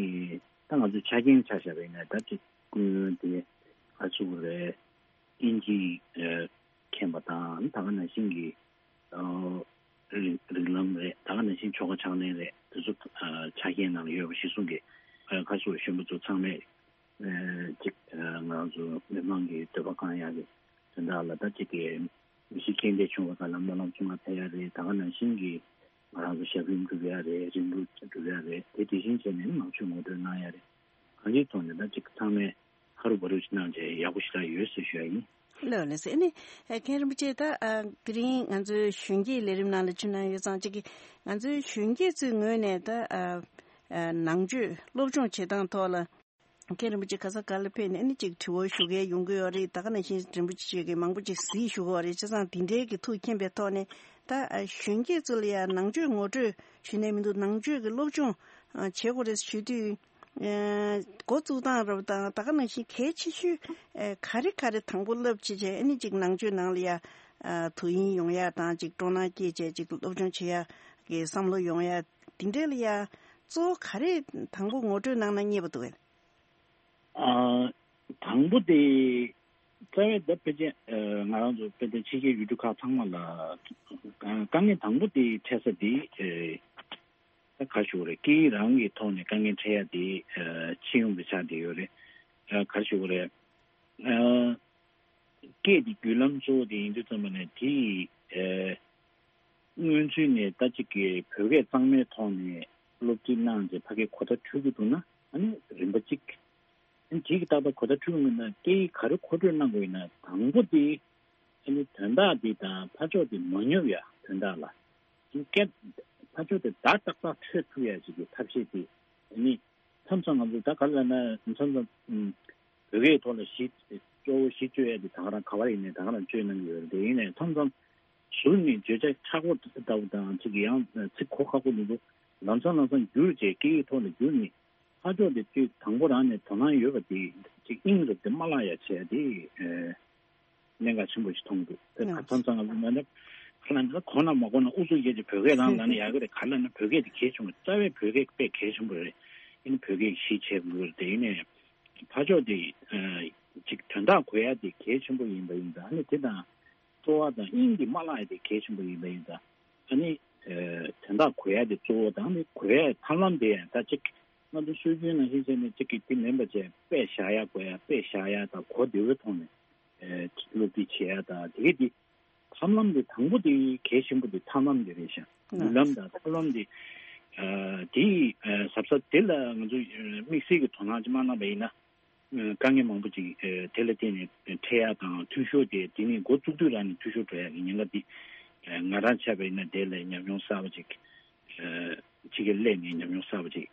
ད་ང་ཚོ་ཆ་རྐྱེན་ཆ་བཞག་པ་ཡིན་ན། ད་ཅིག་སྐུ་ཡོན་དེ་ག་ཚོད་རེད། དབྱིན་ཇི་ཨ་མཁྱེན་པ་དང་། ད་ག་ནང་བཞིན་གྱི་ཨ་རིགས་རིགས་ལམ་རེད། ད་ག་ནང་བཞིན་ཆོ་ག་ཕྱག་ལེན་རེད། དེ་ཚོ་ཨ་ཆ་རྐྱེན་ནང་ལ་ཡོད་པ་གཞིར་བཟུང་གིས་ཨ་ག་ཚོད་གཞོན་པ་ཚོ་ཚང་མས་ཨ་ཅིག་ཨ་ང་རང་ཚོ་མི་མང་གི་འདོད་པ་བསྐང་ཡག་གི་དོན་དག་ལ། ད་ཅིག་གི་མི་གཤིས་ཁྱད་ལས་བྱུང་བ་ག་ལ་སྨོན་ལམ་ཚུར་མ་ཕེབས་ཡ་རེད། ད་ག་ནང་བཞིན་གྱི་ང་རང་ཚོ་ཞབས་རིམ་སྒྲུབ་ཡ་རེད། རིམ་གྲོ་སྒྲུབ་ཡ་རེད། དེ་དེ་བཞིན་བྱས་ནས་ནང་ཆོས་ངོ་སྤྲོད་གནང་ཡ་རེད། གང་ཅིའི་ཐོག་ནས་ད་ཅིག་ཚང་མས་ཧ་རུ་བ་རུ་ཅིག་གནང་བྱས་ཡག་པོ་ཞེ་དྲག་ཡོད་ཟེར་ཞུ་ཡ་ཡིན། ལགས་ལགས་སོ། ཨ་ནི་ཨ་མཁན་རིན་པོ་ཆེ། ད་ཨ་དེ་རིང་ང་ཚོའི་གཞོན་སྐྱེས་ལས་རིམ་ནང་ལ་ཕྱིན་གནང་ཡོད་ཙང་། ཅིག་གི་ང་ཚོའི་གཞོན་སྐྱེས་ཚོའི་ངོས་ནས་ད་ཨ་ཨ་ནང་ཆོས་སློབ་སྦྱོང་བྱེད་སྟངས་ཐོག་ལ། མཁན་རིན་པོ་ཆེ་ག་ས་ག་ལ་ཕེབས་ནས་ཨ་ནི་ཅིག་དྲི་བ་ཞུ་མཁན་ཡོང་གི་ཡོད་རེད། ད་ག་ནང་བཞིན་རིན་པོ་ཆེ་གིས་མང་པོ་ཅིག་གཟིགས་ཞུ་གི་ཡོད་རེད། བྱས་ཙང་དེ་འདྲའི་གི་ཐུགས་མཁྱེན་པའི་ཐོག་ནས། ད་ཨ་གཞོན་སྐྱེས་ཚོ་ལ་ཡང་ནང་ཆོས་ངོ་སྤྲོད་ཞུས་ནས་མི་འདུག་ནང་ཆོས་ཀྱི་སློབ་སྦྱོང་ཨ་བྱེད་དགོས་རེད་ཞུ་དུས། ཨ་འགོ་བཙུགས་སྟངས་རབ་དང་། ད་ག་ནང་བཞིན་གལ་ཆེ་ཤོས་ཨ་ག་རེ་ག་རེ་དང་པོ་བསླབ་བྱས་བྱས། ཨ་ནི་ཅིག་ནང་ཆོས་ནང་ལ་ཡ་ཨ་དོ་དབྱིངས་ཡོང་ཡ་དང་། ཅིག་སྤྲོ་སྣང་སྐྱེས་བྱས་ཅིག་སློབ་སྦྱོང་བྱེད་ཡ་གི་བསམ་བློ་ཡོང་ཡ་དེ་འདྲ་ལ་ཡ་གཙོ་བོ་ག་རེ་དང་པོ་ངོ་སྤྲོད་གནང་ན་མཉེས་པ་འདུག་གས། ཨ་དང་པོ་དེ་རྩ་བའི་ད་ཕལ་ཆེར་ཨ་ང་རང་ཚོ་དཔེ་དེ་ཕྱི་རྒྱལ་ཡུལ་གྲུ་ཁག་ཚང་མ་ལ་དཀའ་ངལ་དང་པོ་དེ་འཕྲད་ས་དེ་ཨ་ད་ག་ཞུ་དགོས་རེད། སྐད་ཡིག་རང་གི་ཐོག་ནས་དཀའ་ངལ་འཕྲད་ཡ་དེ་ཨ་སྤྱི་ཡོངས་པའི་ཆ་དེ་ཡོད་རེད། ཨ་ག་ཞུ་དགོས་རེད། ཨ་སྐད་དེ་བརྒྱུད་ལམ་གཙོ་བོ་དེ་ཡིན་དུས་ཙམ་པ་ནས། དེ་ཡི་ཨ་སྔོན་ཚུད་ནས་ད་ཅིག་གི་བོད་སྐད་གཙང་མའི་ཐོག་ནས་སློབ་ཁྲིད་གནང་བྱས་ཕ་གིར་གོ་བརྡ་འཕྲོད་ཀྱི་འདུག་ན། ཨ་ནི་རིམ་པ་གཅིག་ཨ་ནི་དེ་གི་ཏག་ཏག་གོ་བརྡ་འཕྲོད་ཀྱི་མེད་ན། སྐད་ཡིག་ག་རེ་མཁོ་སྤྲོད་གནང་དགོས་ཡིན་ན། དང་པོ་དེ་ཨ་ནི་དོན་དག་དེ་དང་ཕར་ཕྱོགས་དེ་མ་ཉོབ་ཡ། དོན་དག་ལ་སྐད་ཕར་ཕྱོགས་དེ་བརྡ་ཏག་ཏག་འཕྲོད་ཐུབ་ཡ་ཞིག་གི་ཐབས་ཤེས་དེ། ཨ་ནི་མཚམས་མཚམས་ང་ཚོ་ད་ག་ལ་ན་མཚམས་མཚམས་ཨུམ་བོད་སྐད་ཐོག་ལ་གཞི་གཙོ་བོ་གཞི་བཅོལ་ཡ་དེ་ད་ག་རང་ག་བ་ཡིན་ནའི་ད་ག་རང་བཅོལ་གནང་གི་ཡོད་རེད། དེ་ཡིན་ནའི་མཚམས་མཚམས་ཟུར་ནས་བརྗོད་བྱ་ཁྲ་ཁོག་ལྟ་བུ་དང་། ཅིག་ཡང་ཚིག་གོ་ཁག་པོ་འདུག་འདུག་ལམ་སང་ལམ་སང་བསྒྱུར་བྱས་སྐད་ཡིག་ཐོག་ལ་བསྒྱུར་ནས་ཕར་ཕྱོགས་དེ་ཚོས་དང་པོ་རང་ནས་དོ་སྣང་ཡོད་པ་དེ་ཅིག་དབྱིངས་རུ་དེ་མ་བརླག་ཡ་བྱས་དེ་ཨེ་གནད་འགག་ཆེན་པོ་ཞིག་མཐོང་འདུག་ཨ་མཚམས་མཚམས་ང་ཚོ་ང་ཚོ་ག་ལ་ན་གོ་ན་མ་གོ་ན་ཨུ་ཚུགས་བྱས་ཏེ་བོད་སྐད་རང་ལབ་ན་ཡག་གི་རེད། ག་ལ་ན་བོད་སྐད་དེ་གལ་ཆེན་པོ། རྩ་བའི་བོད་སྐད་དཔེ་གལ་ཆེན་པོ་རེད། ཨ་ནི་བོད་སྐད་གཞི་བྱས་དགོས་རེད། དེ་ཡིན་ནའི་ཕར་ཕྱོགས་དེ་ཨ་ཅིག་དོན་དག་གོ་ཡ་དེ་གལ་ཆེན་པོ་ཡིན་པ་ཡིན་ཙང་། ཨ་ནི་དེ་དང་གཙོ་བོ་དང་དབྱིངས་དེ་མ་བརླག་ཡ་དེ་གལ་ཆེན་པོ་ཡིན་པ་ཡིན་ཙང་། ཨ་ནི་ཨ་དོན་དག་གོ་ཡ་དེ་གཙོ་བོ་དང་། ཨ་ནི་གོ་ཡ་ཐབས་ལམ་དེ་ཡང་ད་ཅིག་ང་ཚོ་སྲོལ་རྒྱུན་ནང་བཞིན་བྱས་ནས་ཅིག་གི་དེ་མིན་པ་བྱས། དཔེ་བཞག་ཡ་དགོས་ཡ། དཔེ་བཞག་ཡ་དང་གོ་བདེ་བོའི་ཐོག་ནས་ཨ་སློབ་ཁྲིད་བྱེད་ཡ་དང་། དེ་གི་དེ་ཐབས་ལམ་དེ་དང་པོ་དེ་གལ་ཆེན་པོ་དེ་ཐབས་ལམ་དེ་རེད་ཤག་བརྒྱུད་ལམ་དང་ཐབས་ལམ་དེ་ཨ་དེ་ཨ་གཟབ་གཟབ་དེ་ལ་ང་ཚོ་ཨ་དམིགས་བསལ་གྱི་དོ་སྣང་ཅིག་མ་གནང་བ་ཡིན་ན། ཨ་དཀའ་ངལ་མང་པོ་ཅིག་ཨ་དེ་ལ་བརྟེན་ནས་འཕྲད་ཡ་དང་། འཐུས་ཤོར་དེ་དེ་ནས་འགོ་བཙུགས་དུས་རང་ནས་འཐུས་ཤོར་འགྲོ་ཡ་གི་ཉེན་ཁ་དེ་ཨ་ང་རང་ཆ་བ་ཡིན་ན་དེ་ལ་ཉམས་མྱོང་གསར་པ་ཅིག་ཨ་ཕྱི་རྒྱལ་སླེབས་ནས་ཉམས་མྱོང་གསར་པ་ཅིག་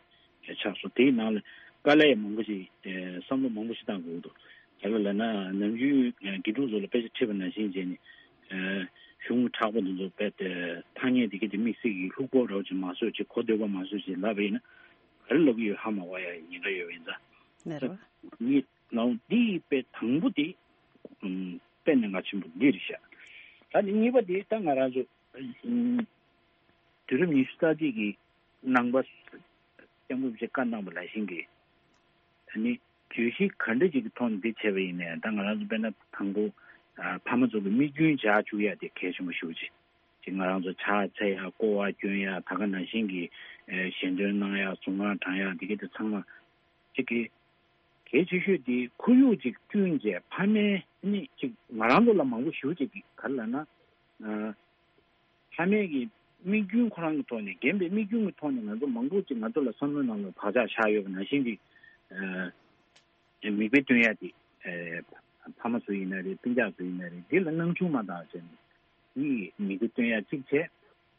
ཆགས་སོང་། དེའི་ནང་ལ་དཀའ་ལས་མང་པོ་ཞིག་ཨ་བསམ་བློ་མང་པོ་ཞིག་བཏང་དགོས་འདུག་ག་ལ་ལབ་ན་ནམ་རྒྱུན་ཨ་དགེ་ཕྲུག་ཚོ་ལ་དཔེ་ཆ་ཁྲིད་པ་ནང་བཞིན་བྱས་ནས་ཨ་གཞུང་གི་མཁྲེགས་པོ་འདི་ཚོ་དཔེ་དེ་ཐ་སྙད་དེ་ག་དེ་དམིགས་བསལ་གྱི་ལྷུག་པོ་འདྲ་བོ་ཅིག་མ་བཟོས་ཅིག་གོ་བདེ་བོ་མ་བཟོས་ཅིག་ལབ་པ་ཡིན་ན། ག་རེ་ལབ་ཀྱི་ཡོད་ཧ་མ་གོ་ཡ་ཉེན་ཁ་ཡོད་པ་ཡིན་ཙང་། ལགས་རེད་པ། ངས་ལབ་འདི་དཔེ་དང་པོ་དེ་ཨམ་དཔེ་གནད་འགག་ཆེན་པོ་འདི་རེད་ཤག་ད་ནི་གཉིས་པ་དེ་ད་ང་རང་ཚོ་ཨམ་དུས་རབས་ཉི་ཤུ་རྩ་གཅིག་གི་ ནང་པ་སྐྱབས་མགོན་རིན་པོ་ཆེས་བཀའ་གནང་བ་ནང་བཞིན་གྱི་ཨ་ནི་བརྗོད་གཞི་ག་འདྲ་ཅིག་གི་ཐོག་ནས་འདི་བྱས་པ་ཡིན་ནའི་ད་ང་རང་ཚོ་དཔེར་ན་དང་པོ་ཨ་ཕ་མ་ཚོ་གི་དམིགས་རྒྱུན་འཇགས་བཅུག་ཡ་དེ་གལ་ཆེན་པོ་ཞེ་པོ་ཅིག་ཅིག་ང་རང་ཚོ་ཕྱག་འཚལ་ཡ་སྐོར་བ་སྐྱོན་ཡ་ད་ག་ནང་བཞིན་གྱི་ཨ་ཞལ་འདོན་གནང་ཡ་གཟུངས་སྔགས་བགྲང་ཡ་དེ་ག་དེ་ཚང་མ་ཅིག་གི་གལ་ཆེ་ཤོས་དེ་ཁོར་ཡུག་ཅིག་བསྐྲུན་བྱས་ཕ་མའི་ནི་ཅིག་ང་རང་ཚོ་ལ་མང་པོ་ཞེ་པོ་ཅིག་གི་ག་རེ་ལབ་ན་ཨ་ཕ་མའི་གི་དམིགས་རྒྱུན་ཁོ་རང་གི་ཐོག་ནས་རྒན་པའི་དམིགས་རྒྱུན་གྱི་ཐོག་ནས་ང་ཚོ་མང་པོ་ཅིག་ང་ཚོ་ལ་བསམ་བློའི་ནང་ལ་བག་ཆགས་བཞག་ཡོད་པ་ནང་བཞིན་གྱི་ཨ་མིག་དཔེ་སྟོན་ཡ་དེ་ཨ་ཕ་མ་ཚོ་ཡིན་ན་རེད། སྤུན་ཀྱག་ཚོ་ཡིན་ན་རེད། འདི་ལ་སྣང་ཆུང་མ་བཏང་བྱས་ནས་དེ་མིག་དཔེ་སྟོན་ཡ་གཅིག་བྱས།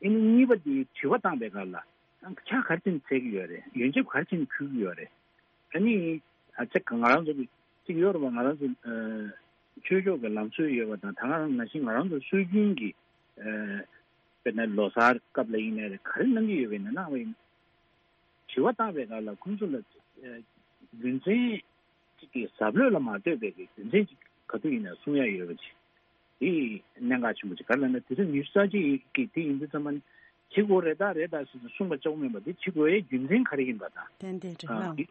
ཨ་ནི་གཉིས་པ་དེ་དྲི་བ་བཏང་པའི་སྐབས་ལ་ཕྱག་ག་རེ་བྱས་ནས་འཚལ་གྱི་ཡོད་རེད། ཡོན་ཆབ་ག་རེ་བྱས་ནས་ཕུལ་གྱི་ཡོད་རེད། ཨ་ནི་ཨ་ཅག་ང་རང་ཚོ་གི་གཅིག་ཡོད་རེད་པ། ང་རང་ཚོ་ཨ་ཆོས་ཕྱོགས་ཀྱི་ལམ་སྲོལ་ཡོད་པ་དང་ད་ག་རང་ནང་བཞིན་ང་རང་ཚོ་སྲོལ་རྒྱུན་གྱི་ཨ་དཔེར་ན་ལོ་གསར་སྐབས་ལ་ཡིན་ནའི་རེད། ག་རེ་གནང་གི་ཡོད་པ་ཡིན་ན་གནང་བ་ཡིན། དྲི་བ་བཏང་བའི་སྐབས་ལ་ཁོང་ཚོ་ལ་ཨ་རྒྱུ་མཚན་གཅིག་གི་ཟབ་ལོས་ལ་མ་ལྟོས་པའི་གི་རྒྱུ་མཚན་གཅིག་ག་དུས་ཡིན་ན་གསུང་ཡ་ཡོད་པ་ཅིག་དེ་གནད་འགག་ཆེན་པོ་ཅིག་ག་རེ་ལབ་ན་དེ་ཚོ་ཉི་ཤུ་རྩ་གཅིག་གི་དེ་ཡིན་དུས་ཙམ་པ་ནི་བྱེད་དགོས་རེད་ད་རེད་ད་ཟེར་ནས་གསུངས་པ་ལྕོགས་མིན་པ་དེ་བྱེད་དགོས་ཡའི་རྒྱུ་མཚན་ག་རེ་ཡིན་པ་དང་། ཏན་ཏན་རེད་ཨ་ལགས། དེ་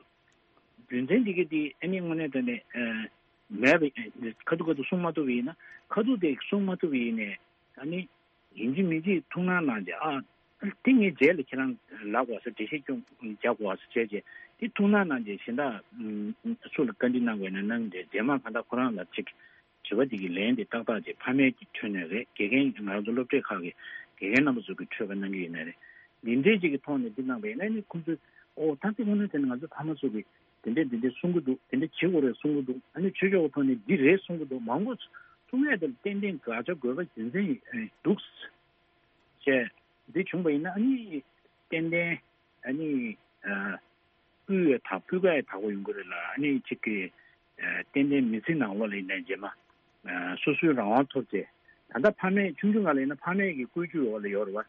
རྒྱུ་མཚན་འདི་ག་དེ་ཨ་ནི་དངོས་གནས་དྲང་གནས་ཨ་མེད་པ་ཁ་ཐུག་ཁ་ཐུག་གསུང་མ་ཐུབ་པ་ཡིན་ན་ཁ་ཐུག་དེ་གསུང་མ་ཐུབ་པ་ཡིན་ནའི་ཨ་ནི་ཡིན་གཅིག་མིན་གཅིག་ཐུགས་སྣང་གནང་བྱས་ཨ་དེ་ངའི་རྗེས་ལ་ཁྱེད་རང་ལབ་དགོས་ས་འགྲེལ་བཤད་སྐྱོན་རྒྱག་དགོས་ས་བྱས་བྱས་དེ་ཐུགས་སྣང་གནང་བྱས་གཞན་དག་སུ་ལ་བཀའ་འདྲི་གནང་དགོས་ན་གནང་བྱས་རྗེས་མ་གང་ལྟར་ཁོ་རང་ལ་ཅིག་དྲི་བ་འདི་གི་ལན་འདི་ཏག་ཏག་ཅིག་ཕ་མའི་གི་ཁྲོད་ནས་རེད། དགེ་རྒན་ང་རང་ཚོ་སློབ་གྲྭའི་ཁག་གི་དགེ་རྒན་རྣམ་པ་ཚོ་གི་ཁྲོད་ཀ་གནང་གི་ཡོད་ན་རེད། འདི་འདྲའི་ཅིག་གི་ཐོག་ནས་འདི་གནང་པ་ཡིན་ན་ནི་ཁོང་ཚོས་ཨོ་ད་དེ་དངོས་གནས་དྲང་གནས་ང་ཚོ་ཕ་མ་ཚོ་གི་དེ་འདྲས་འདི་འདྲས་གསུང་གི་འདུག་དེ་འདྲས་བྱེད་དགོས་རེད་གསུང་གི་འདུག་ཨ་ནི་ཆོས་ཕྱོགས་ཀྱི་ཐོག་ནས་འདི་རེད་གསུང་གི་འདུག་མང་པོ་གསུང་ཡས་དེ་ལ་ཏན་ཏན་དགག་བྱ་དགོས་པ་རྒྱུ་མཚན་འདུག་ཅེས་འདི་བྱུང་པ་ཡིན་ན་ཨ་ནི་ཏན་ཏན་ཨ་ནི་ཨ། སྤུས་ཡ་དག་སྤུས་ཀ་ཡ་དག་པོ་ཡོང་གི་རེད་ལ་ཨ་ནི་གཅིག་གི་ཨ་ཏན་ཏན་མི་ཚེ་ནང་ལོགས་ལ་ཡིན་ནའི་རྗེས་མ་ཨ་སོ་སོའི་རང་དབང་ཐོབ་བྱས་ད་ལྟ་ཕ་མས་ཆུང་ཆུང་སྒང་ལ་ཡིན་ན་ཕ་མས་ཀྱི་བཀོལ་སྤྱོད་འོག་ལ་ཡོད་རེད་བ།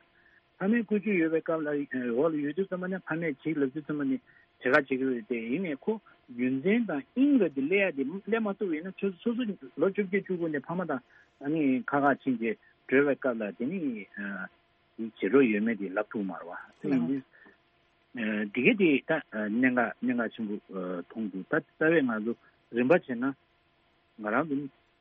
ཕ་མས་བཀོལ་སྤྱོད་ཡོད་པའི་སྐབས་ལ་འོག་ལ་ཡོད་དུས་ཙམ་པ་ནས་ཕ་མས་བྱེད་ལབ་དུས་ཙམ་པ་ནས་བྱེད་ག་བྱེད་ཀྱི་རེད་དེ་ཡིན་ནའི་ཁོ་རྒྱུ་མཚན་དང་དབྱིངས་རེད་དེ་སླེབས་ཡ་དེ་སླེབས་མ་ཐུབ་པ་ཡིན་ན་ཆུ་ཚོད་སོ་སོ་ལོ་བཅོ་བརྒྱད་བཅུ་དགུ་ནས་ཕ་མ་དང་ཨ་ནི་ཁ་ཁ་ཕྱིན་བྱས་བགྲོད་པའི་སྐབས་ལ་དེ་ནི་ཨ། དེ་བྱེད་རོགས་ཡོད་མེད་དེ་ལབ་ཐུབ་མ་རེད་བ། དེ་ཡིན་དུས་འདི་ག་དེ་ད་གནད་འགག་གནད་འགག་ཆེན་པོ་མཐོང་འདུག་ད་རྩ་བའི་ང་ཚོ་རིམ་པ་བྱས་ན་ང་རང་ཚོ་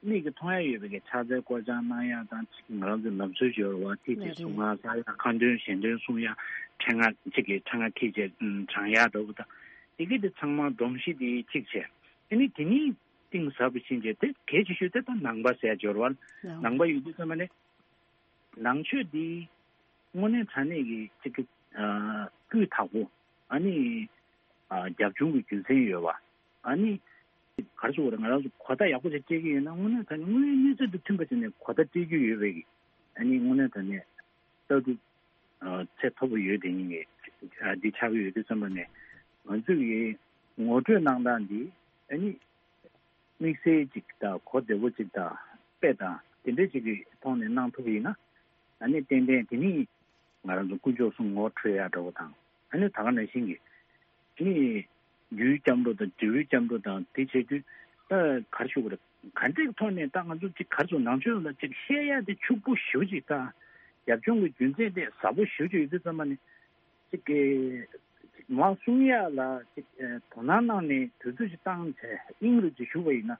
མིག་གིས་མཐོང་ཡ་ཡོད་པའི་གི་ཕྱག་འཚལ་སྐོར་སྦྱང་གནང་ཡ་དང་ཅིག་ང་རང་ཚོ་ལམ་སྲོལ་ཅིག་ཡོད་རེད་བ། དེ་ཅིག་གཟུངས་སྔགས་བསགས་ཡ་ཁ་འདོན་ཞལ་འདོན་གསུང་ཡ་ཕྲེང་བ་ཅིག་གི་ཕྲེང་བ་འཁྱེར་བྱས་བགྲང་ཡ་འདྲ་བོ་དང་དེ་ག་དེ་ཚང་མ་སྒྲོམ་གཞི་དེ་གཅིག་བྱས་ཨ་ནི་དེ་ནི་གཏིང་ཟབ་པོ་ཕྱིན་བྱས་དེ་གལ་ཆེ་ཤོས་དེ་ད་ནང་པ་ཟེར་ཡ་ཅིག་ཡོད་རེད་བ། ནང་པ་ཡོད་དུས་ཙམ་པ་ནས། ནང་ཆོས་འདི་དངོས་གནས་དྲང་གནས་ཀྱི་གཅིག་གི་ཨ་སྤུས་དག་པོ་ཨ་ནི་ཨ་རྒྱབ་ལྗོངས་ཀྱི་རྒྱུ་མཚན་ཡོད་པ་ཨ་ནི་ག་རེ་ཟེར་དགོས་རེད། ང་རང་ཚོ་གོ་བརྡ་ཡག་པོ་ཞིག་སྤྲད་ཀྱི་ཡོད་ན་དངོས་གནས་དྲང་གནས་དངོས་ཡོད་གནས་ཚུལ་དང་མཐུན་པ་བྱས་ནས་གོ་བརྡ་སྤྲད་རྒྱུ་ཡོད་པའི་གི་ཨ་ནི་དངོས་གནས་དྲང་གནས་ལྟ་གྲུབ་ཨ་ཚད་མཐོ་པོ་ཡོད་དེ་ཉིད་ཀྱི་ཨ་འདི་ཆགས་ཀྱི་ཡོད་དུས་ཙམ་པ་ནས་ང་ཚོས་ཀྱི་ངོ་སྤྲོད་གནང་སྟངས་འདི་ཨ་ནི། དམིགས་བསལ་ཅིག་དང་གོ་བདེ་པོ་ཅིག་དང་དཔེ་དང་དེ་འདྲ་ཅིག་གི་ཐོག་ནས་གནང་ཐུབ་པ་ཡིན་ན་ཨ་ནི་ཏན་ཏན་དེ་ནི་ང་རང་ཚོ་དཀོན་མཆོག་གསུམ་ངོ་འཕྲོད་ཡག་འདྲ་བོ་དང་ཨ་ནི་ད་ག་ནང་བཞིན་གྱི་ཨ་ནི་རྒྱུའི་སྐྱབས་འགྲོ་དང་འབྲས་བུའི་སྐྱབས་འགྲོ་དང་དེ་བྱེད་དུས་ད་ག་རེ་ཞུ་དགོས་རེད། ག་འདྲའི་ཐོག་ནས་ད་ང་ཚོ་ཅིག་ག་རེ་ཟེར་ནང་ཆོས་ལ་ཅིག་བཤད་ཡག་དེ་ཕྱུག་པོ་ཞེ་པོ་ཅིག་དང་རྒྱབ་ལྗོངས་ཀྱི་རྒྱུ་མཚན་དེ་ཟབ་པོ་ཞེ་པོ་ཅིག་ཡོད་དུས་ཙམ་པ་ནི། ཅིག་གི་མར་གསུང་ཡ་ལ་ཅིག་དོ་སྣང་གནང་ནས་དུས་ཚོད་ཅིག་བཏང་བྱས་དབྱིངས་རུ་ཅིག་ཞུགས་པ་ཡིན་ན་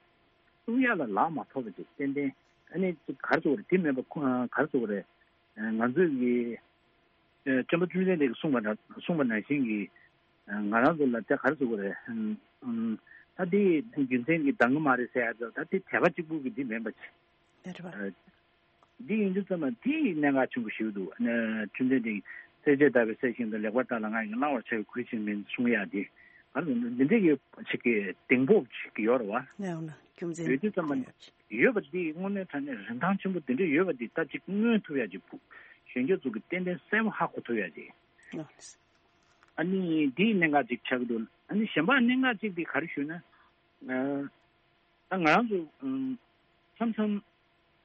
གསུང་ཡ་ལ་ལག་མ་ཐོགས་པ་ཅིག་ཏན་ཏན་ཨ་ནི་ཅིག་ག་རེ་ཟེར་དགོས་རེད། དེ་མིན་པ་ཁོ་ག་རེ་ཟེར་དགོས་རེད། ང་ཚོས་ཀྱི་སྤྱི་པ་བཅོམ་ལྡན་འདས་ཀྱིས་གསུངས་པ་འདྲ་གསུངས་པ་ནང་བཞིན་གྱི་ང་རང་ཚོ་ལ་དེ་ག་རེ་ཟེར་དགོས་རེད། ད་དེ་རྒྱུ་མཚན་གྱིས་འདང་གི་མ་རེད་ཟེར་ཡ་ད་དེ་དད་པ་གཅིག་པུ་གི་འདི་མིན་པ་ཅིག་འདི་ཡིན་དུས་ཙམ་པ་དེ་གནད་འགག་ཆེན་པོ་ཞིག་འདུག་ཨ་ནི་ཁྲིམས་དོན་དེ་སྲས་བཅས་དག་པའི་སྲས་ཤིག་ཏུ་ལེགས་པར་བལྟ་ལ་ང་ཡིས་བླང་བར་བྱ་བའི་གུས་ཕྱིར་མིན་གསུང་ཡག་དེ་ཨ་ནི་འདི་འདྲའི་གི་ཅིག་གི་གདེང་སྤོབས་ཅིག་ཡོད་རེད་བ། ཡོད་དུས་ཙམ་པ་ནི་ཡོད་པ་འདི་དངོས་གནས་དྲང་གནས་རིན་ཐང་ཆེན་པོ་འདི་འདྲ་ཡོད་པ་འདི་ད་ཅིག་མངོན་ཐུབ་ཡག་ཅིག་གཞོན་སྐྱེས་ཚོ་གི་ཏན་ཏན་གསལ་པོ་ཧ་གོ་ཐུབ་ཡག་ཅིག་ཨ་ནི་འདིའི་གནད་འགག་ཅིག་ཆགས་ཀྱི་འདུག་ཨ་ནི་གཞན་པ་གནད་འགག་ཅིག་འདི་ག་རེ་ཞུ་ན། ད་ང་རང་ཚོ་མཚམས་མཚམས་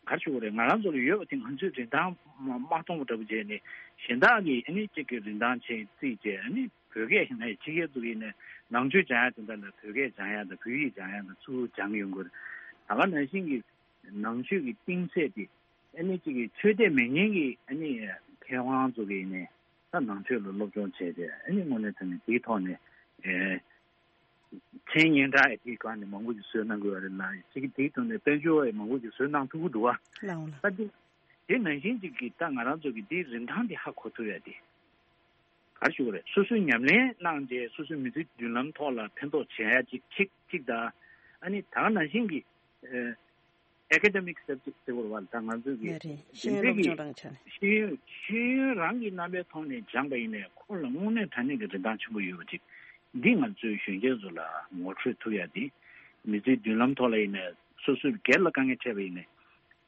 ག་རེ་ཞུ་དགོས་རེད། ང་རང་ཚོ་ལ་ཡོད་པ་དེ་ང་ཚོའི་རིན་ཐང་མ་མ་མཐོང་བ་འདྲ་པོ་བྱས་ནས་གཞན་དག་གིས་ཨ་ནི་གཅིག་གི་རིན་ཐང་ཆེ་བརྩིས་བྱས་ཨ་ནི་བོད་སྐད་ཡིན་ན་ཕྱི་རྒྱལ་ཚོ་ཡིན་ནས་ནང་ཆོས་སྦྱང་ཡ་དེ་འདྲ་ལ་བོད་སྐད་སྦྱང་ཡ་དང་བོད་ཡིག་སྦྱང་ཡ་དང་ཚུར་སྦྱང་ཡོང་གི་རེད། ད་ག་ནང་བཞིན་གྱི་ནང་ཆོས་ཀྱི་གཏིང་ཚད་དེ་ཨ་ནི་གཅིག་གི་ཆོས་དད་མེད་མཁན་གྱི་ཨ་ནི་མཁས་དབང་ཚོ་གིས་ནས་ ད་ནང་ཆོས་ལ་སློབ་སྦྱོང་བྱས་ཏེ་ཨ་ནི་དངོས་གནས་དྲང་གནས་དེའི་ཐོག་ནས་ཨེ་མཚན་སྙན་གྲགས་ཡང་དེའི་སྒང་ནས་མང་པོ་ཞིག་བཟོས་གནང་དགོས་པ་རེད་ལ། གཅིག་གིས་དེའི་ཐོག་ནས་དཔལ་འབྱོར་ཡང་མང་པོ་ཞིག་བཟོས་གནང་ཐུབ་ཀྱི་འདུག་བ། ལགས་འོང་ལགས། ད་དེ་དེ་ནང་བཞིན་གཅིག་གིས་ད་ང་རང་ཚོ་གི་དེའི་རིན་ཐང་དེ་ཧ་གོ་ཐུབ་ཡ་དེ། ག་རེ་ཞུ་དགོས་རེད། སོ་སོས་ཉམས་ལེན་གནང་རྗེས་སོ་སོའི་མི་ཚེའི་མདུན་ལམ་ཐོག་ལ་ཕན་ཐོགས་བྱེད་ཡ་ཅིག་ཁྱེད་ཅིག་དང་། ཨ་ནི་ད་ག་ནང་བཞིན་གྱི་ཨེ་ཨེ་ཀ་ཌེ་མིག་སབ་ཇེག་ཟེར་དགོས་རེད་བ། ད་ང་ཚོས་ཀྱི་ལགས་རེད། ཤེས་ཡོན་སློབ་སྦྱོང་རང་ཆ་ནས། ཤེས་ཡོན་ཤེས་ཡོན་རང་གི་རྣམ་པའི་ཐོག་ནས་སྦྱངས་པ་ཡིན་ནའི་ཁོ་ལ་དངོས་གནས་དྲང་གནས་ཀྱི་རིན་ཐང་ཆེན་པོ་ཡོད་པ་ཅིག་འདི་ང་ཚོའི་གཞོན་སྐྱེས་ཚོ་ལ་ངོ་སྤྲོད་ཐུབ་ཡ་དེ། མི་ཚེའི་མདུན་ལམ་ཐོག་ལ་ཡིན་ནའི་སོ་སོའི་སྒེར་ལ་དཀའ་ངལ་འཕྲད་པ་ཡིན་ནའི།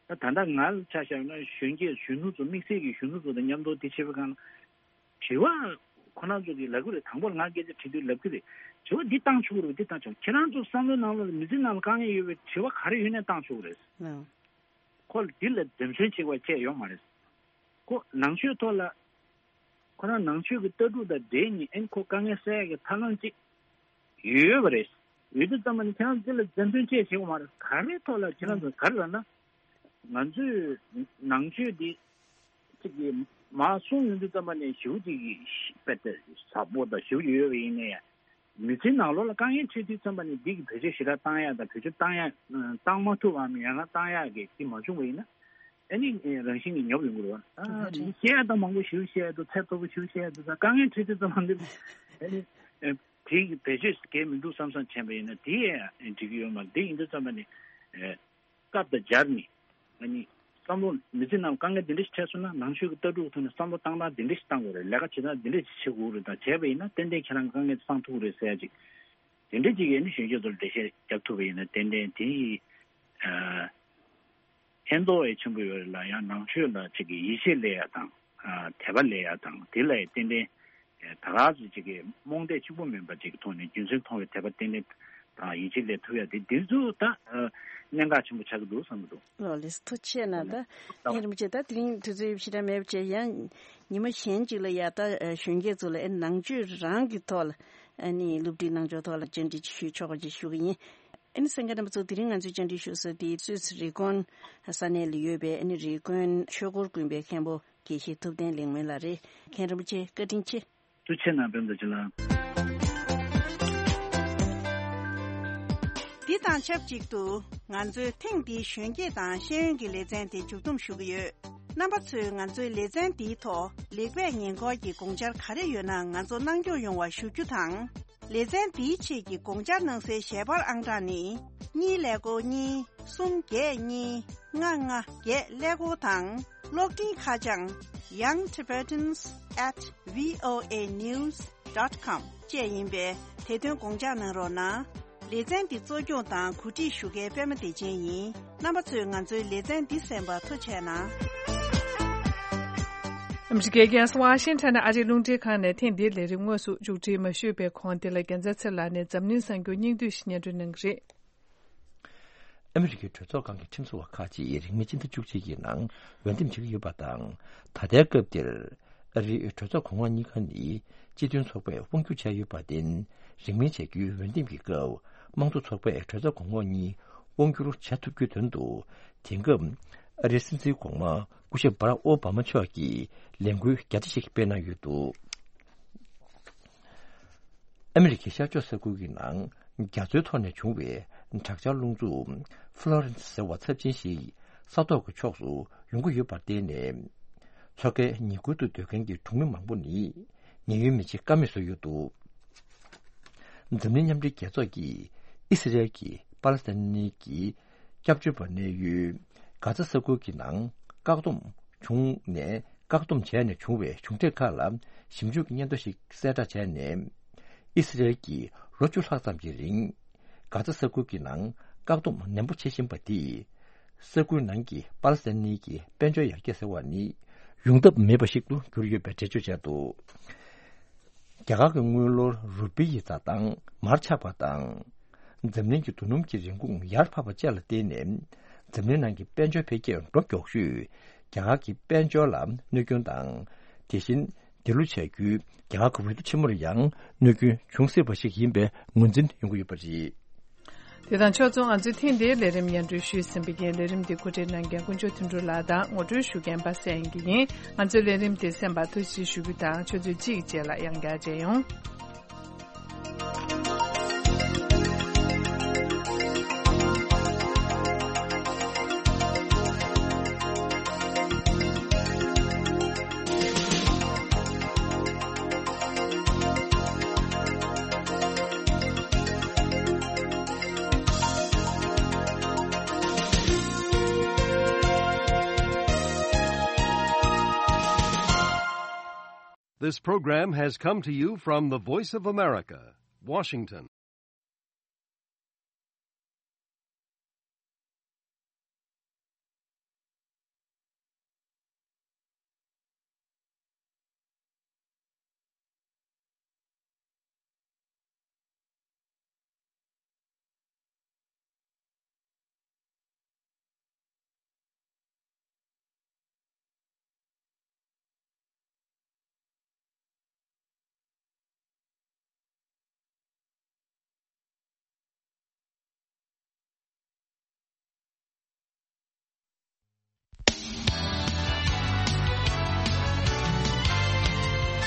ད་ད་ལྟ་ང་ལ་ཆ་བཞག་ན་གཞོན་སྐྱེས་གཞོན་ནུ་ཚོ་དམིགས་བསལ་གྱི་གཞོན་ནུ་ཚོ་དང་མཉམ་དུ་དེ་བྱེད་པའི་སྒང་ལ། དྲི་བ་ཁོ་རང་ཚོ་གིས་ལབ་ཀྱི་རེད། དང་པོར་ང་སྐད་ཆ་དྲིས་དུས་ལབ་ཀྱི་རེད། དྲི་བ་འདི་བཏང་ཆོག་གི་རེད། འདི་བཏང་ཆོག་ཁྱེད་རང་ཚོ་བསམ་བློའི་ནང་ལ་མི་ཚེ་ནང་ལ་དཀའ་ངལ་ཡོད་པའི་དྲི་བ་ག་རེ་ཡོད་ནའི་བཏང་ཆོག་གི་རེད། ལགས། ཁོ་ལ་འདི་ལ་འཛེམ་ཟོན་བྱེད་དགོས་བྱས་ཡོད་མ་རེད། ཁོ་ནང་ཆོས་ཐོག་ལ་ཁོ་རང་ནང་ཆོས་ཀྱི་ལྟ་གྲུབ་དང་འབྲེལ་ནས་ཨེ་ཁོ་དཀའ་ངལ་སེལ་ཡག་གི་ཐབས་ལམ་ཅིག་ཡོད་པ་རེད། ཡོད་དུས་ཙམ་པ་ནི་ཁྱེད་རང་འདི་ལ་འཛེམ་ཟོན་བྱེད་བྱེད་དགོས་མ་རེད། ག་རེ་ཐོག་ལ་ཁྱེད་རང་ཚོ་ག་རེ་ལབ་ན། ང་ཚོས་ནང་ཆོས་འདི་གཅིག་གིས་མར་གསུངས་ཡོང་དུས་ཙམ་པ་ནས་ཞེ་པོ་ཅིག་གི་དཔེ་དེ་ཟབ་པོ་དང་ཞེ་པོ་ཅིག་ཡོད་པ་ཡིན་ནའི། མི་ཚེའི་ནང་ལོགས་ལ་དཀའ་ངལ་འཕྲད་དུས་ཙམ་པ་ནས་འདི་གི་བེད་སྤྱོད་ཞེ་དྲག་བཏང་ཡག་དང་བེད་སྤྱོད་བཏང་ཡག་བཏང་མ་ཐུབ་པའམ་ཡང་ན་བཏང་ཡག་གི་དེ་མ་བྱུང་བ་ཡིན་ན། ཨ་ནི་རང་བཞིན་གྱིས་ཉོབ་ཡོང་གི་རེད་བ། ཨ་ནི་བཤད་ཡག་ད་མང་པོ་ཞེ་པོ་བཤད་ཡག་འདུག་ཚད་མཐོ་པོ་ཞེ་པོ་བཤད་ཡག་འདུག་ད་དཀའ་ངལ་འཕྲད་དུས་ཙམ་པ་འདི་ཨ་ནི་དེ་གི་བེད་སྤྱོད་གལ་མི་འདུག་བསམ་བསམ་བྱས་པ་ཡིན་ན་དེ་ཡང་འགྲིག་གི་ཡོད་མ་རེད། དེ་ཡིན་དུས་ཙམ་པ་ནས། སྐབས་དང་སྦྱར་ནས། ཨ་ནི། བསམ་བློ་མི་ཚེ་ནང་དཀའ་ངལ་འདི་འདྲ་ཞིག་འཕྲད་སོང་ན་ནང་ཆོས་ཀྱི་ལྟ་གྲུབ་ཐོག་ནས་བསམ་བློ་བཏང་སྟངས་འདི་འདྲ་ཞིག་བཏང་དགོས་རེད། ལས་ཀ་བྱེད་སྟངས་འདི་འདྲ་ཞིག་བྱེད་དགོས་རེད། ད་བྱས་པ་ཡིན་ན་ཏན་ཏན་ཁྱེད་རང་གི་དཀའ་ངལ་དེ་སངས་ཐུབ་ཀྱི་རེད་ཟེར་ཡ་ཅིག་དེ་འདྲ་ཅིག་ཨ་ནི་གཞོན་སྐྱེས་ཚོར་འགྲེལ་བཤད་རྒྱབ་ཐུབ་པ་ཡིན་ན་ཏན་ཏན་དེ་ཡི། ཨ། ཕན་ཐོགས་ཡང་ཆེན་པོ་ཡོད་རེད་ལ། ཡང་ནང་ཆོས་ལ་ཅིག་གི་ཡིད་ཆེས་སླེབས་ཡ་དང་། ཨ། དད་པ་སླེབས་ཡ་དང་དེ་ལ་ཡང་ཏན་ཏན། ད་ག་ཚོད་ཅིག་གི་རྨོངས་དད་གཅིག་པུ་མིན་པ་ཅིག་གི་ཐོག་ནས་རྒྱུ་མཚན་མཐོང་བའི་དད་པ་ཏན་ཏན་དང་ཡིད་ཆེས་སླེབས་ཐུབ་ཡ་དེ་འདི་ཚོ་ད་གནད་འགག་ཆེན་པོ་ཆགས་ཀྱི་འདུག་བསམ་གྱི་འདུག་ལགས་ལགས་སོ། ཐུགས་རྗེ་ཆེ་གནང་། ད་ཐུགས་རྗེ་གནང་། མཁན་རིན་པོ་ཆེ་ད་དེ་རིང་དུས་ཚོད་ཞེ་དྲག་མེད་པ་བྱས་ཡང་ཉི་མ་གཞན་ཅིག་ལ་ཡ་ད་གཞོན་སྐྱེས་ཚོ་ལ་ཨེ་ནང་ཆོས་རང་གི་ཐོག་ལ་ཨ་ནི་སློབ་ཁྲིད་གནང་ཕྱོགས་ཐོག་ལ་བཅར་འདྲི་ཅིག་ཞུ་ཆོག་པ་ཅིག་ཞུ་གི་ཡིན། ཨ་ནི་གསན་མཁན་རྣམ་པ་ཚོ་དེ་རིང་ང་ཚོའི་བཅར་འདྲི་ཞུ་ས་དེ་སུད་སི་རི་ཀོན་ས་གནས་ལ་ཡོད་པའི་ཨ་ནི་རི་ཀོན་ཆོས་འཁོར་དགོན་པའི་མཁན་པོ་དགེ་བཤེས་ཐུབ་བསྟན་ལེགས་སྨོན་ལགས་རེད། མཁན་རིན་པོ་ཆེ་བཀའ་དྲིན་ཆེ། ཐུགས་རྗེ་ཆེ་གནང་། པད་མ་བདེ་ཆེན་ལགས། འདི་དང་ཆབས་ཅིག་ཏུ་ང་ཚོའི་ཐེངས་འདིའི་གཞོན་སྐྱེས་དང་ཤེས་ཡོན་གྱི་ལེ་ཚན་དེ་མཇུག་བསྡོམས་ཞུ་གི་ཡོད། རྣམ་པ་ཚོས་ང་ཚོའི་ལེ་ཚན་འདིའི་ཐོག་ལེགས་སྤེལ་ཉེས་འཁོར་གྱི་དགོངས་འཆར་ག་རེ་ཡོད་ན་ང་ཚོ་གནང་སྐྱོང་ཡོང་བ་ཞུ་རྒྱུ་དང་། ལེ་ཚན་འདིའི་ཆེད་ཀྱི་དགོངས་འཆར་གནང་སའི་ཞལ་པར་ཨང་གྲངས་ནི། གཉིས་ཀླད་ཀོར་གཉིས། གསུམ་བརྒྱད་གཉིས། ལྔ་ལྔ་བརྒྱད་ཀླད་ཀོར་དང་། གློག་འཕྲིན་ཁ་བྱང་young tibetans at voa news dot com བཅས་ཡིན་པས་དེ་དོན་དགོངས་འཇགས་གནང་རོགས་གནང་། ལེ་ཚན་འདི་གཙོ་སྐྱོང་དང་གོ་སྒྲིག་ཞུ་མཁན་པད་མ་བདེ་ཆེན་ཡིན། རྣམ་པ་ཚོས་ང་ཚོའི་ལེ་ཚན་འདི་གསན་པར་ཐུགས་རྗེ་གནང་། ཨ་མི་རི་ཀའི་རྒྱལ་ས་ཝ་ཤིང་ཊོན་ཨ་རིའི་རླུང་འཕྲིན་ཁང་ནས་ཐེངས་འདིའི་ལས་རིམ་དངོས་སུ་མཇུག་སྒྲིལ་མ་ཞུས་པའི་གོང་དེ་ལ་རྒྱལ་མཚན་ཚེ་ལགས་ནས་འཛམ་གླིང་གསར་འགྱུར་སྙིང་བསྡུས་ཤིག་སྙན་སྒྲོན་གནང་གི་རེད། ཨ་མི་རི་ཀའི་གྲོས་ཚོགས་ཁང་གི་ཁྲིམས་བཟོ་བ་ཁག་ཅིག་རིང་མིན་སྤྱི་ཟླ་བཅུ་གཅིག་གི་ནང་འོས་འདེམས་བྱེད་ཀྱི་ཡོད་པ་དང་། ད་ལྟའི་སྐབས་འདིར་ཨ་རིའི་གྲོས་ཚོགས་གོང་འོག་གཉིས་ཀ་ནི་སྤྱི་མཐུན་ཚོགས་པས་དབང་སྒྱུར་བྱས་ཡོད་པར་བརྟེན། རིང་མིན་བྱ་རྒྱུའི་འོས་འདེམས་ཀྱི་སྐབས་དམངས་གཙོ་ཚོགས་པས་གྲོས་ཚོགས་གོང་འོག་གཉིས་དབང་སྒྱུར་བྱ་ཐུབ་རྒྱུའི་དོན་དུ། དེང་སྐབས་ཨ་རིའི་སྲིད་འཛིན་གོང་མ་སྐུ་ཞབས་བྷ་རག་ཨོ་བྷ་མ་མཆོག་གིས་ལས་འགུལ་རྒྱ་ཆེ་ཞིག་སྤེལ་གནང་ཡོད་འདུག་ཨ་མི་རི་ཀའི་ཤར་ཕྱོགས་ས་ཁུལ་གྱི་ནང་རྒྱ་མཚོའི་ཐོག་ནས་བྱུང་བའི་དྲག་ཆར་རླུང་འཚུབ་ཧྥ་ལོ་རེན་སི་ཟེར་བ་ཚབས་ཆེན་ཞིག་ས་ཐོག་གི་ཕྱོགས་སུ་ཡོང་གི་ཡོད་པར་བརྟེན་ནས། མཚོ་ཁའི་ཉེ་ཁུལ་དུ་སྡོད་མཁན་གྱི་གྲོང་མི་མང་པོ་ནི་ཉེན་གཡོལ་མི་བྱེད་ཀ་མེད་བཟོས་ཡོད་འདུག་འཛམ་གླིང་མཉམ་འབྲེལ་རྒྱལ་ཚོགས་ཀྱིས་ཨི་སི་རེལ་གྱིས་པ་ལེ་སི་ཐན་གྱི་སྐྱབས་བཅོལ་བ་གནས་ཡུལ་གྷ་ཛ་ས་ཁུལ་གྱི་ནང་བཀག་སྡོམ་བྱུང་ནས། བཀག་སྡོམ་བྱས་ནས་བྱུང་བའི་གཞུང་འབྲེལ་ཁག་ལ་ཞིབ་འཇུག་གི་སྙན་ཐོ་ཞིག་གསལ་བསྒྲགས་བྱས་ནས། ཨི་སི་རེལ་གྱིས་ལོ་བཅུ་ལྷག་ཙམ་གྱི་རིང་། གྷ་ཛ་ས་ཁུལ་གྱི་ནང་བཀག་སྡོམ་ནན་པོ་བྱེད་བཞིན་པ་དེས། ས་ཁུལ་ནང་གི་པ་ལེ་སི་ཐན་གྱི་དཔལ་འབྱོར་ཡར་རྒྱས་ཟེར་བ་ནི་ཡོང་ཐབས་མེད་པ་ཞིག་ཏུ་གྱུར་ཡོད་པའི་འགྲེལ་བརྗོད་བྱས་འདུག་རྒྱ་གར་གྱི་དངུལ་ལོར་རུ་པི་ཡི་འཛའ་ཐང་མར་ཆག་པ་དང་། འཛམ་གླིང་གི་རྡོ་སྣུམ་གྱི་རིན་གོང་ཡར་འཕར་བ་བཅས་ལ་བརྟེན་ནས། འཛམ་གླིང་ནང་གི་དཔལ་འབྱོར་འཕེལ་རྒྱས་འགྲོ་མགྱོགས་ཤོས་རྒྱ་གར་གྱི་དཔལ་འབྱོར་ལ་གནོད་སྐྱོན་དང་། དེ་བཞིན་འདི་ལོ་བྱ་རྒྱུའི་རྒྱ་གར་གྱི་འོས་བསྡུ་ཆེན་མོར་ཡང་གནོད་སྐྱོན་འབྱུང་སྲིད་པ་ཞིག་ཡིན་པའི་ངོས་འཛིན་ཡོང་གི་ཡོད་པ་རེད། དེ་དང་ཕྱོགས་མཚུངས། ང་ཚོའི་ཐེངས་འདིའི་ལས་རིམ་སྙན་སྒྲོན་ཞུས་ཟིན་པའི་རྐྱེན། ལས་རིམ་འདི་གོ་སྒྲིག་གནང་མཁན་དཀོན་མཆོག་དོན་གྲུབ་ལགས་དང་ངོ་སྤྲོད་ཞུ་མཁན་པ་སངས་དབྱངས་སྐྱིད་ཡིན། ང་ཚོའི་ལས་རིམ་འདི་གསན་པར་ཐུགས་རྗེ་ཆེ་ཞུ་རྒྱུ་དང་། ཆུ་ཚོད་གཅིག་རྗེས་ལ་ཡང་བསྐྱར་མཇལ་ཡོང་། This program has come to you from the Voice of America, Washington.